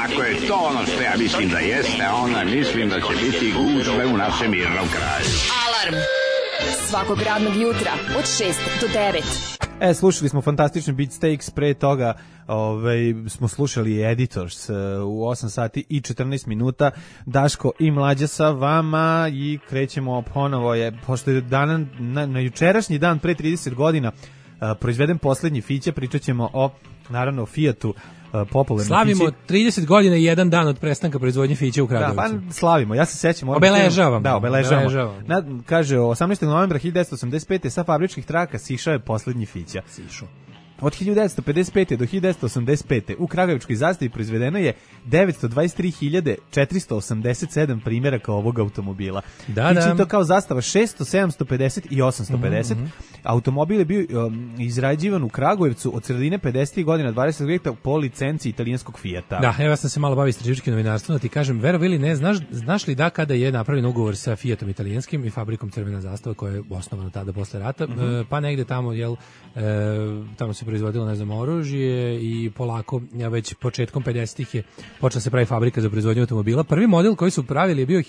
Ako je to ono što ja mislim da jeste, onda mislim da će biti gužve u našem mirnom kraju. Alarm svakog radnog jutra od šest do devet. E, slušali smo fantastični Beatsteaks, pre toga ovaj, smo slušali Editors uh, u osam sati i četrnaest minuta. Daško i Mlađa sa vama i krećemo ponovo je, pošto je dan, na, na jučerašnji dan pre trideset godina proizveden poslednji Fića, pričat ćemo o, naravno, o Fijatu, popularno. Slavimo Fići. trideset godina i jedan dan od prestanka proizvodnje Fića u Kragujevcu. Da, pa slavimo. Ja se sećam. Obeležavamo. Da, obeležavamo. obeležavamo. Na, kaže, osamnaestog novembra hiljadu devetsto osamdeset pete sa fabričkih traka sišao je poslednji Fića. Sišao. Od hiljadu devetsto pedeset pete do hiljadu devetsto osamdeset pete u Kragujevačkoj zastavi proizvedeno je devetsto dvadeset tri hiljade četiristo osamdeset sedam primjeraka ovog automobila. Da, Fići da. to kao zastava šesto, sedamsto pedeset i osamsto pedeset. Mm-hmm. Automobil je bio um, izrađivan u Kragujevcu od sredine pedesetih godina dvadesetog veka po licenci italijanskog Fijata. Da, evo ja sam se malo bavio istraživačkim novinarstvom, da ti kažem, verovi ili ne, znaš, znaš li da kada je napravljen ugovor sa Fijatom italijanskim i fabrikom Crvena zastava koja je osnovana tada posle rata, mm-hmm. e, pa negde tamo, jel, e, tamo se proizvodilo, ne znam, oružje i polako, ja već početkom pedesetih je počela se pravi fabrika za proizvodnju automobila. Prvi model koji su pravili je bio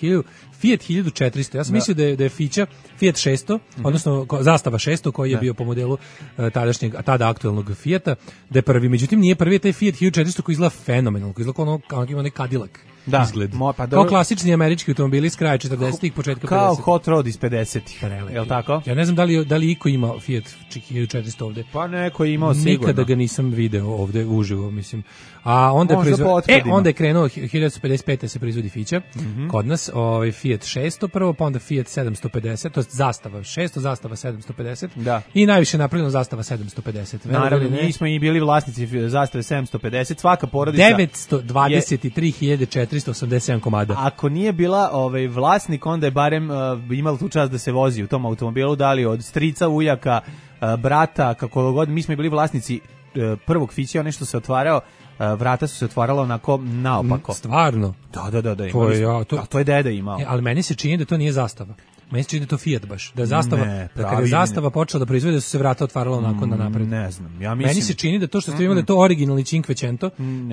Fiat hiljadu četiristo. Ja sam da. mislio da je, da je Fića Fiat šesto, mm-hmm. odnosno zastava šesto koji je da. bio po modelu uh, tadašnjeg, tada aktuelnog Fijata, da je prvi. Međutim, nije prvi, je taj Fiat hiljadu četiristo koji izgleda fenomenalno, koji izgleda kao ono, kao ima onaj Cadillac. Da, izgled. Mo, pa kao klasični američki automobili iz kraja četrdesetih, početka kao pedesetih. Kao Hot Rod iz pedesetih. Jel tako? Ja ne znam da li, da li iko ima Fiat hiljadu četiristo ovde. Pa neko je imao sigurno. Nikada ga nisam video ovde uživo, mislim. A onda je proizvod... E, onda je krenuo hiljadu devetsto pedeset pete se proizvodi Fića. Mm-hmm. Kod nas ovaj Fiat šesto prvo, pa onda Fiat sedamsto pedeset, to je zastava šesto, zastava sedamsto pedeset. Da. I najviše napravljeno zastava sedamsto pedeset. Naravno, mi smo i bili vlasnici zastave sedamsto pedeset, svaka porodica devetsto dvadeset tri hiljade četiristo osamdeset sedam komada. Ako nije bila ovaj vlasnik, onda je barem uh, imala tu čast da se vozi u tom automobilu, da li od strica, ujaka, uh, brata, kako god. Mi smo bili vlasnici uh, prvog Fića, ono što se otvarao, uh, vrata su se otvarala onako naopako. Stvarno? Da, da, da, da. To je, ja, to... A to je deda imao. E, ali meni se čini da to nije zastava. Meni se čini da to Fiat baš. Da je zastava, ne, da kada je zastava počela da proizvode, da su se vrata otvarala onako na napred. Ne znam. Ja mislim... Meni se čini da to što ste imali, to originalni Cinquecento,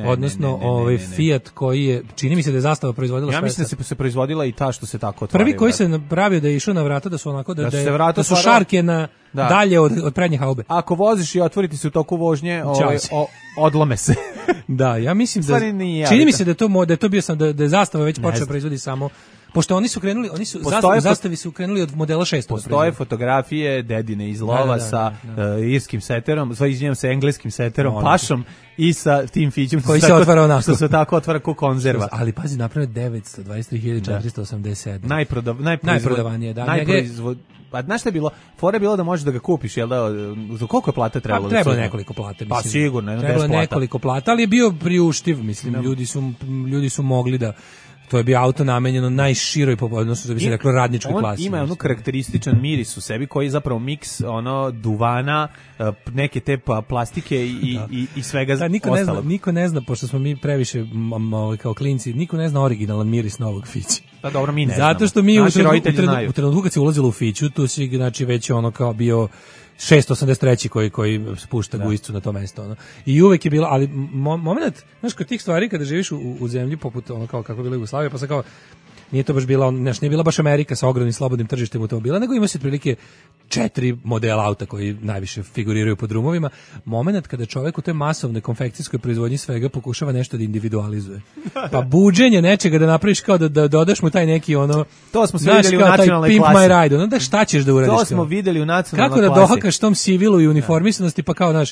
odnosno ovaj Fiat koji je, čini mi se da je zastava proizvodila. Ja mislim da se se proizvodila i ta što se tako otvaraju. Prvi koji se napravio da je išao na vrata, da su onako da, da, da, je, da su šarke na da. dalje od, od prednje haube. Ako voziš i otvoriti se u toku vožnje, ovaj, o, odlome se. Da, ja mislim da čini mi se da to da je to bio sam da, da je zastava već počela proizvodi samo. Pošto oni su krenuli, oni su zastavi, zastavi su krenuli od modela šesto. Postoje fotografije dedine iz lova da, da, da, sa da, da. Uh, irskim seterom, sva izvinjam se engleskim seterom, no, pašom i sa tim Fićem koji se otvara onako. Što se tako otvara kao konzerva. Ali pazi, napravljeno devetsto dvadeset tri hiljade četiristo osamdeset sedam. Najprodav, najprodavanije, da. Najproizvod, pa znaš šta je bilo? Fora je bilo da možeš da ga kupiš, jel da? Za koliko je plata trebalo? Pa, trebalo nekoliko plata, mislim. Pa sigurno, trebalo nekoliko plata, ali je bio priuštiv, mislim, no. ljudi su ljudi su mogli da to je bio auto namenjeno najširoj, odnosno da bi se reklo radničkoj on klasi. On ima ono karakterističan miris u sebi koji je zapravo miks ono duvana, neke te plastike i, da. i, i svega da, niko ostalog. Ne zna, niko ne zna, pošto smo mi previše m, kao klinci, niko ne zna originalan miris novog Fića. Pa dobro, mi ne Zato znamo. što mi u trenutku, u trenutku kad se ulazilo u Fiću, tu si znači već ono kao bio šesto osamdeset treći koji koji spušta da. gujicu na to mesto, ono. I uvek je bilo, ali mo, moment, znaš, kod tih stvari kada živiš u, u zemlji poput ono kao kako je bila Jugoslavija, pa sa kao nije to baš bila, znaš, nije bila baš Amerika sa ogromnim slobodnim tržištem automobila, nego ima se otprilike četiri modela auta koji najviše figuriraju po drumovima. Moment kada čovjek u toj masovnoj konfekcijskoj proizvodnji svega pokušava nešto da individualizuje. Pa buđenje nečega da napraviš kao da, da dodaš mu taj neki ono... To smo sve vidjeli u nacionalnoj Pimp klasi. My Ride, ono da šta ćeš da uradiš? To smo vidjeli u nacionalnoj klasi. Kako da dohakaš tom civilu i uniformisanosti, pa kao, znaš,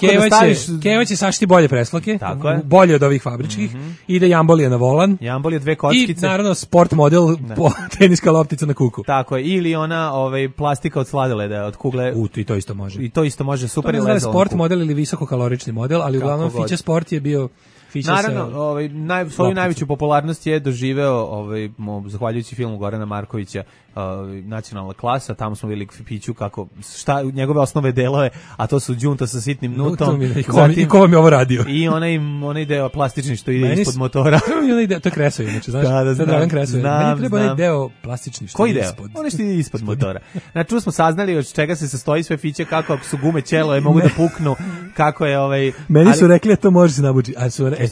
Keva, da staviš... će, Keva će sašti bolje presloke, bolje od ovih fabričkih, mm-hmm. ide jambolije na volan. Jambolije dve kockice. I naravno sport model, po, teniska loptica na kuku. Tako je, ili ona ovaj, plastika od sladoleda, od kugle. U, i to isto može. I to isto može, super je lezalo. Sport model ili visokokalorični model, ali kako uglavnom Fića Sport je bio Fića. Naravno, sa, ovaj, naj, svoju najveću popularnost je doživeo ovaj, mo, zahvaljujući filmu Gorana Markovića, ovaj, Nacionalna klasa, tamo smo vidjeli Fiću kako, šta, njegove osnove delove, a to su đunta sa sitnim nutom. I ko, zatim, i ko vam je ovo radio? I onaj, onaj deo plastični što ide Meni ispod motora. Onaj to je Kresovi, znači, znaš, da, da, znam, Kresovi. Znam, Meni treba onaj deo plastični što Koji ide deo? ispod. Onaj što ide ispod motora. Znači, tu smo saznali od čega se sastoji sve Fiće, kako ako su gume ćelo, mogu da puknu, kako je ovaj... Meni su rekli, to može se nabuđi, ali su rekli,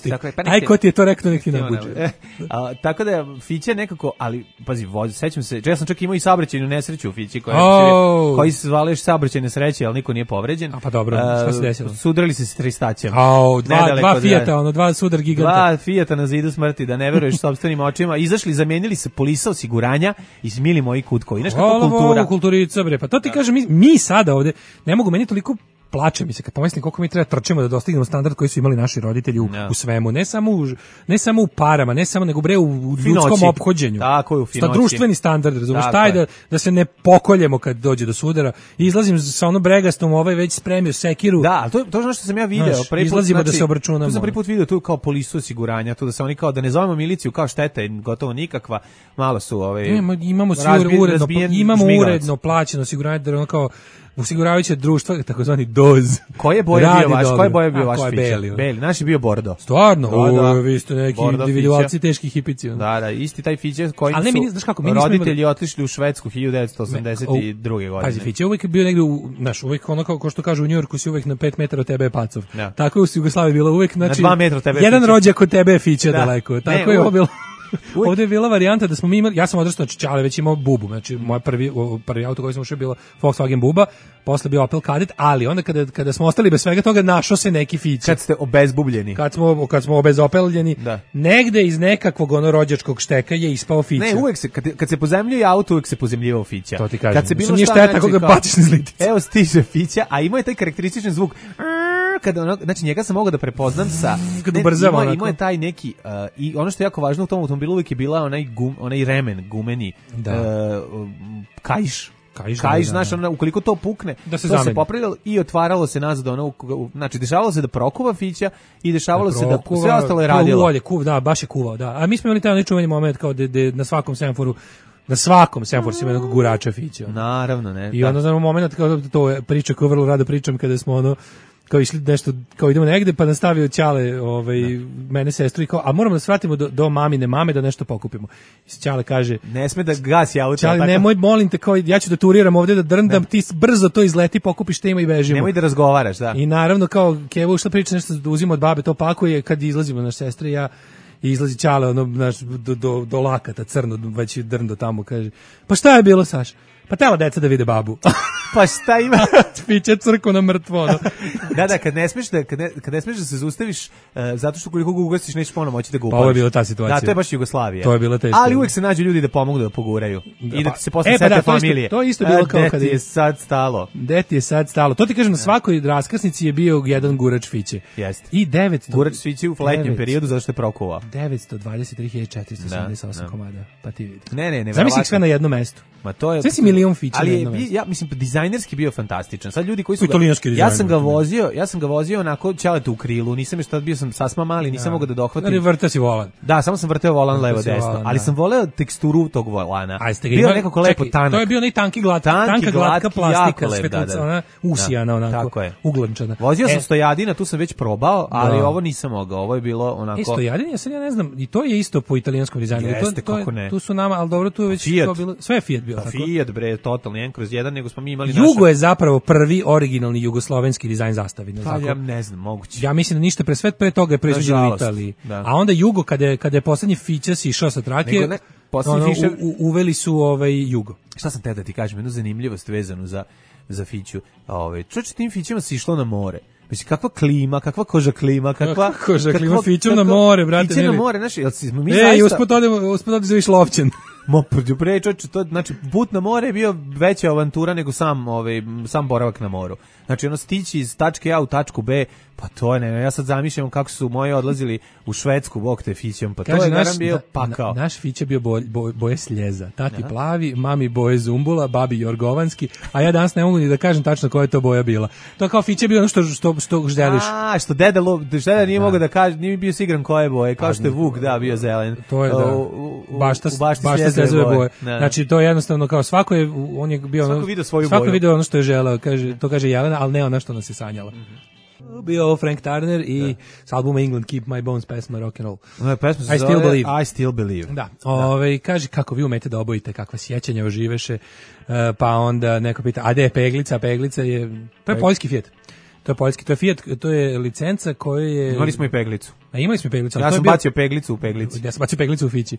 aj ko ti je to rekao, nek ti nabuđi. Tako da je Fića nekako, ali, pazi, sećam se, ja sam čak imao i saobraćajnu nesreću u Fići, koja, oh. koji se zvali još saobraćajne sreće, ali niko nije povređen. A pa dobro, šta se desilo? Sudrali se s tristaćem. Oh, dva, dva Fijata, ono, dva sudar giganta. Dva Fijata na zidu smrti, da ne veruješ sopstvenim očima. Izašli, zamenili se polisa osiguranja i smili moji kutkovi. Znaš kako kultura? Kulturica, bre, pa to ti kažem, mi, mi sada ovde, ne mogu, meni toliko plače mi se kad pomislim koliko mi treba trčimo da dostignemo standard koji su imali naši roditelji u, ja. u svemu, ne samo u, ne samo u parama, ne samo nego bre u, u ljudskom ophođenju. Tako je, u finoći. Sta društveni standard, razumiješ, taj da, da se ne pokoljemo kad dođe do sudara. I izlazim sa onom bregastom, ovaj već spremio sekiru. Da, to to je ono što sam ja video, znaš, prvi put, izlazimo znači, da se obračunamo. Tu sam prvi put video tu kao polisu osiguranja, tu da se oni kao da ne zovemo miliciju kao šteta je gotovo nikakva, malo su ovaj imamo imamo svi razbijen, uredno razbijen, imamo žmigavac. uredno plaćeno osiguranje da ono kao osiguravajuće društva, takozvani doz. Koje je boje bio vaš? Koje boje bio vaš fića? Beli, beli. Naš je bio bordo. Stvarno? Da, da. O, vi ste neki Bordo individualci fića. teški hipici. Ono. Da, da, isti taj fiće koji Ali ne, su mi, znaš kako, mi nismo roditelji imali... otišli u Švedsku hiljadu devetsto osamdeset druge godine. Pazi, fiće uvijek bio negde, u, znaš, uvijek ono kao, kao što kažu u Njujorku si uvijek na pet metara od tebe je pacov. Ja. Tako je u Jugoslaviji bilo uvijek, znači, na dva metra od tebe jedan fiće. rođak od tebe je fiće da. daleko. Tako ne, je ovo bilo. Uvijek. Ovdje je bila varijanta da smo mi imali, ja sam odrastao, znači Čale već imao bubu, znači moj prvi, prvi auto koji sam ušao je bilo Volkswagen buba, posle bio Opel Kadett, ali onda kada, kada smo ostali bez svega toga, našao se neki fiće. Kad ste obezbubljeni. Kad smo, kad smo obezopeljeni, da. negde iz nekakvog ono rođačkog šteka je ispao fiće. Ne, uvek se, kad, kad se pozemljuje auto, uvek se pozemljivao fića. To ti kažem. Kad se bilo nije šta, šteta znači, kako ga kao, baciš na zliticu. Evo stiže fića, a ima je taj karakterističan zvuk. Kada ono, znači njega sam mogao da prepoznam sa kad ubrzava ima, ima je taj neki uh, i ono što je jako važno u tom automobilu uvijek je bila onaj gum, onaj remen gumeni da. uh, kaiš Kaiš, kaiš da, znaš, da. Ono, ukoliko to pukne, da se to zameni. se popravljalo i otvaralo se nazad, ono, znači dešavalo se da prokuva fića i dešavalo da se da sve ostalo je radilo. Ulje, kuv, da, baš je kuvao, da. A mi smo imali taj onaj čuveni moment kao da na svakom semaforu na svakom semaforu se ima jednog gurača fića. Naravno, ne. I onda znamo moment kao to je priča koju vrlo rado pričam kada smo ono kao išli nešto, kao idemo negde, pa nastavio Ćale, ovaj, mene sestru i kao, a moramo da svratimo do, do mamine mame da nešto pokupimo. I Ćale kaže, ne sme da gasi auto. Ćale, tako... nemoj, molim te, kao, ja ću da turiram ovde, da drndam, ne. Ti brzo to izleti, pokupiš tema i bežimo. Nemoj da razgovaraš, da. I naravno, kao, Keva ušla priča nešto da uzima od babe, to pakuje, kad izlazimo naš sestra i ja, i izlazi Ćale, ono, naš, do, do, do lakata, crno, već drndo tamo, kaže, pa šta je bilo, Saša? Pa tela deca da vide babu. Pa šta ima? Piće crko na mrtvo. No. da, da, kad ne smeš da, kad ne, kad ne smeš da se zaustaviš, uh, zato što koliko ga ugasiš, nećeš ponovno moći da ga upališ. Pa ovo je bila ta situacija. Da, to je baš Jugoslavija. To je bila teška. Ali uvijek se nađu ljudi da pomognu da poguraju. Da, I da ti se posle e, pa sete da, familije. To je isto, to je isto bilo kao kada je sad stalo. Gde ti je sad stalo? To ti kažem, na svakoj raskrsnici je bio jedan gurač fiće. Jeste. I devetsto Gurač fiće u letnjem periodu zato što je prokuvao. devetsto dvadeset tri hiljade četiristo sedamdeset osam da, komada. Pa ti vidi. Ne, ne, ne. Zamisli sve na jednom mestu. Ma to je. Sve si milion fića ali na jednom mestu. Ja mislim dizajnerski bio fantastičan. Sad ljudi koji su italijanski dizajner. Ja sam ga vozio, ja sam ga vozio onako ćalete u krilu, nisam je šta bio sam sasma mali, nisam ja. mogao da dohvatim. Ali vrtao si volan. Da, samo sam vrteo volan levo desno, volan, ali da. sam voleo teksturu tog volana. Bio ima, nekako lepo tanak. To je bio onaj tanki glat, tanki, tanka glatka plastika, svetlica, da, ona usijana onako, tako je. Uglančana. Vozio sam e, Stojadina, tu sam već probao, ali da. ovo nisam mogao. Ovo je bilo onako. E, Stojadin, ja sad ja ne znam, i to je isto po italijanskom dizajnu. Jeste, to, to kako je, ne. Tu su nama, al dobro, tu je već Fiat. to bilo, sve je Fiat bio pa tako. Fiat bre, totalni jedan kroz jedan, nego smo mi imali Jugo naša... je zapravo prvi originalni jugoslovenski dizajn zastave. Pa ja ne znam, moguće. Ja mislim da ništa pre sve pre toga je proizvođeno u Italiji. Da. A onda Jugo kada je kada je poslednji Fićas išao sa trake, ne, ono, fiše... u, u, uveli su ovaj Jugo. Šta sam te da ti kažem, jednu zanimljivost vezanu za za Fiću. Ovaj čuč tim Fićima se išlo na more. Mislim kakva klima, kakva koža klima, kakva koža klima Fiću na more, brate. Fiću na more, znači, jel si mi Ej, zaista... Ej, usput odemo, usput odemo za Lovćen. Mo pre čoveče, to znači put na more je bio veća avantura nego sam ovaj sam boravak na moru. Znači ono stići iz tačke A u tačku B, pa to je ne, ja sad zamišljam kako su moji odlazili u Švedsku bok te Fićem, pa kaže, to je naš bio pakao. Na, naš Fić je bio boj, boj, boje sljeza, tati ja. plavi, mami boje zumbula, babi jorgovanski, a ja danas ne mogu ni da kažem tačno koja je to boja bila. To kao Fić je bio ono što što što želiš. A, što deda lo, deda nije da. mogao da kaže, nije bio siguran koje boje, kao što je Vuk da bio zelen. To je da. U, u, baš ta sljezove boje. boje. Da. Znači to je jednostavno kao svako je on je bio svako video svoju svako boju. video ono što je želeo, kaže to kaže Jelena, al ne ono što nas je sanjala. Mm-hmm. Bio Frank Turner i s albuma England Keep My Bones pesma Rock and Roll. No, pesma se I Still Believe. I Still Believe. Da. Ovaj kaže kako vi umete da obojite, kakva sjećanja oživeše. Uh, pa onda neko pita, a gde je peglica? Peglica je to je poljski Fiat. To je poljski, to je Fiat, to je licenca koju je... Imali smo i peglicu. A imali smo peglicu. Ja sam bio... bacio peglicu u peglici. Ja sam bacio peglicu u Fići.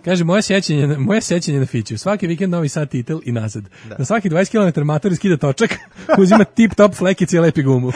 Kaže, moje sećanje, moje sećanje na Fiću. Svaki vikend Novi Sad titel i nazad. Da. Na svaki dvadeset kilometara matori skida točak, uzima tip top flekice i lepi gumu.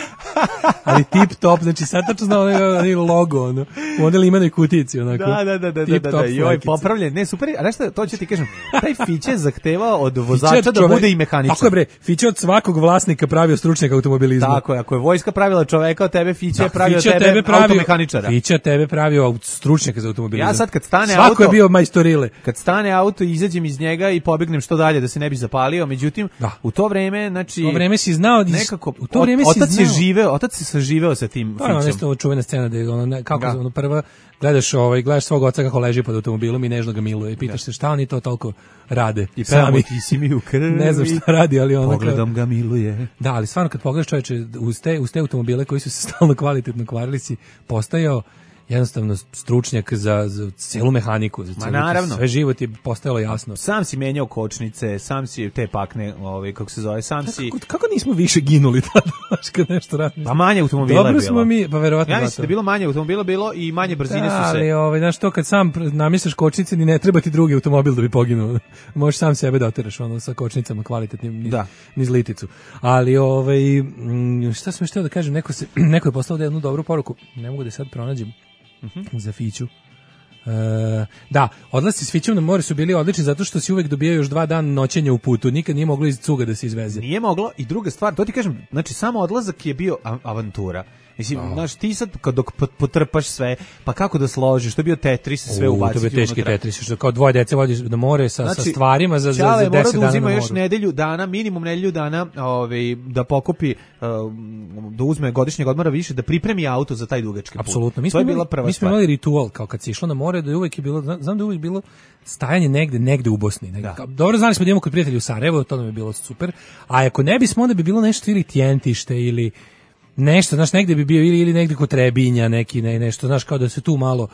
Ali tip top, znači sad tačno znao onaj logo, ono, u onoj limenoj kutici, onako. Da, da, da, da, da, da, da. Joj, popravljen. Ne, super, a nešto, to ću ti kažem, taj Fiće zahtevao od vozača da bude i mehaničar. Tako je bre, Fiće od svakog vlasnika pravio stručnjaka automobilizma. Tako je, ako je vojska pravila čoveka, od tebe Fiće je pravio tebe, tebe automehaničara. Fiće tebe pravio stručnjaka za automobilizam. Ja sad kad stane Svako auto... Svako je bio majstorile. Kad stane auto, izađem iz njega i pobegnem što dalje da se ne bi zapalio, međutim, da. u to vreme, znači... U to vreme si znao... Nekako, u to vreme otac si znao... je živeo, otac se saživeo sa tim Fićem. To je nešto čuvena scena da je ono, ne, kako da. ono prva... Gledaš, ovaj, gledaš svog oca kako leži pod automobilom i nežno ga miluje i pitaš se šta oni to toliko rade. I pevamo ti si mi u krvi. Ne znam šta radi, ali ono... Pogledom ga miluje. Da, ali stvarno kad pogledaš čoveče, uz te, uz te automobile koji su se stalno kvalitetno kvarili si postajao jednostavno stručnjak za, za celu mehaniku, za celu, naravno. Sve život je postajalo jasno. Sam si menjao kočnice, sam si te pakne, ovaj, kako se zove, sam kako, si... Kako nismo više ginuli tada, kad nešto radimo? Pa manje automobila Dobro je bilo. smo mi, pa verovatno. Ja mislim da je bilo manje automobila, bilo i manje brzine da, su se... ali, ovaj, znaš, to kad sam namisliš kočnice, ni ne treba ti drugi automobil da bi poginuo. Možeš sam sebe da oteraš ono, sa kočnicama kvalitetnim, niz, da. niz liticu. Ali, ovaj, šta sam još htio da kažem, neko, se, neko je poslao da jednu dobru poruku, ne mogu da sad pronađem. Uh-huh. Za Fiću. E, da, odlasci s Fićom na more su bili odlični zato što si uvek dobijao još dva dana noćenja u putu. Nikad nije moglo iz cuga da se izveze. Nije moglo i druga stvar, to ti kažem, znači samo odlazak je bio avantura. Mislim, oh. znaš, ti sad kad dok potrpaš sve, pa kako da složiš, to je bio Tetris, sve ubaciti unutra. To je teški Tetris, što kao dvoje dece vodiš na more sa, znači, sa stvarima za, za, za deset dana na moru. Uzima još nedelju dana, minimum nedelju dana, ovaj, da pokupi, da uzme godišnjeg odmora više, da pripremi auto za taj dugački put. Apsolutno. Mi to je bila prva mi smo imali ritual, kao kad si išlo na more, da je uvek je bilo, znam da je uvek bilo stajanje negde, negde u Bosni. Negde. Da. Dobro, znali smo da imamo kod prijatelja u Sarajevu, to nam je bilo super, a ako ne bismo, onda bi bilo nešto ili Tjentište ili nešto, znaš, negde bi bio ili, ili negde kod Trebinja, neki, ne, nešto, znaš, kao da se tu malo,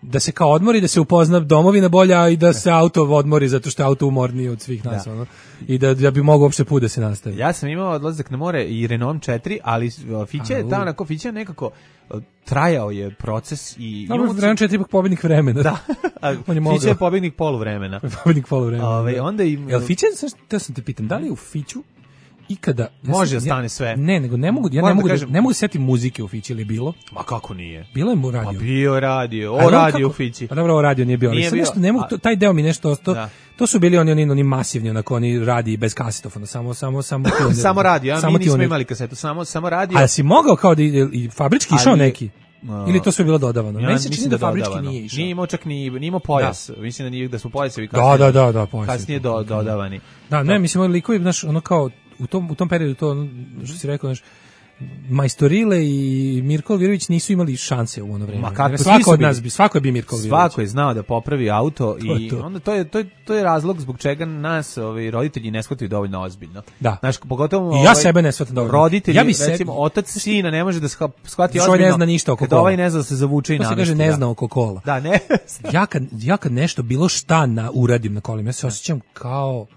da se kao odmori, da se upozna domovina bolja i da se auto odmori, zato što je auto umorniji od svih nas, da. ono, i da, da bi mogao uopšte put da se nastavi. Ja sam imao odlazak na more i Renault četiri, ali Fiće je tamo, onako, Fiće nekako trajao je proces i... No, Renault četiri ipak pobednik vremena. Da, on je Fiće je pobednik poluvremena. Pobednik poluvremena. Ove, onda i... Jel Fiće, da sam te pitam, da li u Fiću ikada može da stane sve. Ne, nego ne mogu, ja ne mogu, da kažem, ne mogu setiti muzike u Fići ili bilo. Ma kako nije? Bilo je mu radio. Ma bio radio, o radio u Fići. Pa dobro, o radio nije bio, ali nije bio. Nešto ne mogu, to, taj deo mi nešto to, da. To su bili oni oni oni masivni, onako oni radi bez kasetofona, samo samo samo samo radio, a mi nismo imali kasetu, samo samo radio. A si mogao kao da i fabrički išao neki? Uh, Ili to sve bilo dodavano? Ja, Meni se čini da, da fabrički nije išao. Nije imao čak ni, nije imao pojas. Da. Mislim da, nije, da su pojasevi kasnije, da, da, da, da, pojas kasnije do, dodavani. Da, ne, mislim, oni likovi, znaš, ono kao, u tom, u tom periodu, to, što si rekao, znaš, Majstorile i Mirko Elvirović nisu imali šanse u ono vreme. Ma kako, svako od nas bi, svako je bi Mirko Elvirović. Svako je znao da popravi auto to i to. Onda to je to je to je razlog zbog čega nas ovi roditelji ne shvataju dovoljno ozbiljno. Da. Znaš, pogotovo I ja ovaj, sebe ne shvatam dovoljno. Roditelji, ja bi recimo se... otac sina ne može da shvati ozbiljno. Ne zna ništa oko kola. Ovaj ne zna da se zavuče i namesti. To se kaže ne zna oko kola. Da, ne. ja kad ja kad nešto bilo šta na uradim na kolima, ja se osjećam kao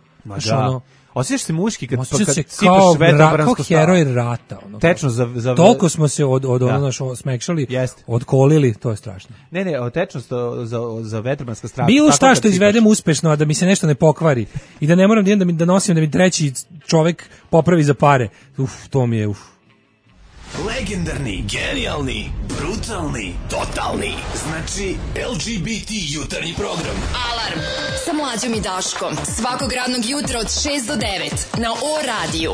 ono osjećaš se muški kad, kad se sipaš vetrobransku kao heroj rata. Ono, tečno za, za... Toliko smo se od, od ono naš smekšali, odkolili, to je strašno. Ne, ne, tečnost za, za vetrobranska strana. Bilo šta što izvedem uspešno, a da mi se nešto ne pokvari i da ne moram da, da, mi, da nosim da mi treći čovek popravi za pare. Uf, to mi je, uf. Legendarni, genijalni, brutalni, totalni. Znači L G B T jutarnji program. Alarm sa Mlađom i Daškom. Svakog radnog jutra od šest do devet na O radiju.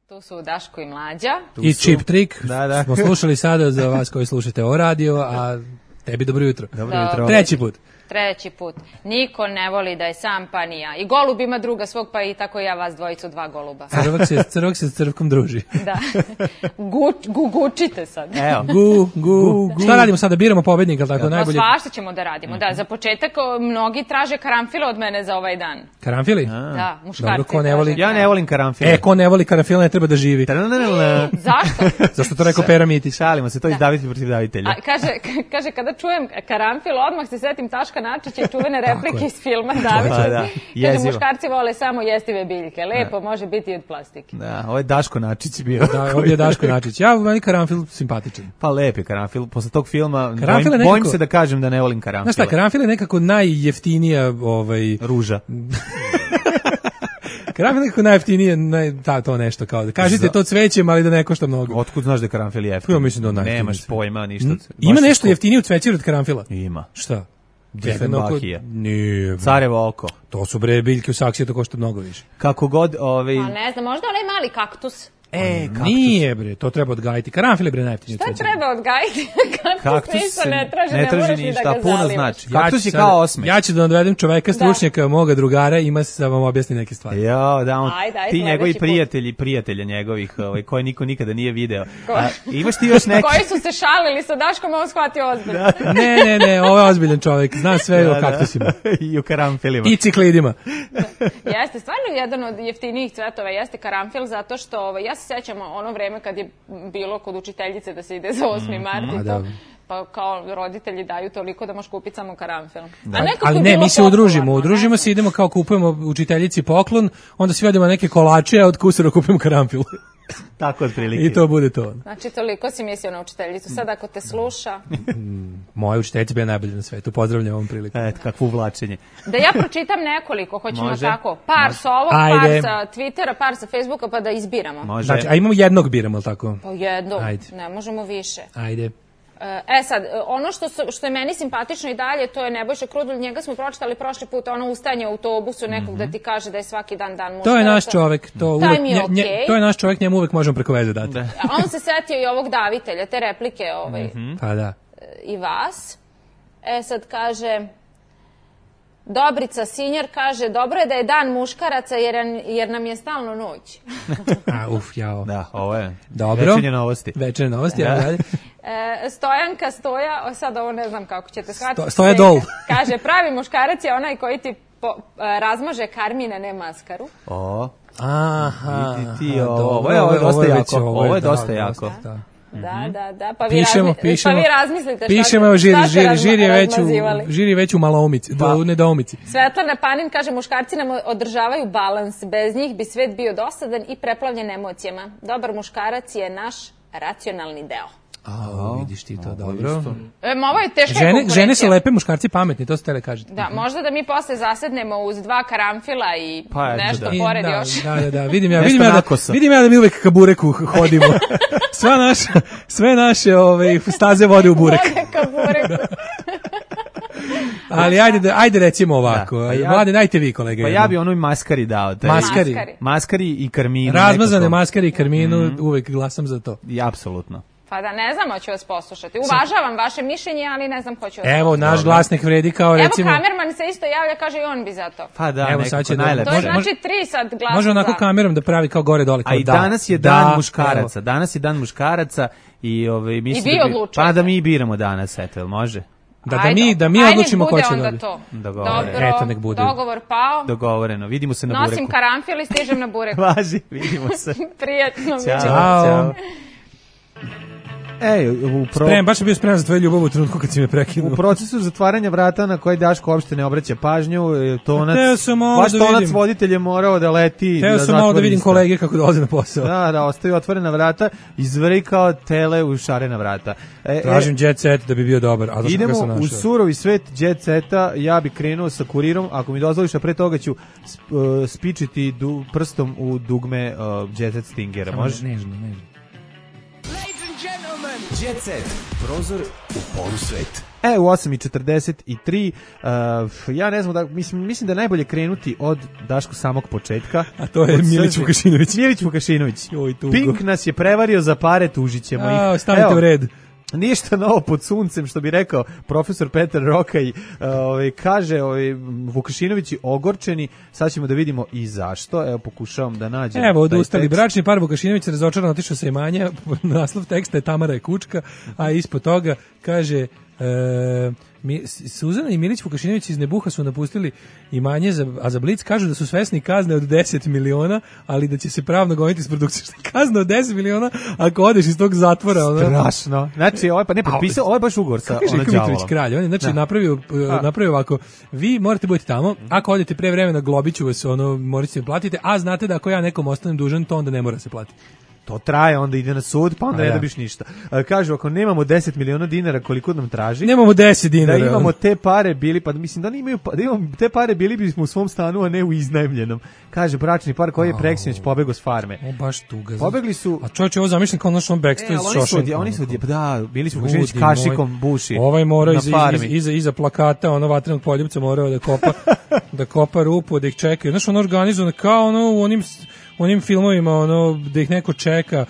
Tu su Daško i Mlađa. Tu I su. Chip Trick. Da, da. Smo slušali sada za vas koji slušate O radio, a tebi dobro jutro. Dobro jutro. Treći put. Treći put. Niko ne voli da je sam, pa ni ja. I golub ima druga svog, pa i tako ja vas dvojicu, dva goluba. Crvak se, crvak se s crvkom druži. Da. Gu, gu, gučite sad. Evo. Gu, gu, gu. Šta radimo sada? Biramo pobednika, tako ja. najbolje? No, svašta ćemo da radimo. Da, za početak mnogi traže karanfile od mene za ovaj dan. Karanfili? A. Da, muškarci. Dobro, ko ne voli? Ja ne volim karanfile. E, ko ne voli karanfile ne treba da živi. Zašto? Zašto to rekao Pera Mitić? Šalimo se, to da. Izdavitelj protiv davitelja. A, kaže, kaže, kada čujem karanfil, odmah se setim Taška Daška Načića i čuvene replike iz filma David. Pa da, Kaže, muškarci vole samo jestive biljke. Lepo, može biti i od plastike. Da, ovo je Daško Načić bio. Da, ovo je Daško Načić. Ja, meni karanfil simpatičan. Pa lep je karanfil. Posle tog filma bojim, nekako, bojim se da kažem da ne volim karanfile. Znaš šta, karanfil je nekako najjeftinija ovaj... ruža. Karanfil je nekako najjeftinije, naj, ta, to nešto kao da kažete to cvećem, ali da ne košta mnogo. Otkud znaš da je karanfil jeftin? Ja mislim da on najjeftiniji. Nemaš pojma ništa. Mm. Ima nešto jeftinije od cvećira od karanfila? Ima. Šta? Diefenbachija. Nije. Carevo oko. To su bre biljke u saksiji, to košta mnogo više. Kako god, ovaj... Pa ne znam, možda onaj mali kaktus. E, kaktus. Nije bre, to treba odgajiti. Karanfil je bre najjeftiniji. Šta treba odgajiti? Kaktus, kaktus ništa ne traži, ne, ne traži moraš ni ništa, da ga puno zalivaš. znači. Kaktus je kao osmeh. Ja ću da odvedem čoveka, stručnjaka, da. moga drugara, ima se da vam objasni neke stvari. Jo, da, on, ajde, ajde, ti njegovi prijatelji, put. prijatelja njegovih, ovaj, koje niko nikada nije video. A, imaš ti još neki... Koji su se šalili sa Daškom, on shvatio ozbiljno. Da. Ne, ne, ne, ovo je ozbiljan čovek, zna sve da, o kaktusima. Da. I o karanfilima. I ciklidima. Da. Jeste, stvarno jedan od jeftinijih cvetova jeste karanfil, zato što ovaj, ja se sećam ono vreme kad je bilo kod učiteljice da se ide za osmi mart i to, pa kao roditelji daju toliko da možeš kupiti samo karanfil. Da. Ali ne, mi se udružimo, udružimo se, idemo kao kupujemo učiteljici poklon, onda svi odemo neke kolače, a od kusura kupimo karanfil. Tako otprilike. I to bude to. Znači, toliko si mislio na učiteljicu. Sad ako te sluša... Moja učiteljica bila najbolja na svetu. Pozdravljam ovom priliku. Eto, kakvo uvlačenje. Da ja pročitam nekoliko, hoćemo Može. tako. Par Može. sa ovog, Ajde. par sa Twittera, par sa Facebooka, pa da izbiramo. Može. Znači, a imamo jednog biramo, ali tako? Pa jednog, Ajde. ne možemo više. Ajde. E sad, ono što, su, što je meni simpatično i dalje, to je Nebojša Krudulj, njega smo pročitali prošli put, ono ustajanje u autobusu nekog mm-hmm. da ti kaže da je svaki dan dan muškaraca. To je naš čovek, to, uvek, je nje, okay. nje, to je naš čovek, njemu uvek možemo preko veze dati. Da. A on se setio i ovog davitelja, te replike ovaj, mm-hmm. pa da. i vas. E sad kaže... Dobrica Sinjar kaže, dobro je da je dan muškaraca jer, jer nam je stalno noć. A, uf, jao. Da, ovo je dobro. Večernje novosti. Večernje novosti, ja dalje. E, Stojanka Stoja, o, sad ovo ne znam kako ćete shvatiti. Sto, stoja dol. Kaže, pravi muškarac je onaj koji ti po, razmaže karmine, ne maskaru. O, aha. Vidi ti, aha, ovo, ovo, je, ovo je dosta jako. Ovo je dosta jako. Da, da, da, da, pa vi, pišemo, razmi, pišemo, pa vi razmislite šta, pišemo, evo, žiri, šta žiri, razma, žiri, je već u, žiri je već u malaumici, pa. do nedoumici. Svetlana Panin kaže, muškarci nam održavaju balans, bez njih bi svet bio dosadan i preplavljen emocijama. Dobar muškarac je naš racionalni deo. A, vidiš ti to, dobro. E, ovo je teška žene, konkurencija. žene su lepe, muškarci pametni, to ste tele kažete. Da, možda da mi posle zasednemo uz dva karanfila i pa, nešto da. pored da, još. Da, da, da, vidim ja, vidim ja, da, vidim ja da mi uvek ka bureku hodimo. Sva naša, sve naše ove, staze vode u burek. Vode ka bureku. Ali ajde, da, ajde recimo ovako. Da, pa ja, Mlade, dajte vi, kolege. Pa ja bi onoj maskari dao. Taj. Maskari. Maskari i karminu. Razmazane maskari i karminu, mm. uvek glasam za to. I apsolutno. Pa da ne znam, hoću vas poslušati. Uvažavam vaše mišljenje, ali ne znam hoću vas Evo, poslušati. naš glasnik vredi kao recimo... Evo, kamerman se isto javlja, kaže i on bi za to. Pa da, evo, sad će najlepše. To je znači tri sad glasa. Može onako za. kamerom da pravi kao gore dole. Kao a i da, danas je da, dan muškaraca. Evo. Danas je dan muškaraca i ovaj mislim I vi da bi, odlučujete. pa da mi biramo danas, eto, jel može? Da, da mi, da mi odlučimo ko će dobiti. Dobro, eto, nek bude. Dogovor pao. Dogovoreno, vidimo se na Nosim bureku. Nosim karanfil i stižem na bureku. Važi, vidimo se. Prijetno. Ćao, Ćao. Ej, u pro... Sprem, baš sam bio spreman za tvoju ljubav u trenutku kad si me prekinuo. U procesu zatvaranja vrata na koji Daško uopšte ne obraća pažnju, tonac, baš da tonac vidim. voditelj je morao da leti. Teo da sam malo da vidim isto. kolege kako dolaze na posao. Da, da, ostaju otvorena vrata, izvri kao tele u šarena vrata. E, Tražim jet set da bi bio dobar. A idemo u surovi svet jet seta, ja bi krenuo sa kurirom, ako mi dozvoliš, a pre toga ću sp, uh, spičiti du, prstom u dugme uh, jet set Stingera, može? Nežno, nežno. Jet set, prozor u polusvet. E, u osam i četrdeset tri, uh, ja ne znam, da, mislim, mislim da je najbolje krenuti od Daško samog početka. A to je Milić Vukašinović. Milić Vukašinović. Joj, tugo. Pink nas je prevario za pare, tužit ćemo ih. A, stavite Evo, u red. Ništa novo pod suncem, što bi rekao profesor Petar Rokaj, ovaj, kaže ovaj, Vukašinović je ogorčeni, sad ćemo da vidimo i zašto, evo pokušavam da nađem. Evo, odustali, bračni par Vukašinović razočaran otišao sa imanja, naslov teksta je Tamara je kučka, a ispod toga kaže, E, mi, Suzana i Milić Vukašinović iz Nebuha su napustili imanje, za, a za Blic kažu da su svesni kazne od deset miliona, ali da će se pravno goniti s produkcijom. Šta kazna od deset miliona ako odeš iz tog zatvora? Ono... Strašno. Znači, ovaj pa ne potpisao, ovaj baš ugovor sa ono Mitrović kralj. On je znači, napravio, napravio ovako, vi morate biti tamo, ako odete pre vremena globiću vas, ono, morate se platiti, a znate da ako ja nekom ostanem dužan, to onda ne mora se platiti. To traje, onda ide na sud, pa onda a, ne ja. dobiš ništa. Kažu, ako nemamo deset miliona dinara koliko nam traži, nemamo deset dinara. Da imamo te pare bili, pa mislim da ne imaju, da imamo te pare bili bismo u svom stanu, a ne u iznajmljenom. Kaže bračni par koji je preksinoć pobegao s farme. O, baš tuga. Pobegli su. A čovječe, ovo zamišljam kao naš on backstory iz Šošenka. Oni su, da, bili su Vukašinović kašikom buši. Ovaj mora iza, iza, iza, iza plakata, ono vatrenog poljupca morao da kopa, da kopa rupu, da ih čekaju. Znaš, ono organizovano kao ono u onim onim filmovima, ono, da ih neko čeka,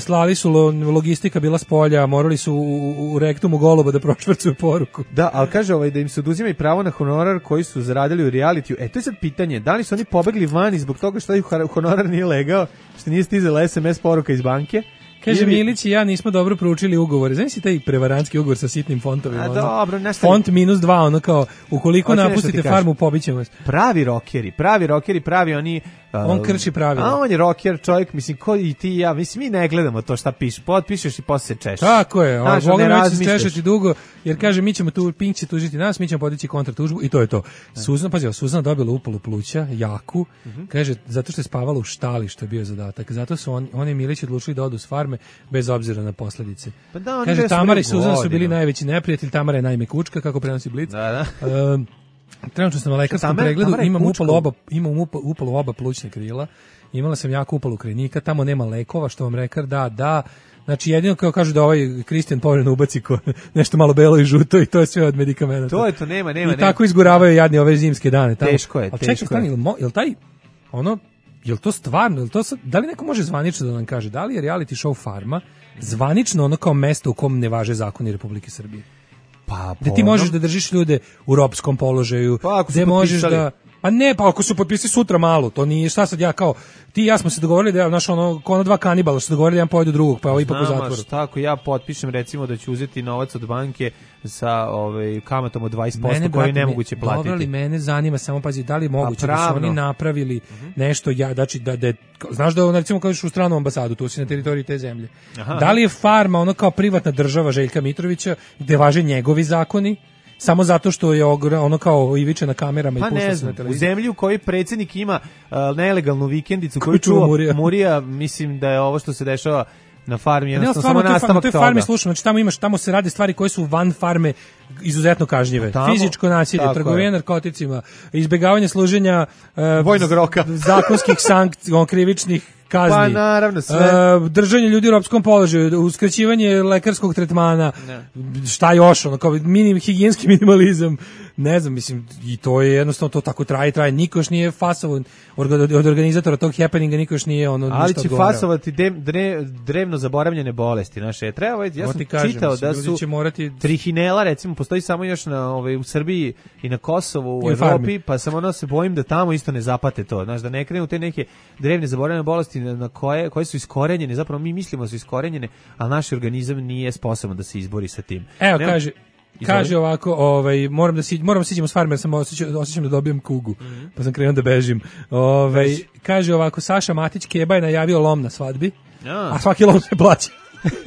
slali su lo, logistika bila s polja, morali su u, u rektumu goluba da prošvrcuju poruku. Da, ali kaže ovaj, da im se oduzima i pravo na honorar koji su zaradili u realitiju. E, to je sad pitanje, da li su oni pobegli vani zbog toga što ih honorar nije legao, što nije stizala es em es poruka iz banke? Kaže ili... Milić i ja nismo dobro proučili ugovore. Znaš si taj prevarantski ugovor sa sitnim fontovima? A dobro, nešto... Font minus dva, ono kao, ukoliko Oći napustite farmu, pobićemo vas. Pravi rokeri, pravi rokeri, pravi oni... Uh, on krši pravila. A on je roker, čovjek, mislim, ko i ti i ja, mislim, mi ne gledamo to šta piše, potpišeš i posle se češeš. Tako je, on volim već se češati dugo, jer kaže, mi ćemo tu, Pink će tužiti nas, mi ćemo podići kontratužbu i to je to. Suzana, pazi, Suzana dobila upalu pluća, jaku, uh-huh. kaže, zato što je spavala u štali, što je bio zadatak, zato su on, oni Milić odlučili da odu s farme, bez obzira na posledice. Pa da, kaže, Tamara i Suzana su bili najveći neprijatelji, Tamara je najmekučka, kako prenosi Blic. Da, da. Um, Trenutno sam na lekarskom pregledu, imam upalu oba, imam upalu oba plućne krila, imala sam jako upalu krajnika, tamo nema lekova, što vam rekar da, da, znači jedino kao kažu da ovaj Kristijan povremeno ubaci ko, nešto malo belo i žuto i to je sve od medikamenta. To je to, nema, nema. I nema. Tako izguravaju jadni ove zimske dane. Tamo. Teško je, ali teško čekaj, je. Stani, jel taj, ono, jel to stvarno, jel to sad, da li neko može zvanično da nam kaže, da li je reality show Farma zvanično ono kao mesto u kom ne važe zakoni Republike Srbije? Pa, da ti možeš da držiš ljude u ropskom položaju, pa, gde možeš da... Pa ne, pa ako su potpisali sutra malo, to nije, šta sad ja kao, ti i ja smo se dogovorili da, znaš, ono, kao ono dva kanibala, što se dogovorili da jedan pojedu drugog, pa ovo ipak u zatvoru. Znam, tako ja potpišem recimo da ću uzeti novac od banke sa ovaj, kamatom od dvadeset posto koji je nemoguće platiti. Dobro li, mene zanima, samo pazi, da li je moguće da su oni napravili uh-huh. nešto, ja, znači, da, da, znaš da, recimo, kažeš u stranu ambasadu, tu si na teritoriji te zemlje. Aha. Da li je Farma ono kao privatna država Željka Mitrovića, gde važe njegovi zakoni, samo zato što je ono kao Ivića na kamerama pa i pušta se na televiziji. U zemlji u kojoj predsjednik ima uh, nelegalnu vikendicu koju čuva Murija. Murija, mislim da je ovo što se dešava na farmi, jednostavno samo nastavak toga. To je farmi, slušam, znači tamo imaš, tamo se rade stvari koje su van farme izuzetno kažnjive. Tamo, fizičko nasilje, trgovina narkoticima, izbjegavanje služenja uh, vojnog roka, zakonskih sankcija, krivičnih kazni. Pa naravno sve. Uh, držanje ljudi u ropskom položaju, uskraćivanje lekarskog tretmana. Ne. Šta još, ono kao minim higijenski minimalizam. Ne znam, mislim, i to je jednostavno to tako traje, traje. Niko još nije fasovan od organizatora tog happeninga, niko još nije ono ali će odgovarao. Fasovati de, dre, drevno zaboravljene bolesti. Naše, treba, ja sam kažem, čitao mislim, da su će morati... trihinela, recimo, postoji samo još na, ovaj, u Srbiji i na Kosovu, u I Evropi, farmi. Pa sam ono se bojim da tamo isto ne zapate to. Znaš, da ne krenu te neke drevne zaboravljene bolesti na koje, koje su iskorenjene, zapravo mi mislimo da su iskorenjene, ali naš organizam nije sposoban da se izbori sa tim. Evo, Nema... kaže... Kaže ovako, ovaj moram da si moram da siđemo s farme, jer sam osjećam, osjećam da dobijem kugu. Mm-hmm. Pa sam krenuo da bežim. Ovaj kaže ovako, Saša Matić Keba je najavio lom na svadbi. A, a svaki lom se plaća.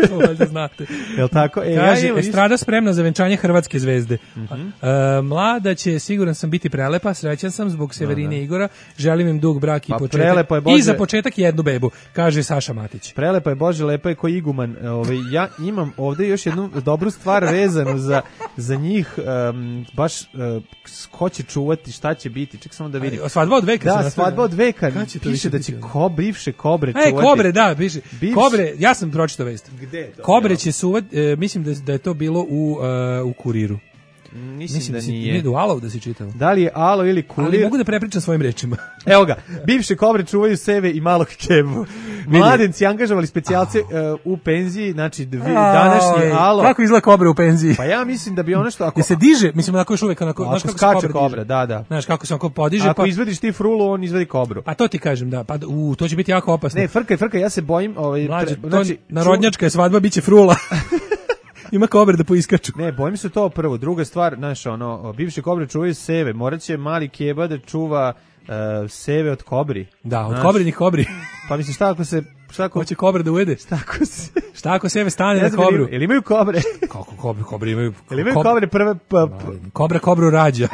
To valjda znate. Jel tako? E, kaže, ja estrada spremna za venčanje hrvatske zvezde. Mm-hmm. E, mlada će, siguran sam, biti prelepa, srećan sam zbog Severine i Igora, želim im dug brak i pa početak. Bože... I za početak jednu bebu, kaže Saša Matić. Prelepa je, Bože, lepa je ko iguman. Ove, ja imam ovde još jednu dobru stvar vezanu za, za njih, um, baš uh, ko će čuvati, šta će biti, ček samo da vidim. A, svadba od veka. Da, svadba od veka, piše da će ko, bivše kobre čuvati. E, kobre, da, piše. Bivše. Kobre, ja sam pročitao vest. Gde to? Kobre će suvat, e, mislim da, da je to bilo u, uh, u Kuriru. Mislim, mislim da, da si, nije. Nije do Alov da si čitao. Da li je Alo ili Kurir? Ali mogu da prepričam svojim rečima. Evo ga, bivše kobre čuvaju sebe i malog Kebu. Mladenci angažovali specijalce uh, u penziji, znači dvi, današnji Alo. Kako izgleda kobre u penziji? Pa ja mislim da bi ono što... Ako, je se diže, mislim onako još uvek... Onako, znaš kako skače kobra, da, da. Znaš kako se onako podiže. Ako pa... izvediš ti frulu, on izvedi kobru. Pa to ti kažem, da. Pa, u, to će biti jako opasno. Ne, frkaj, frkaj, ja se bojim... Ovaj, Mlađe, tre, znači, narodnjačka je svadba, bit će frula. ima kobre da poiskaču. Ne, bojim se to prvo. Druga stvar, znaš, ono, bivše kobre čuvaju seve. Morat će mali keba da čuva uh, seve od kobri. Da, od znaš, kobrinih kobri. Pa mislim, šta ako se... Šta ako... Hoće kobra da ujede? Šta ako se... Šta ako seve stane Ja na znam, kobru? Ili, ili imaju kobre? Kako kobre? Kobre imaju... Ili imaju kob- kobre prve... Pa, Kobra kobru rađa.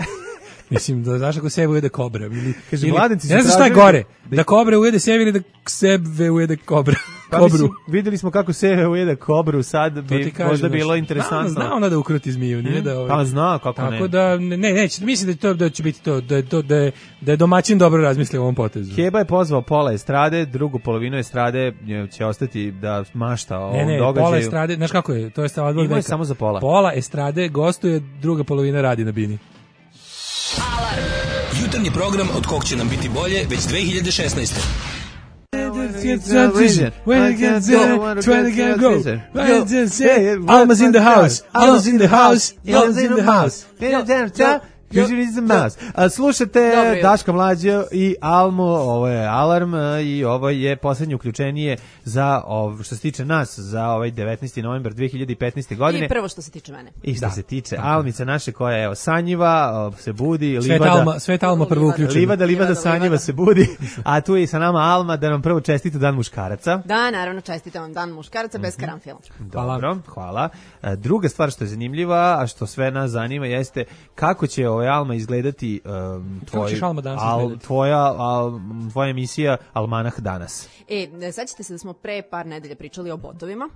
Mislim, da znaš ako sebe ujede kobra. Ili, Kaže, ili, mladenci su ne znam šta je tražili gore, da- da kobra ujede sebe ili da sebe ujede kobra. Pa Kobru. mislim, videli smo kako seve ujede kobru, sad To bi ti kažem, možda bilo znaš, interesantno. Zna, zna ona da ukruti zmiju, nije da... Ovaj, Pa zna, kako tako ne. da, ne, neće, mislim da, to, da će biti to, da, je to, da, je, da je domaćin dobro razmislio o ovom potezu. Keba je pozvao pola estrade, drugu polovinu estrade će ostati da mašta o Ne, ovom ne, događaju. pola estrade, znaš kako je, to je stavljeno od Imao je veka. samo za pola. Pola estrade gostuje, druga polovina radi na bini. Jutarnji program od kog će nam biti bolje već dve hiljade šesnaeste. Alma's in the house, Alma's in the house, Alma's in the house. Usually is the mouse. A, slušate Dobro. Daška Mlađa i Almu, ovo je Alarm a, i ovo je poslednje uključenije za, ov, što se tiče nas, za ovaj devetnaesti novembar dve hiljade petnaeste godine. I prvo što se tiče mene. I što Da. se tiče Almice naše koja evo sanjiva, o, se budi, Svet livada, Alma, Svet Alma prvo uključeno. livada, livada, Livada, sanjiva livada. se budi, a tu je i sa nama Alma da nam prvo čestita dan muškaraca. Da, naravno, čestitam vam dan muškaraca bez karanfila. Dobro, hvala. E, Druga stvar što je zanimljiva, a što sve nas zanima, jeste kako će ovaj Alma izgledati um, tvoj, ćeš, Alma, danas al, izgledati? tvoja, al, tvoja emisija Almanah danas. E, sećate se da smo pre par nedelja pričali o botovima?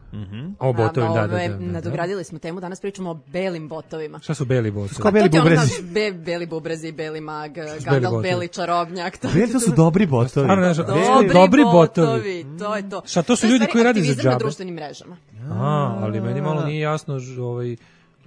O botovima, da, da, Ove, da, da, da. Nadogradili smo temu, danas pričamo o belim botovima. Šta su beli botovi? Kao beli To ti je ono, bubrezi. znaš, be, beli bubrezi, beli mag, beli Gandalf, botovi? beli čarobnjak. To, Beli, to su dobri botovi. Stvarno, ne znam, Beli- Dobri, Dobri botovi. botovi. To je to. Šta, to su je u ljudi stvari koji rade za aktivizam na džabe? društvenim mrežama. A, ali meni malo nije jasno, ž- ovaj,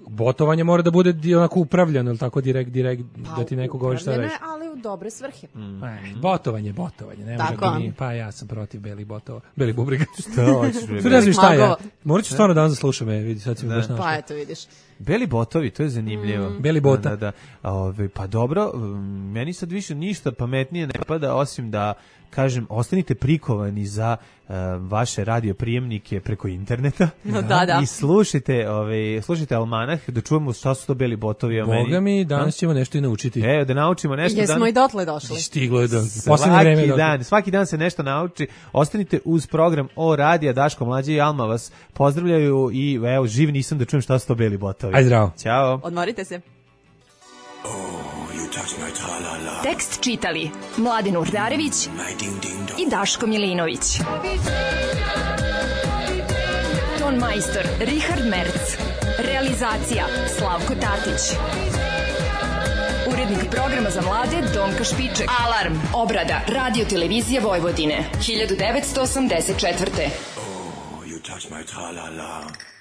botovanje mora da bude di- onako upravljano, ili tako direkt, direkt, da ti neko govori šta Upravljeno reći. je, ali u dobre svrhe. E, Botovanje, botovanje, ne može Tako. to nije. Pa ja sam protiv belih botova, belih bubrega. Šta hoćeš, bre? Sve ne znam šta je. Ja. Magova. Morat ću stvarno danas da slušam, e, vidi, sad si mi baš našao. Pa eto, vidiš. Beli botovi, to je zanimljivo. Beli bota. Da, da, da. Ove, pa dobro, um, meni sad više ništa pametnije ne pada, osim da, kažem, ostanite prikovani za uh, vaše radioprijemnike preko interneta. No, da, da. I slušajte, ove, slušajte Almanah, da čujemo šta su to beli botovi. o meni. Boga mi, danas ćemo nešto i naučiti. E, da naučimo nešto. Jesmo dan... i dotle došli. Stiglo je da poslednje vreme. Svaki dotle. dan, svaki dan se nešto nauči. Ostanite uz program O Radija, Daško Mlađe i Alma vas pozdravljaju i evo, živ nisam da čujem šta su to beli botovi. Aj zdravo. Ćao. Odmorite se. Tekst čitali Mladin Urdarević i Daško Milinović. Ton majstor Richard Merc. Realizacija Slavko Tatić. Urednik programa za mlade Donka Špiček. Alarm. Obrada Radio Televizije Vojvodine. hiljadu devetsto osamdeset četvrte. You touch my tra-la-la.